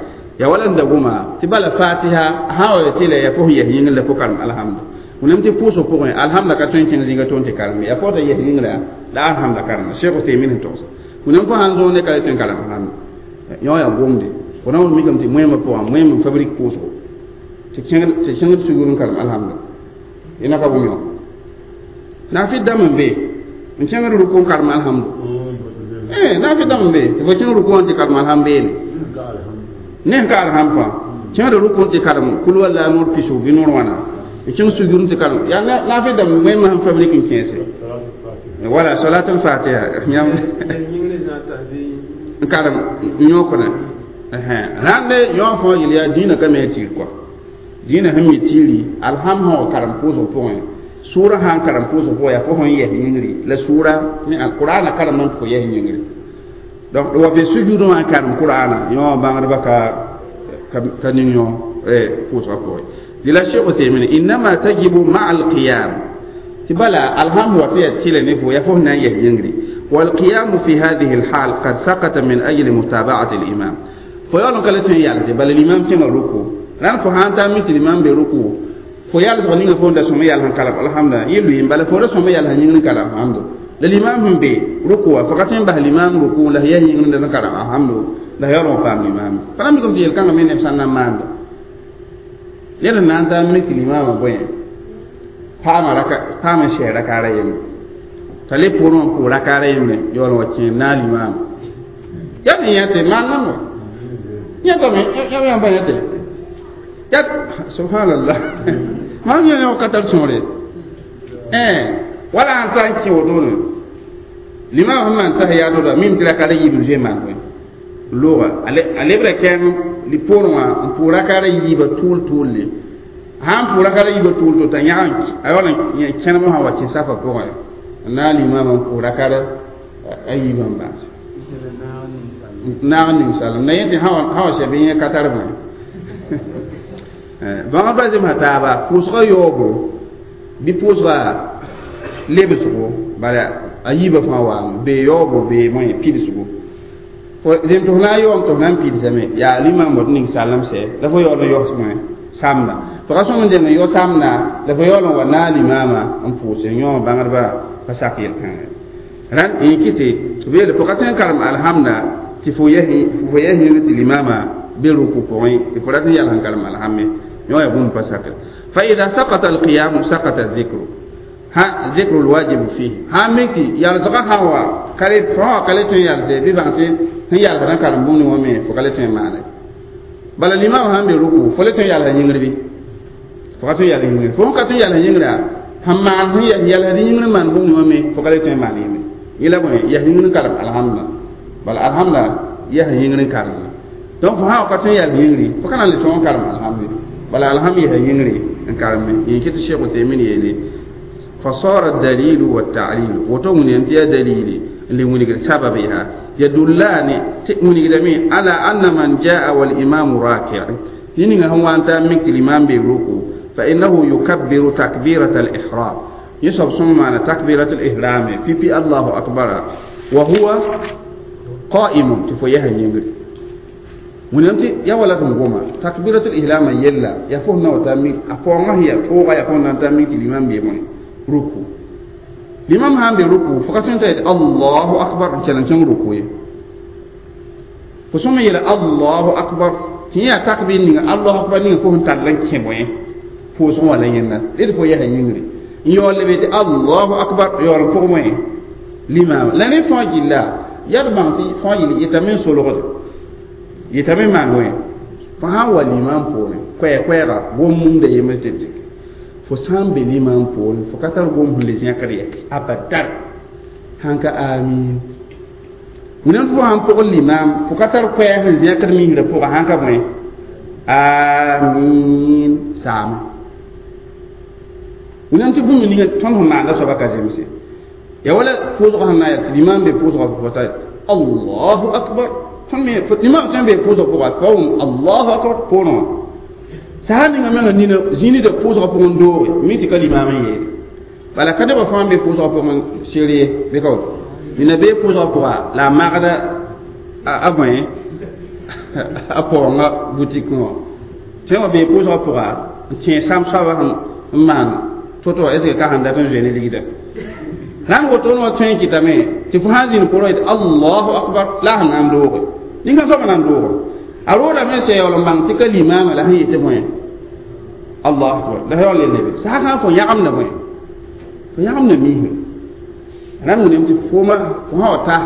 يا ولن دغما تبال فاتحة هاو تيلا يفوه يهين لفوكال الحمد ونم تي بوسو بوغي الحمد كاتون كين زيغا تون تي كارمي يا فوتا يهين لا لا الحمد كارم شيخ تيمين توس ونم فو هانزو ne kala ten kalam alhamd yõ yaa gomde fo na n mikame tɩ moẽmã pʋgã moẽm n fabrik pʋʋsgo tɩ kẽngd sugur n karem alhamda yẽna ka bũmb yõ naafɩ dãmb n be n kẽngd ruku n karem alhamdu naafɩ dãmb n be tɩ fo kẽng ruku wã tɩ karem alhamd beene ne n ka alhamd fãa kẽngd ruku n tɩ karem kul walla noor pisg bɩ noor wãna n kẽng sugur n tɩ karem yaa naafɩ dãmb moẽmã sẽn fabrik n kẽese wala salatul fatiha yãmb n karem n yõkdẽ rãnde yõ fõ yel yaa dĩinã ka me a tiir kɔa dĩinã sẽn mi tiiri alham sã wa karem pʋʋsg pʋgẽ sʋʋrã sã n karem pʋʋsg pʋgẽ yaa fo sẽn yɛs yĩngri la sʋʋra ne alqur'ana karem n tɩ fo yɛs yĩngri donc wa be sujudẽ wã n karem qur'ana yõ bãngdbã ka ning yõ pʋʋsgã pʋgẽ dɩ la Sheikh Uthaymin innama tajibu ma'a alqiyam tɩ bala alham wa tɩ yaa tɩla ne fo yaa fo sẽn na n yɛs yĩngri والقيام في هذه الحال قد سقط من أجل متابعة الإمام فيقولون كلا تين يالتي بل الإمام تين ركوع ران فهانتا مثل الإمام بركوع فيال غنينا فون دا سمي يالهن كلام الحمد لله يلوين بل فون سمي يالهن ينن كلام الحمد للإمام هم بي ركوع فقط به الإمام ركوع له ينن دنا كلام الحمد لا يرون فام الإمام فلم يكن تيل كان من نفسنا مان لأن نانتا مثل الإمام بوين فاما ركع فاما شيء ركع رأيم t'a le pʋʋrẽ wã pʋʋ rakaara yembre yaool wa kẽ naal imaam yaa ne yã tɩ maan nan wa yãtame yã yãmba yã tɩ ya subhanallah maam yã yã ka tar sõore wala n ta n kẽ wotone Limam sẽn maan tahiyato da mim tɩ raka yiib n zoe maan bõe looga a lebra kɛɛng li poorẽ wã n pʋʋg rakaada yiibã tʋʋl tʋʋlle sã n pʋʋg rakaada yiibã tʋʋl tʋʋl t'a yãg a yaool n kẽnem sã wa kẽ safã pʋgẽ n na n limaamã n pʋʋg rakaada a yiibã n baase naag ninsalem na yẽ tɩ sã wa sɛ bɩ yẽ ka tar bõe bãmb ba zemsa taaba pʋʋsgã yaoogo bɩ pʋʋsga lebsgo bala a yiibã fãa waame bee yaoogo bee bõe pidsgo zem tɩ f na n yaoom tɩ f na n pidsame yaa limam wot ning salem sɛ la fo yaool n yaos bõe samda fo ka sõm n deng n yao samda la fo yaool n wa naag limaamã n pʋʋse yõ bãngdbã pa sak yel-kãngã rãnd n kɩ tɩ b yeele fo ka tõe n karem alhamda tɩ fo yɛs yĩng tɩ limaamã be ruku pʋgẽ tɩ fo rat n yals n karem alhamme yõ yaa bũmb pa sakre fa ida sakata alqiyamu sakata dhikru ha dhikru alwajibu fihi sã n mik tɩ yalsgã sã wa ka le fõ wã ka le tõe n yalse bɩ bãng tɩ sẽn yalsd n karem bũmb wã me fo ka le tõe n maane bala limaamã sãn be ruku fo le tõe n yalsa yĩngr bɩ fo ka tõe n yals yĩngr fo sẽn ka tõe n yals yĩngrã sẽn maan sẽn yalsd yĩngr n maan bũmb wã me fo ka le tõe n maan yĩngr yẽla bõe yas yĩngr n karem alhamda bala alhamda yas yĩngr n karem donc fo sã wa ka tõe n yals yĩngri fo ka na n le tõog n karem alhamd bala alhamd yasa yĩngri n kareme yẽ kɩ tɩ Cheikh Uthaymin yeele فصار الدليل والتعليل وتغني انت يا دليلي اللي ونقل سببها يدلان ونقل على أن من جاء والإمام راكع لأن هو أنت منك الإمام بيروكو فإنه يكبر تكبيرة الإحرام يصب ثم معنى تكبيرة الإحرام في الله أكبر وهو قائم تفويها ينقل ونمتي يا ولا تنقوم تكبيرة الإحرام يلا يفوهنا وتامي أفوهنا هي فوق يفوهنا تامي الإمام بيموني ruku limam sãn be ruku fo ka tõe n t'a yetɩ allahu akbar n kell n kẽng ruku ye fo sõm n yeela allahu akbar tɩ yẽ yaa takbir ninga allahu akbar ninga fo sẽn tall n kẽ bõe pʋʋsg wã la yẽnda d fo yɛsa yĩngre n yaool lebe tɩ allahu akbar yaool n pʋg bõe limaamã la ne fãa gilla yaa d bãng tɩ fãa gill yetame n solgde yetame n maan bõe fo sãn wa limaam poorẽ koɛɛ-koɛɛga gom-mumda yembr tɩ dɩk fo sã n be limaam poorẽ fo ka tar gom sẽn le zẽkd ye abadan sãn ka amin wẽnnaam fo sãn pʋgl limaam fo ka tar koɛɛg sẽn zẽkd misrã pʋga sãn ka bõe amin saama wẽnnaam tɩ bũmb ninga tõnd sẽn maanda soaba ka zemse ya wala pʋʋsgã sẽn na n yaa tɩ limaam be pʋʋsgã pʋgã t'a allahu akbar tõnd me limaam tõe n be pʋʋsgã pʋga pa wʋm allahu akbar poorẽ wã sã ninga menga nina zĩnida pʋʋsgã pʋgẽ n dooge mi tɩ ka limaam n yeele bala ka nebã fãa n be pʋʋsgã pʋgẽ serie bɩ ka woto nina bee pʋʋsgã pʋga la a magda a bõe a paoongã butikẽ wã tõe wã bee pʋʋsgã pʋga n tẽeg sam soabã n maan to-to est ce que ka sẽn dat n zoe ne ligda rãnd woto wã tõe n kɩtame tɩ fo sã n zĩnd pʋrẽ yetɩ allahu akbar la a sẽn na n dooge nin-kã soabã na n dooge a roodame sã yaool n bãng tɩ ka limaamã la sẽn yetɩ bõe الله أكبر لا يعلن النبي ساعة فو يعم نبوي فو يعم نميه أنا من يمتي فوما فما وتا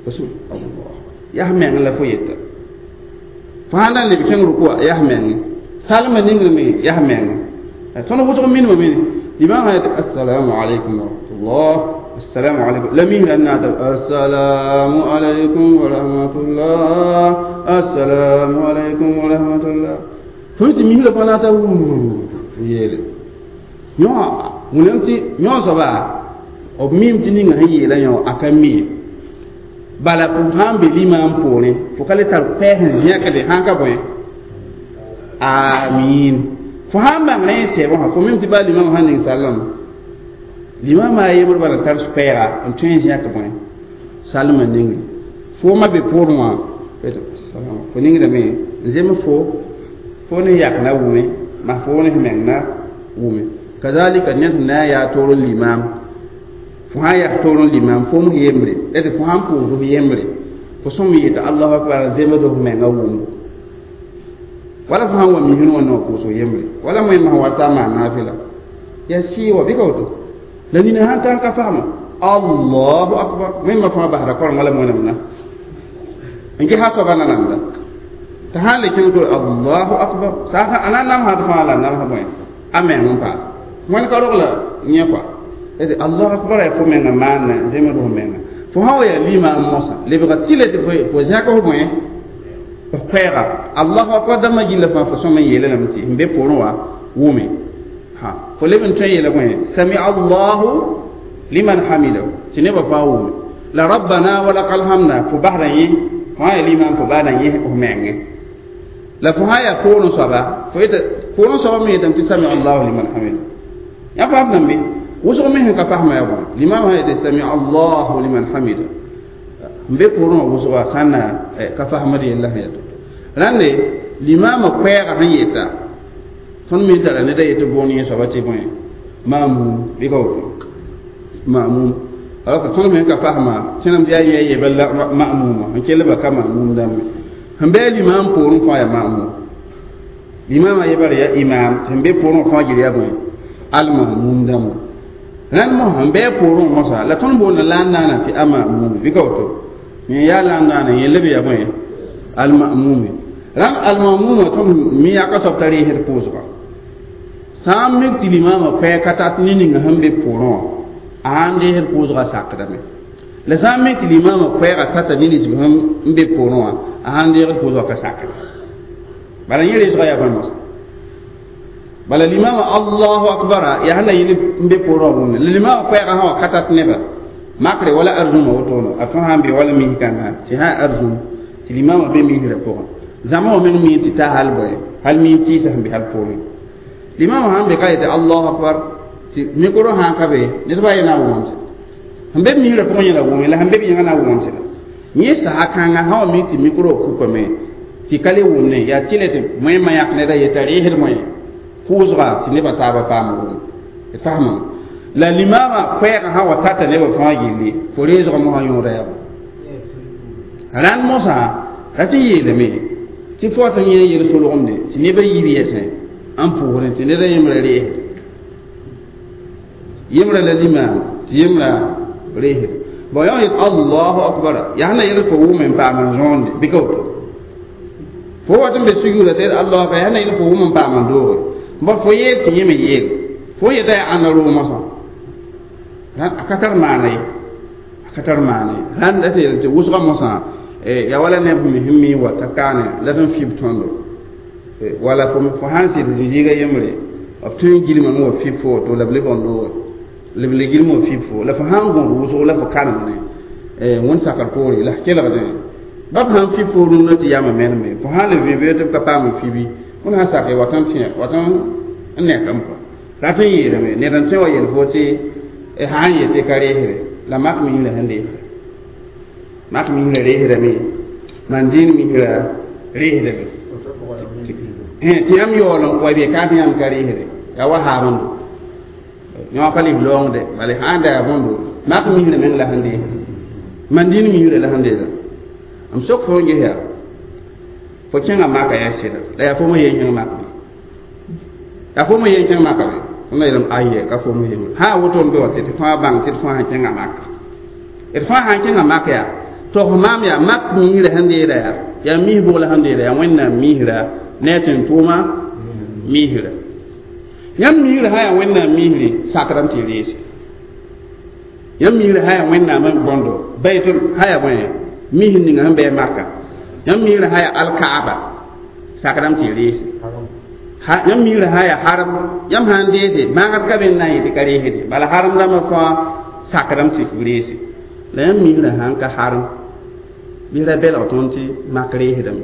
رسول الله يحمي أن لا فو يتا فهذا اللي بيكون ركوع يحمي أن سالم نينغمي يحمي أن تونو بوتو مين مين الإمام السلام عليكم ورحمة الله السلام عليكم لم أن السلام عليكم ورحمة الله السلام عليكم ورحمة الله fo tɩ misrã fãa na ta yeele yõ wẽnnaam tɩ yõ soaba b miime tɩ ninga sẽn yeelã yõ a ka mi bala fo sã n be limaam poorẽ fo ka le tar koɛɛg sẽn zẽkde sãn ka bõe amin fo sã n bãng rẽ n sɛɛbã wã fo mim tɩ baa limaamã sãn ning sallame limaamã a yembr bala tar koɛɛga n tõe n zẽk bõe salmã ningre foomã be poorẽ wã fo ningdame n zems fo fo ne yak na wʋme ma fo ne meng na wʋme kazalika ned sẽn na n yaa toor n limaam fo sã n yak toor n limaam fo m yembre la tɩ fo sãn pʋʋsd f yembre fo sõm yeta allahu akbar n zemsd f menga wʋmbo wala fo sãn wa misr wã no pʋʋs f yembre wala wẽnnaam sẽn wa ta n maan naafɩla yaa sɩɩ wa bɩ ka woto la nina sãn tar n ka fagma allahu akbar wẽnnaamã fãa basda korenga la wẽnnaam na n ges a soaba nanamda t'a sãn le kẽng tɩ allahu akbar sã a na n namsd fãa la nams bõe a meng n paas wẽnd ka rogla yẽ kɔa tɩ allahu akbar yaa fo menga maanna zemd fo menga Fo sã wa yaa limaam mosã lebga tɩla tɩ fo zãk f bõe f koɛɛga allahu akbar dãmbã gilla fãa fo sõm n yeela lame tɩ sẽn be poorẽ wã wʋme ha fo leb n tõe n yeela bõe sami allahu liman hamidahu tɩ nebã fãa wʋme la rabbana wa lakal hamda fo basda yẽ fo sã yaa limaam fo basda yẽ f menge la fo sã yaa poorẽ soaba fo yeta poorẽ soaba me yetame tɩ sami allahu liman hamidahu yã faam dãmbe wʋsg me sẽn ka fasma yaa bõe limaam sã yetɩ sami allahu liman hamida n be poorẽ wã wʋsga sã n na ka fasmd yella sẽn yaa to rãnde limaamã koɛɛgã sẽn yeta tõnd me tara ned a yetɩ boon yẽ soaba tɩ bõe mamum bɩ ka woto mamum alors que tõnd me ka fasma tẽnam tɩ yaa yẽ yeba la mamuma n kell ba ka mamum dãmbe sẽn bɩ limaam poorẽ fãa yaa mamum limaamã yebara yaa imam tɩ sẽn be poorẽ fãa gil yaa bõe almamum dãmba rãnd mosã n bɩ poorẽ mosã la tõnd boonda la n naana tɩ a mamum bɩ ka woto yẽ yaa la n naana yẽ leb yaa bõe almamumi rãnd almamuma tõnd mi yaka soab t'a reesd pʋʋsga sã n mik tɩ limaamã koɛɛg ka tat ne ninga sẽn be poorẽ wã a sãn reesd pʋʋsga sakdame la sã n mik tɩ limaamã koɛɛga tata ne ninsb sẽn be poorẽ wã a sãn reegd pʋʋsga ka sakda bala yẽ reesga yaa bõe mosã bala limaamã allahu akbara yaa sẽn na yĩl n be poorẽ wã wʋmne la limaamã koɛɛgã sã wa ka tat nebã makre wala arzũmã wotone a tõe sã n be wala mis kãngã tɩ sã arzũm tɩ limaamã be misrã pʋgẽ zãma wã meng mi tɩ ta hal bõe hal mi tɩɩsa sẽn be hal poorẽ limaamã sãn be ka yetɩ allahu akbar tɩ mikro sãn ka be ned ba ye na wʋmam sẽn sẽn be misrã pʋgẽ yẽla wʋme la sẽn be b yẽngã na wʋmam sẽda yẽ saha kãngã sã wa mi tɩ mikro kukame tɩ ka le wʋmne yaa tɩ le tɩ moẽmã yãk ned a yeta reesd moẽ pʋʋsga tɩ nebã taabã paam wʋm d fasmame la limaamã koɛɛgã sã wa tata nebã fãa gilli fo reesgã mosã yõoda yaa rãnd mosã ra tɩ yeelame tɩ fo tɩ yẽ yel solgemde tɩ nebã yiib yɛsẽ n pʋʋsrẽ tɩ ned a yẽmbrã reesd yẽmbrã la limaam tɩ yẽmbrã reesd bon yã yet allahu akbar yaa sẽn na yel fo wʋm n paam n zõonde bɩ ka woto fo wat n be sujuuda tɩ yet allahu akbar yaa sẽn na yel fo wʋm n paam n dooge bõ fo yeel tɩ yẽ me yeel fo yeta yaa ãnda roog mosã a ka tar maana ye a ka tar maana ye rãnd tɩ yel tɩ wʋsgã mosã yaa wala neb me sẽn mi wa t'a kaane la tɩ n fib tõndo wala fo sãn sɩd zĩ-zĩiga yembre b tõe n gilma me wa fib fo woto la b leb n dooge la b le gilma wa fib fo la fo sãn gõd wʋsg la fo kanemne wẽnd sakr poore la f kelgdẽ bab sãn fib fo rũndã tɩ yama meneme fo sãn le vẽ tɩ b ka paam n fibi wẽnd sãn sake wat n tẽ wat n nekame kɔa rat n yeelame ned n tõe wa yel fo tɩ sã n yetɩ ka reesre la mak misrã sẽn reesda mak misrã reesdame man dĩin misrã reesdame tɩ yãmb yaool n wa be ka tɩ yãmb ka reesde yaa wa haabẽndo yõ ka lis loongde bala sã n da yaa bõndo mak misrã meng la sẽn reesda man dĩin misrã la sẽn reesda m sok fo n ges yaa fo kẽngã maka yaa sɩda la yaa fo me yen kẽng mak bɩ yaa fo me yen kẽng maka bɩ tõnd yeelame aye ka fo me yembre sã woto n be wa tɩ d fãa bãng tɩ d fãa sẽn kẽngã maka d fãa sãn kẽngã mak yaa tog maam yaa mak misrã sẽn deeda yaa yaa mis bʋg la sẽn deeda yaa wẽnnaam misrã ne a tẽn-tʋʋma misrã yãmb misrã sã yaa wẽnnaam misre sakdame tɩ reese yãmb misrã sã yaa wẽnnaam bõndo baytʋl sã yaa bõe mis ninga sẽn bɩ maka yãmb misrã sã yaa alkaaba sakdame tɩ reese yãmb misrã sã yaa harem yãmb sã n deese maagd ka be n na n yetɩ ka reesde bala harem rãmbã fãa sakdame tɩ f reese la yãmb misrã sãn ka harem bɩ ra belg tõnd tɩ mak reesdame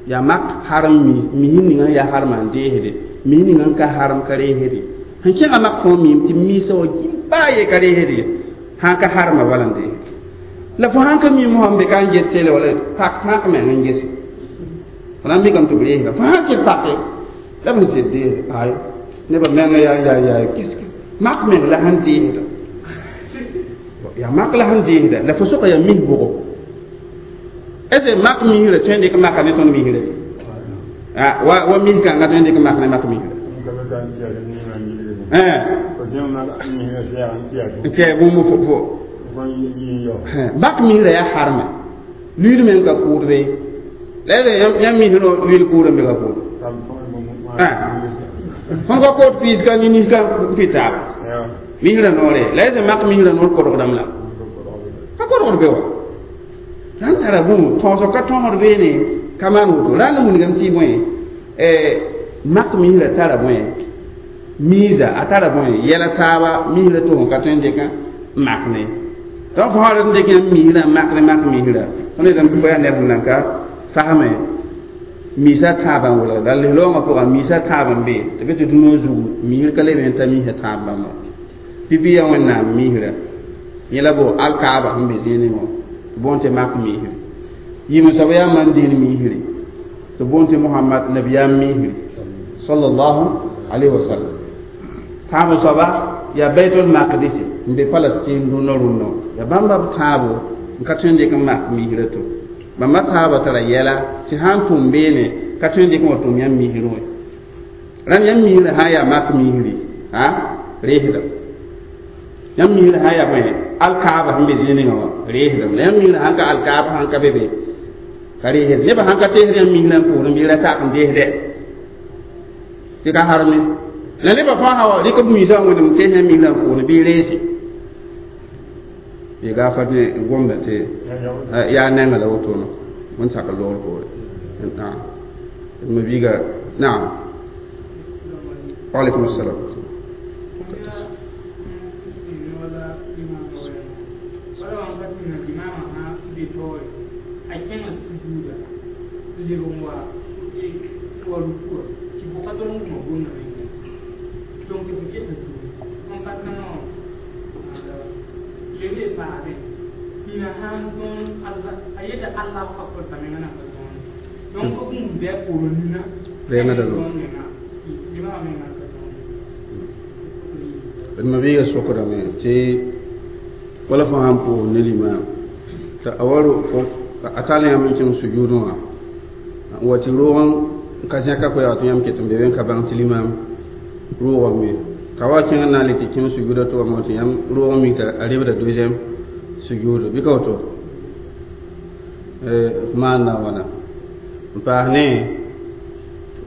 yaa mak harem mis ninga n yaa harmã n deesde mis ninga n ka harem ka reesde sẽn kẽngã mak fãa miime tɩ misa wa gil baa ye ka reesde sãn ka harmã bala n deesde la fo sãn ka mi mosã n be ka n get tele wala pak mak meng n gese fo na n mikame tɩ b reesda fo sãn sɩd pake la b sẽn sɩd deesda ay nebã menga yaa yaa yaa kiske mak meng la sẽn deesda yaa mak la sẽn deesda la fo soka yaa mis bʋgo est ce mak misrã tõe n dɩk maka ne tõnd misrã wa wa mis kãngã tõe n dɩk mak ne mak misrã n kɛ bũmb fo mak misrã yaa harmã luiid meng ka kʋʋd be la yãmb misrã luiid kʋʋd n be ka kʋʋd tõnd ka koot piis ka nin ka pɩ taaba misrã noore la est mak misrã noor kodgdame la ka kodgd be wa rãn tara bũmb tõosg ka tõosd beene ka maan woto rãnd wilgame tɩ bõe mak misrã tara bõe miisa a tara bõe yɛla taaba misrã tɩ fõ ka tõe n dɩk n mak ne donc fo sã n dɩk yãmb misrã n makd mak misrã tõnd yeelame tɩ fo yaa ned sẽn nan ka fasme miisã tãabã n welgda la lis-loongã pʋgã miisã tãab n be tɩ be tɩ dũniyã zugu misr ka leb n ta miisã tãab bãmba pipi yaa wẽnnaam misrã yẽ la bo alkaaba sẽn be zĩig wã tɩ boond tɩ mak misri yĩm soab yaa man-dĩin misri tɩ boond tɩ mohamad nabiyaam misri sallallahu alayhi wa sallam tãab soaba yaa baitul maqdis n be palestine dũnã rũnnã yaa bãmba b tãabo n ka tõe n dɩk n mak misrã to bãmba taaba tara yɛla tɩ sã n tʋm beene ka tõe n dɩk n wa tʋm yãmb misrẽ wã rãnd yãmb misrã sã n yaa mak misri a reesdame yãmb misrã sã n yaa bõe alkaaba sẽn be zĩig ninga wã reesdame la yãmb misrã sãn ka alkaaba sãn ka be be ka reesd nebã sãn ka teesd yãmb misrã n pʋʋsẽ bɩ ra sak n deesdɛ tɩ ka harme la nebã fãa sã wa rɩk b miisã wẽndem tees yãmb misrã n pʋʋsẽ bɩ reese ye gaafar ne gomda tɩ yaa nengã la woto wẽn sak loogr poore naam ma biiga naam waalaikum assalam. D ma biiga sokdame tɩ wala fo sãn pʋʋs ne limaam t'a a wa a tall yãmb n kẽng sujudẽ wã n wa tɩ roog n ka zẽka koɛɛg tɩ yãmb ket n be be n ka bãng tɩ limaam roogame t'a wa kẽng n na n le tɩ kẽng sujuda tɩ wa tɩ yãmb roog n mik t'a rebda deuxième sujud bɩ ka woto f maanda wãna n paas ne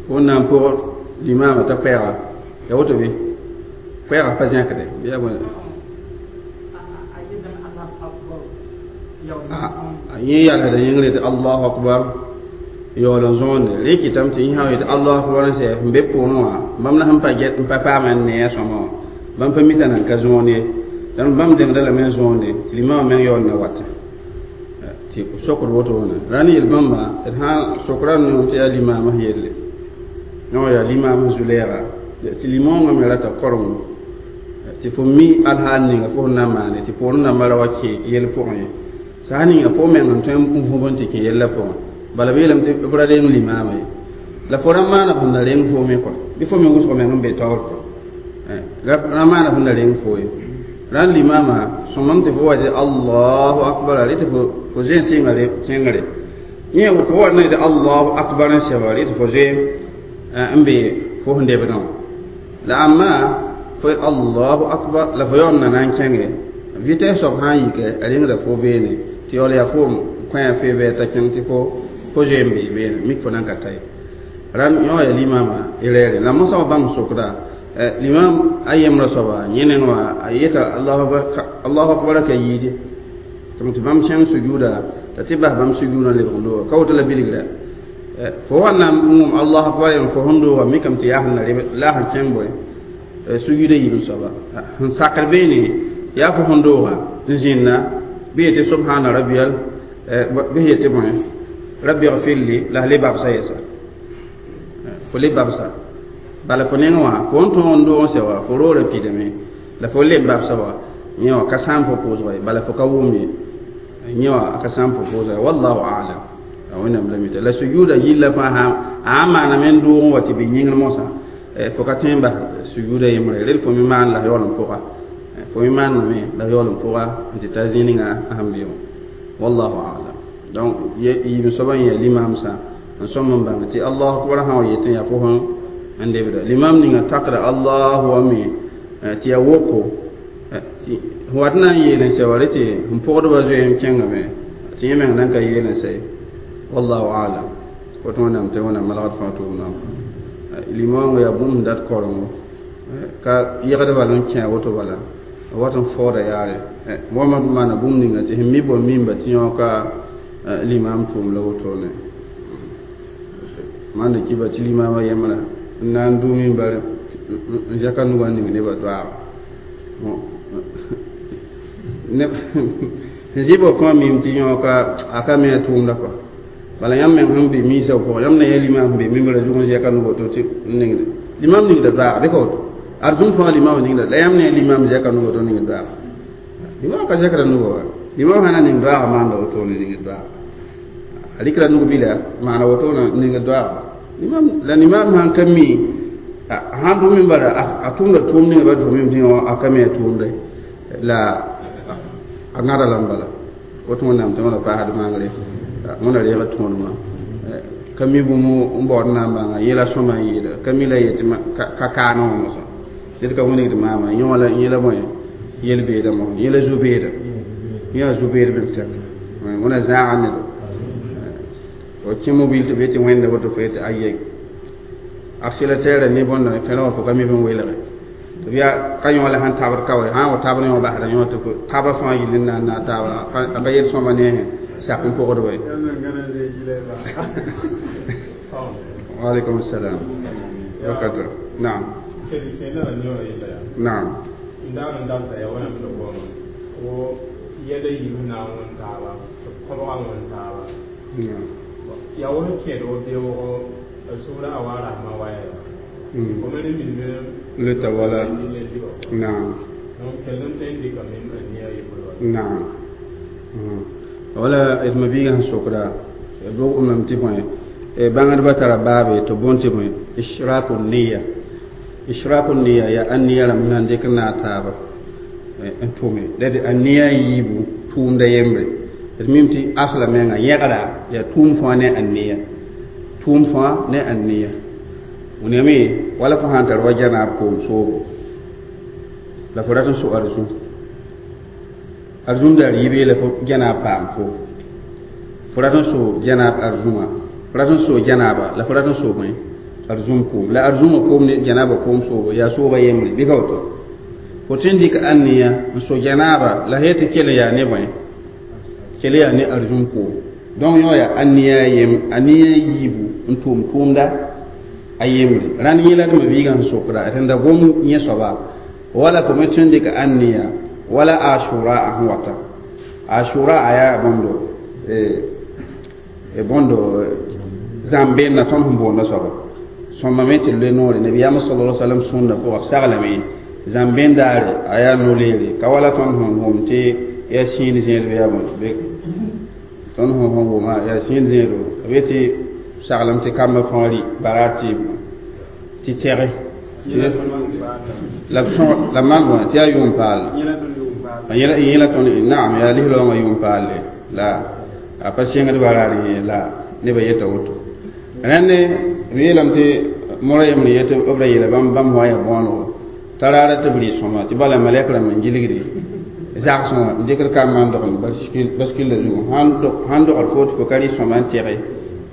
fo n na n pʋgd limaamã t'a koɛɛga ya woto bɩ koɛɛga pa zẽkde bɩ yaa bõe yẽ yalsda yĩngre tɩ allahu akbar yaool n zõonde rẽ kɩtame tɩ yẽ sã n yetɩ allahu akbar n sɛ n be pʋʋrẽ wã bãmb la sẽn pa get n pa paam n nee a sõma wã bãmb pa mita nan ka zõon ye dãmb bãmb dẽngda lame n zõonde tɩ limaamã meng yaool na wata tɩ sokd woto wãna ra ne yel bãmba tɩ d sã sokra n tɩ yaa limaamã yelle no yaa limaamã zu-lɛɛga tɩ limõongã me rata korengo tɩ fo mi alhaal ninga fo sẽn na n maane tɩ poorẽ dãmbã ra wa kẽ yell pʋgẽ ye sã ninga fo meng n tõe n vũb n tɩ kẽ yellã pʋgẽ bala b yeelame tɩ b ra reng limaamã ye la fo ra maana sẽn na reng foome kɔ bɩ fo me wʋsg meng n be taoor kɔ ra maana sẽn na reng fo ye rãnd limaamã sõmam tɩ fo wa tɩ allahu akbar rɩ tɩ fo zoe n sɩngre yẽ fo wa na tɩ allahu akbar n sɛba rɩ tɩ fo zoe n be fo sẽn debdã la amma fo allahu akbar la fo yaool na na n kẽnge vitɛs soab sã n yike a rẽngda fo beene tɩ yaool yaa foom kõ fee bɩ t'a kẽng tɩ fo zoe n bee beene mik fo nan ka ta ye rãnd yõ yaa limaamã y reere la mosã wa bãmb sokda limam a yembrã soaba yẽ neng wã a yeta allahu akbar ka yiide tɩ bãmb sẽng sujuuda t'a tɩ bas bãmb sujuudã lebg n dooga ka woto la bilgra fo wa na n wʋm allahu akbar yem fo sẽn dooga mikame tɩ yaa sẽn na reb la sẽn kẽng bõe sujuuda yiib soaba sẽn sakd beene yaa fo sẽn dooga n zĩnna bɩ yetɩ subhana rabbiyal bɩ yetɩ bõe rabbi gfirli la le babsa yɛsa fo le babsa bala fo neng wã fo n tõog n doog n sɛ wã fo roorã pidame la fo leb babsa wa yẽ wã ka sãam fo pʋʋsga ye bala fo ka wʋm ye yẽ wã ka sãam fo pʋʋsga ye wallahu alam a wẽnnaam la mita la sujuuda yilla fãa sã a n maaname n doog n wa tɩ bɩ yĩngr mosã fo ka tõe n bas sujuuda yembre rel fo me maan la yaool n pʋga fo me maanname la yaool n pʋga n tɩ ta zĩ ninga sẽn be wã wallahu alam donc yiib soaba n yaa limaamsã n sõm n bãng tɩ allahu akbar sã wa yetẽ yaa fo sẽn n lebda limam ninga takda allahu wa me tɩ yaa woko wat na n yeel n sɛ wa rẽ tɩ n pʋgdbã zoe n kẽngame tɩ yẽ meng nan ka yeel n sɛ wallahu alam woto wẽnnaam tɩ wẽnnaam malgd fãa tʋʋmdã limaoongã yaa bũmb sẽn dat korengo ka yegd bala n kẽ woto bala Wat n faooda yaare wãma maana bũmb ninga tɩ sẽn mi bõe mimba tɩ yõoka limaam tʋʋm la wotone maanda kiba tɩ limaamã yembrã n na n dʋ mimbar n zãka nugã n ning nebã doaaga n zɩ bɔ fãa mim tɩ yõoka a ka me a tʋʋmda kɔa bala yãmb meng sẽn be miisã pʋgẽ yãmb na yã limaam sẽn be mimbrã zug n zɛka nug woto tɩ n ningde limaam ningda doaaga bɩ ka woto ad zũm fãa limaam ningda la yãmb ne yã limaam zɛka nug woto ningd doaaga limaam ka zɛkra nugã wa limaam sã na ning doaaga maanda wotone ningd doaaga a rɩkra nug bila maana wotone ningd doaaga limaam la limaam sãn ka mi sãn dʋ mimbara a tʋmda tʋʋm ninga ba dʋ mim tɩ a ka me a tʋʋmde la a gãda lame bala woto wẽnnaam tɩ wãna paasd maagre wẽna reega tõodmã ka mi bũmb n baood n na n bãnga yẽla sõma n yɩɩda ka mi la yetɩ ka kaana wã mosã ned ka wilgd maama yõ la yẽla bõe yel-beeda mos yẽla zu-beeda yã zu-beed bɩ b tɛk wẽna zãaga nedo fo kẽ mobil tɩ b yetɩ wẽnda woto fo yetɩ aye accélérateur ne bõnda fẽrẽ wã fo ka mi bẽn welge tɩ b yaa ka yõ la sẽn tabd ka wa sã n wa tabd yõ basda yõ tɩ taba fãa yɩl n na n naag taaba a ka yel sõma ne sak n pʋgd wa وعليكم السلام وبركاته نعم نعم لتولى نعم نعم wala d mabiigã sẽn sokda b rogmame tɩ bõe bãngdbã tara baabe tɩ bõn tɩ bõe ishraku niya ishraku niya yaa aniya rãmb na n dɩk n naag taaba n tʋme la d aniya yiibu tʋʋmda yembre d mim tɩ asla menga yẽgra yaa tʋʋm fãa ne aniya tʋʋm fãa ne aniya wẽnnaame wala fo sãn tar wa janaab koom soobo la fo rat n so arzũ arzũm daar yibe la fo janaab paam fo fo rat n so janaab arzũma fo rat n so janaaba la fo rat n so bõe arzũm koom la arzũmã koom ne janaaba koom soobo yaa sooba yembre bɩ ka woto fo tõe n dɩk ãnneya n so janaaba la sã tɩ kell yaa ne bõe kell yaa ne arzũm koom donc yõ yaa aniya yem aniya yiibu n tʋʋm tʋʋmda a yembre rãnd yẽ la d mabiigã sẽn sokda d da gom yẽ soaba wala fo me tõe n dɩk ãnneya wala ashura a sẽn wata ashura a yaa bõndo bõndo zãm-beenna tõnd sẽn boonda soaba sõma me tɩ loe noore nabiyaamã sala la salam sũurnã pʋga b saglame zãm-been daare a yaa no-leere ka wala tõnd sẽn wʋm tɩ yaa sĩid zẽedb yaa bõe tõnd sẽn wʋma yaa sĩid zẽedo b yetɩ saglem tɩ kambã fãa rɩ baraar tɩ tɛge la b la maan bõe tɩ yaa yʋʋm paal yẽla tõnd naam yaa lislaoongã yʋʋm paalle la a pa sẽngd baraar yẽ la nebã yeta woto rãnd b yeelame tɩ mora yembre yetɩ b ra yeela bãmb bãmb wã yaa bõonego t'a raara tɩ b rɩ sõma tɩ bala malɛk rãmb n gilgde zagsẽ wã n dɩkd kambã n dogl baskilla zugu sãn dogd fo tɩ fo ka rɩ sõma n tɛge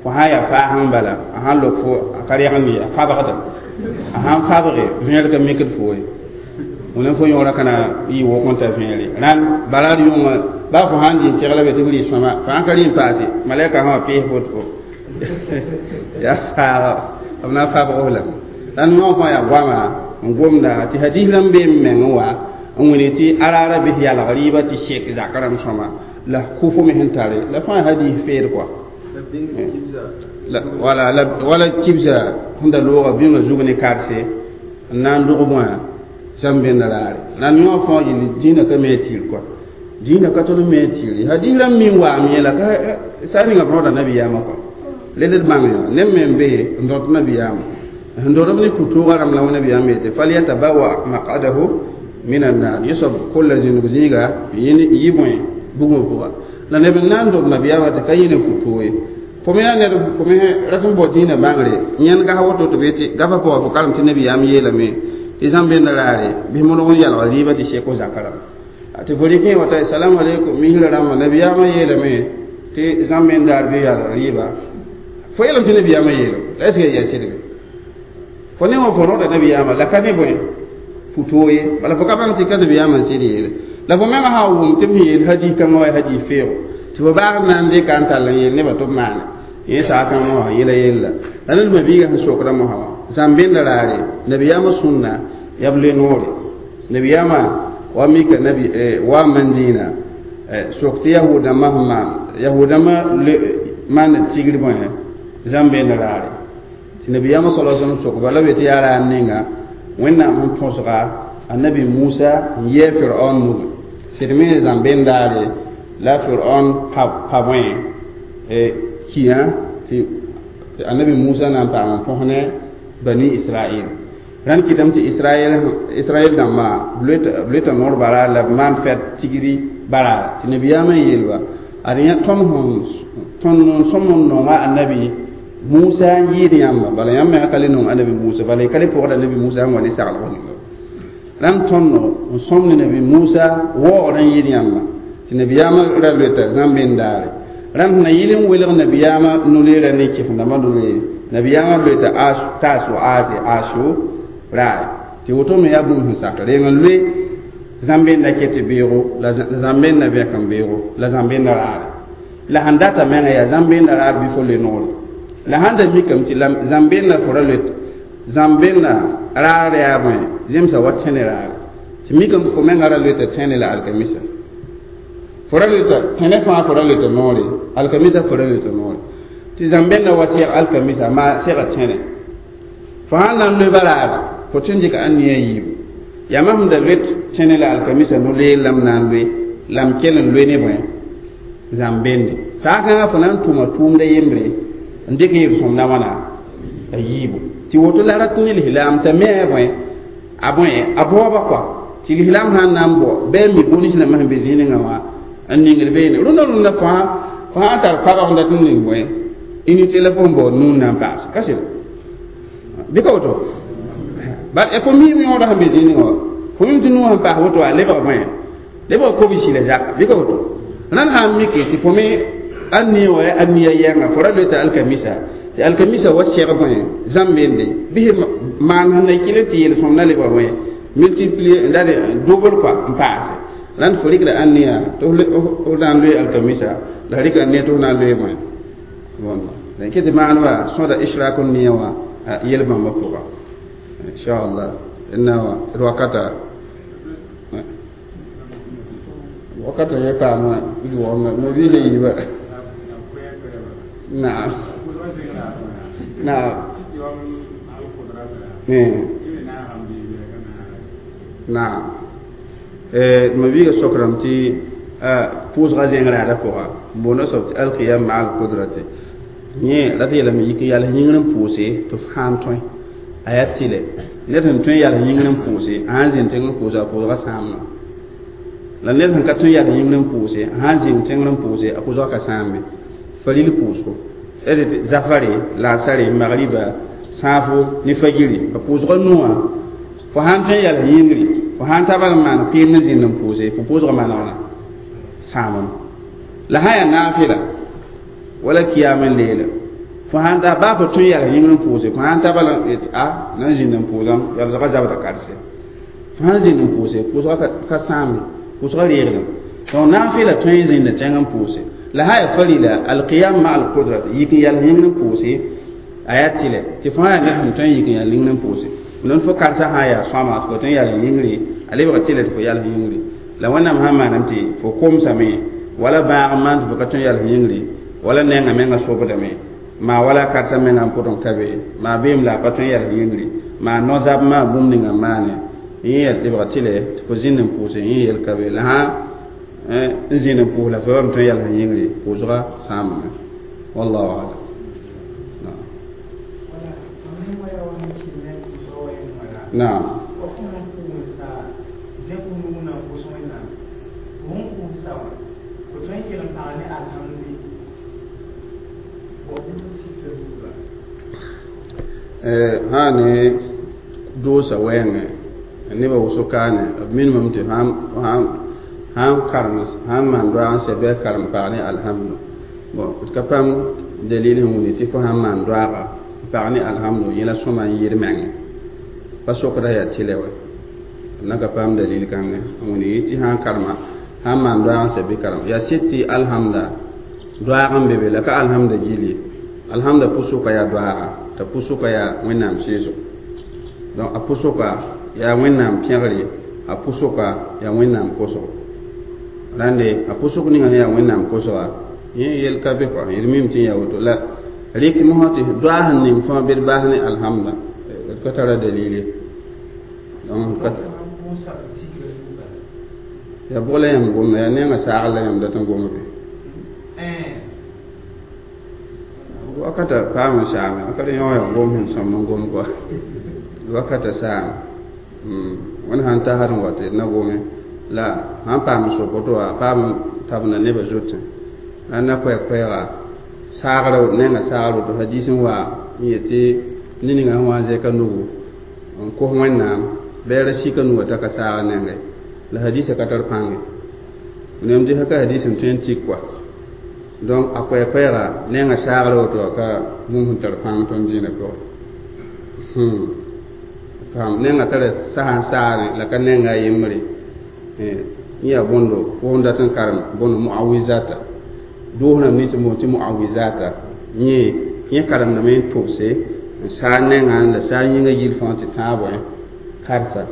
fo sã yaa faasẽ n bala a sãn lok fo a ka rɛgend ye a fabgda a sãn fabge vẽer ka mikd fo ye wẽna fo yõora ka na yɩ wʋk n ta vẽere rãnd baraar yʋngã baa fo sãn dɩ n tegla be tɩ f rɩ sõma fo sãn ka rɩ n paase malɛka sã wã pees fo tɩ fo yaa faaga b na n fabg f lame rãnd yõ fãa yaa goama n gomda tɩ hadis rãmb bee n meng n wa n wẽne tɩ araara bɩs yalg rɩɩbã tɩ sek zak rãmb sõma la kʋfo me sẽn tare la fãa hadis feed kɔa wala wala kibsa sẽn da looga bĩmã zug ne karse n na n dog bõa zãm-bẽnd raare rãnd yõ fãa yɩl dĩinã ka me tɩɩr kɔa dĩinã ka tol n me tɩɩre hadis rãmb min waam yẽla ka sa ninga võoda nabiyaamã kɔa led d bãng yã neb me n be n dõt nabiyaamã sẽn dõdb ne ku-tooga rãmb la wẽnnabiyaam yetɩ falyatabawa maqadahu min annar yẽ soab kolla zĩndg zĩiga yɩ bõe bugmã pʋga la neb n na n dob nabiyaamã tɩ ka yẽ ne ku-toog ye fo me yaa ned fo me rat n bao dĩinã bãngre yẽnd gas woto tɩ b yetɩ gafa pʋga fo karem tɩ nabiyaam yeelame tɩ zãm-bẽnda raare bɩs modg n yalga rɩɩbã tɩ seko zakã rãmba tɩ fo rɩk wata salamu aleykum misrã rãmba nabiyaamã yeelame tɩ zãm-bẽnd daar bɩ yalg rɩɩba fo yeelame tɩ nabiyaamã yeelame la est ce que yaa sɩdbe fo ne wã fo rõda nabiyaamã la ka ne bõe Puto ye bala fo ka bãng tɩ ka nabiyaamã sɩd yeele la fo menga sã n wʋm tɩ b sẽn yeel hadis kãngã wa hadis feoogo tɩ fo baag n na n dɩka n tall n yeel nebã tɩ b maane yẽ saakãngã wã yẽla yella la ned mabiigã sẽn sokdã mosã wã zãm-benda raare nabiyaamã sũnna yaa b le noore nabiyaamã wa mika nabi wa mandĩinã sok tɩ yahudãmbã sẽn maan yahudãmbã maanda tigr bõe zãm-benda raare tɩ nabiyaamã sala sallam sokba la b yetɩ yaa raar ninga wẽnnaam sẽn põsga annabi musa n yɛɛ firaon nugu sɩd me zãm-bendaare la firaon pa bõe kiã tɩ annabi musa na n paam n põs ne bani israel rãnd kɩtame tɩ israɛl dãmbã b loeta noor bara la b maan fɛd tigri bara tɩ nabiyaamã n yeelba ad yã tõnd tõnd n sõm n nonga annabi musa n yɩɩd yãmba bala yãmb mengã ka le nong annabi musa bala y ka le pʋgd annabi musa sẽn wa ne saglg ninga rãnd tõndo n sõm ne nabi musa waoogd n yɩɩd yãmba tɩ nabiyaamã ra loeta zãm-bendaare rãnd sẽn na yɩl n welg nabiyaamã no-leerã ne kɩf-dãmbã no-leere nabiyaamã loeta taas wa aate asu raare tɩ woto me yaa bũmb sẽn sak reng n loe zãm-benda ket tɩ beoogo la zãm-benda vẽk n beoogo la zãm-benda raare la sẽn data menga yaa zãm-benda raar bɩ fo le noore la sãn da mikame tɩ zãm-benda fo ra loet zãm-benda raar yaa bõe zemsa wa tẽne raare tɩ mikame fo menga ra loeta tẽne la alkamisa fo ra loeta tẽne fãa fo ra loeta noore alkamisa fo ra loeta noore tɩ zãm-benda wa seg alkamisa maa sega tẽne fo sãn na n loe ba raara fo tɩ n dɩka ãn-nia yiibu yaa mam sẽn da loet tẽne la alkamisa no-leer la m na n loe la m kell n loe ne bõe zãm-bende saakãngã fo na n tʋma tʋʋmda yembre n dɩk yel-sõmdã wãna a yiibu tɩ woto la rat ne lislaam t'a me a bõe a bõe a baooba kɔa tɩ lislaam sãn na n bao bɩ a mi bõe nins rãmbã sẽn be zĩig ninga wã n ningd beene rũndã rũndã fãa fo sã n tar pabg n dat n ning bõe unité la fo sẽn baood nuun na n paas ka sɩd bɩ ka woto bat fo miim yõoda sẽn be zĩig ninga wã fo mim tɩ nuun sẽn paas woto a lebg bõe lebg kobsi la zaka bɩ ka woto rãnd sã n mike tɩ fo me ãn-nia wa yaa ãn-nia yɛnga fo ra loeta alkamisa tɩ alkamisa wa sɛg bõe zãm-bende bɩs maan sẽn na kɩl tɩ yel-sõm na lebga bõe multiplier la double quoi n paase rãnd fo rɩkda ãn-nia tɩ f na n loe alkamisa la rɩka ãn-nia tɩ f na n loe bõe võnda la kɩ tɩ maaneba sõda ishrak nia wã yel-bãmbã pʋga inchallah na wã d wakata wakata ye paama yʋgame ma biisã yiiba naam naam naam ma biiga sokrame tɩ pʋʋsga zẽng raada pʋga boonda soab tɩ alqiyam maa alqudrati yẽ la tɩ yeelame yik n yals yĩngr n pʋʋse tɩ f sãn tõe a yaa tɩlɛ ned sẽn tõe n yals yĩngr n pʋʋse a sãn zĩnd tẽng n pʋʋse a pʋʋsga sãamna la ned sẽn ka tõe n yals yĩngr n pʋʋse a sãn zĩnd tẽngr n pʋʋse a pʋʋsga ka sãambe faril pʋʋsgo d zafare laasare magriba sãafo ne fagiri a pʋʋsga nuwã fo sãn tõe n yals yĩngri fo sãn ta bal n maan kɩɩm n zĩnd n pʋʋse fo pʋʋsga manegna sãamame la sã yaa naafɩla wala kiyam n leela fo sãn ta baa fo tõe n yals yĩngr n pʋʋse fo sãn ta bal n a na n zĩnd n pʋʋsam yalsga zabda karse fo sãn zĩnd n pʋʋse pʋʋsga ka sãambe pʋʋsga reegdem donc naafɩla tõe n zĩnd tẽng n pʋʋse la sã yaa farila alqiyam ma alqudrat yik n yals yĩngr n pʋʋse a yaa tɩlɛ tɩ fo sã yaa ned sẽn tõe n yik n yals yĩngr n pʋʋse n fo karsa sã yaa sõama tɩ fo tõe n yals yĩngre a lebga tɩlɛ tɩ fo yals yĩngre la wẽnnaam sãn maaname tɩ fo komsame wala bãag n maan tɩ fo ka tõe n yals yĩngre wala nenga menga sobdame maa wala karsa menga n pʋtẽ ka be maa beem la a pa tõe n yals yĩngre maa no-zab maa bũmb ninga n maane yẽ yaa lebga tɩlɛ tɩ fo zĩnd n pʋʋse yẽ yel ka be la sã n zĩnd n pʋʋs la fo bam tõe n yals yĩngre pʋʋsga sãamame wallahu alam. Naam. Sã ne doosa wɛɛngẽ nebã wʋsg kaane b minimum tɩ sãn karem sãn maan doaag n sɛ bɩ a karem pag ne alhamdu bon d ka paam dalil sẽn wilg tɩ fo sãn maan doaaga n pag ne alhamdu yẽla sõma n yɩɩd mengẽ pa sokda yaa tɩlɛ wɛ Na ka paam dalil kãngẽ wẽnd yɩ tɩ sã n karema sãn maan doaag n sɛ bɩ karem yaa sɩd tɩ alhamda doaag n be be la ka alhamda gill ye alhamda pʋsʋka yaa doaaga t'a pʋsʋka yaa wẽnnaam sɩɩsgo donc a pʋsʋka yaa wẽnnaam pẽgre a pʋsʋka yaa wẽnnaam kosgo rãnde a pʋsʋk ninga sẽn yaa wẽnnaam kosga yẽ yel ka be kɔa d mim tɩ n yaa woto la rɩk mosã tɩ doaag sẽn ning fãa bed baas ne alhamda d ka tara dalil ye donc yaa bʋg la yãmb gomda yaa nengã saagr la yãmb dat n gomd be wakata paam n saame wakata yõ yaa gom sẽn sõm n gom kɔa wakata saam wẽnd sãn tasd n wa tɩ d na gome la sãn paam sok woto wã paam n tabenda nebã zotẽ la na koɛɛ-koɛɛga saagra nengã saagr woto hadis n wa n yetɩ ned ninga sẽn wa n zɛka nugu n kos wẽnnaam bɩ a ra sika nugã t'a ka saag nengẽ la hadisa ka tar pãnge nem tɩ ka hadis n tõe n tik kɔa donc a koɛɛ-koɛɛga nengã saagra woto wã ka bũmb sẽn tar pãng tõnd dĩinã pʋgẽ paam nengã tara sasa n saagẽ la ka nenga a yembre n yaa bõndo fo dat n karem bõndo muawizata doos rãmb nins n boond tɩ muawizata yẽ yẽ karemdame n tʋbse n saag nengã la saag yĩngã yill fãa tɩ tãag bõe karsa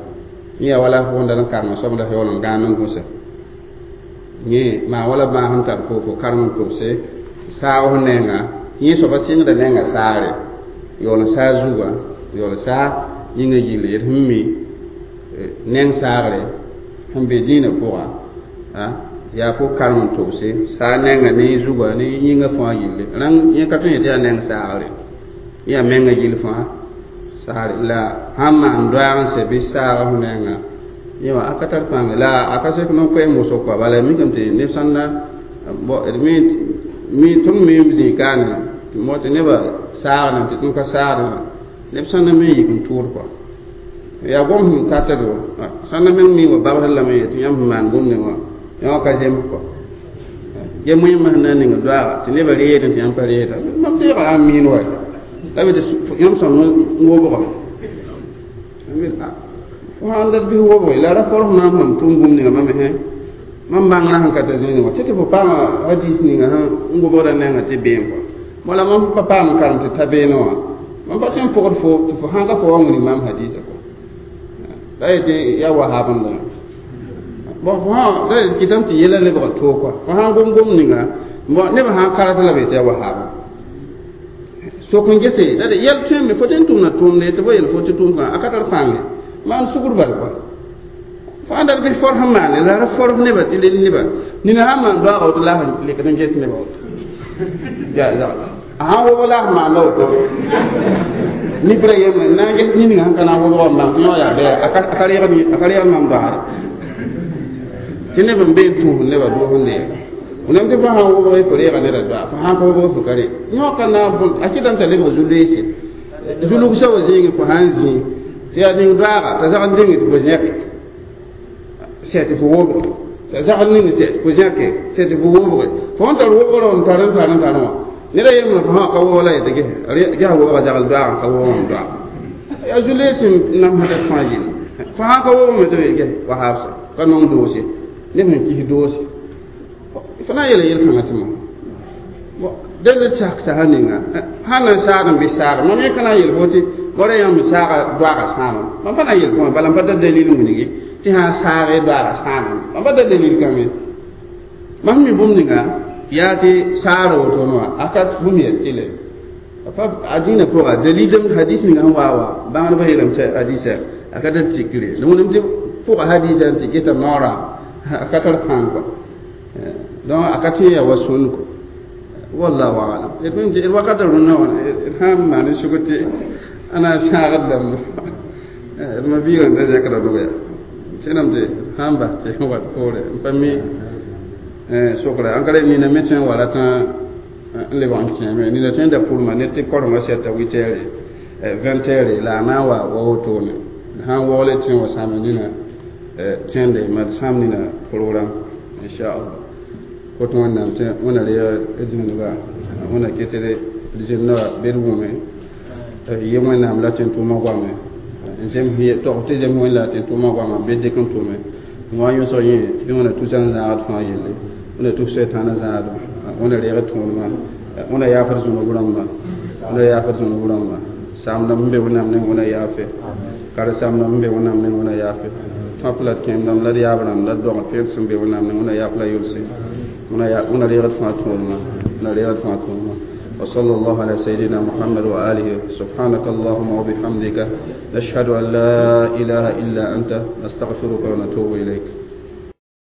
yẽ yaa wala fo dat n karema soab la yaool n gãan n gũsa yẽ maa wala bãas n tar fo karem n tʋbse saag f nenga yẽ soaba sɩngda nengã saagre yaool n saag zugã yaool n saag yĩngã yille d sẽn mi neng saagre sẽn be dĩinã pʋga yaa fo karem n tʋbse saag nenga ne zugã ne yĩngã fãa yille rãng yẽ ka tõe n yetɩ yaa neng saagre yaa menga gill fãa saagre la sãn maan doaag n sɛ bɩ saaga fo nenga yẽ wã a ka tar pãnge la a ka sek no-koɛɛm wʋsg kɔa bala mikame tɩ neb sãn na mi tõnd me zĩ kaane tɩ mo tɩ nebã saagdẽ tɩ tõnd ka saagdẽ wã neb sãn na me n yik n tʋʋd kɔa yaa gom sẽn tatdo sãn na meng mi wa babsd lame ye tɩ yãmb sẽn maan bũmb ning wã yã wã ka zems kɔa ge moẽmã sẽn na n ning doaaga tɩ nebã reedẽ tɩ yãmb pa reeda mam deega ã miin wa la be tɩ yãmb sõm n wobga fo sãn dat bɩs wobge la ra forf na n mam tʋm bũmb ninga mame hẽ mam bãngrã sẽn ka ta zĩig wã tɩ tɩ fo paama hadis ninga sẽn n wobgda nengã tɩ beem kɔa wala mam pa paam karem tɩ ta beene wã mam pa tõe n pʋgd fo tɩ fo sãn ka fo wa wilg maam hadisa kɔa la yetɩ yaa wahabenda bon fo sã la kɩtame tɩ yɛla lebg toog kɔa fo sãn gom gom ninga bon nebã sãn karat la be tɩ yaa wahab sok n gese la de yɛl tõeme fo tɩ n tʋmda tʋʋmde tɩ fo yel fo tɩ tʋʋm kã a ka tar pãnge maan sugr bal kɔa fo ãn dat bɩ forf n maane la ra forf nebã tɩ le nebã nina sãn maan doaaga woto la sẽn lekd n ges nebã woto yaa zagla a sãn wobg la sẽn maanda woto nifra yembre na n ges ningã sẽn ka na n wobg n bãng tɩ yõ yaa bɩ a ka reegd mam doaare tɩ neb n be n tũus nebã doos n neega nem tɩ fo sãn wobg fo reega neda doa fo sãn ka wobg fo ka re yõ ka na n bõn a kɩtame t'a lebg zu-loeese zulugsa wa zĩigẽ fo sãn zĩ tɩ yaa ning doaaga t'a zag n dĩng tɩ fo zẽke sɛ tɩ fo wobge t'a zag n ning sɛ tɩ fo zẽke sɛ tɩ fo wobge fo sẽn tar wobgrã n tar n tar n tar wã neda yembre fo sã ka wobg la yetɩ gesa wobga zagl doaag n ka wobg n doaag yaa zu-loees n namsda fãa yĩnga fo sãn ka wobgme tɩ ges wahaabsa ka nong doose neb sẽn kis doose fo na n yeela yel-kãngã tɩ mo dẽnd sak sasa ninga sãn na n saag n bɩ saaga mam yẽ ka na n yel fo tɩ bõra yãmb saaga doaaga sãama mam pa na n yel fo bala m pa tar dalil wilgi tɩ sãn saage doaaga sãama mam pa tar dalil kãngẽ mam mi bũmb ninga yaa tɩ saara wotone wã a ka bũmb yaa tɩle a dĩinã pʋga dalilem hadis ninga sẽn waa wa bãngdbã yeelame tɩ hadisa a ka tar tikre la wẽnnaam tɩ pʋga hadisa n tɩ geta noorã a ka tar pãng kɔa donc a ka tɩ yaa wa sũnd kɔ wallahu alam d mim tɩ d wakata rũnnã wã d sãn maan sugr tɩ a na n sãagd lame d ma biigã n da zẽkda dog yaa tẽnam tɩ sãn bas tɩ wat poore n pa mi sokra an ka ra nina me tõe n wa ratã n lebg n kẽeme nina tõe n da pʋrma ne tɩ korengã sɛta 8 heures 20 heures la a na n wa wa wotone sãn waoole tẽ wa sãama nina tẽnde mad sãam nina program inchallah kot wẽnnaam tɩ wẽna reeg d zĩnga wẽna ket d zĩnda bed wʋme yem wẽnnaam la tẽn tʋʋmã goame N zem tog tɩ zem wẽn la tɩ n tʋma goama bɩ dɩk n tʋme n wa n yõsg yẽ bɩ wẽna tusa n zãagd fãa yelle, wẽna tus sɛtãana zãadem, wẽna reeg d tõodmã, wẽna yaafd zũnub rãmba, wẽna yaafd zũnub rãmba, saam-dãmb n be Wẽnnaam neng, wẽna yaafe karen-saam-dãmb n be Wẽnnaam neng, wẽna yaafe tõap la d kẽem-dãmb la d yaab rãmb la d dogd peer sẽn be Wẽnnaam neng, wẽna yaaf la yʋlse, wẽna reegd fãa tõodmã, wẽna reegd fãa tõodmã. وصلى الله على سيدنا محمد وآله. سبحانك اللهم وبحمدك، نشهد أن لا إله إلا أنت، نستغفرك ونتوب إليك.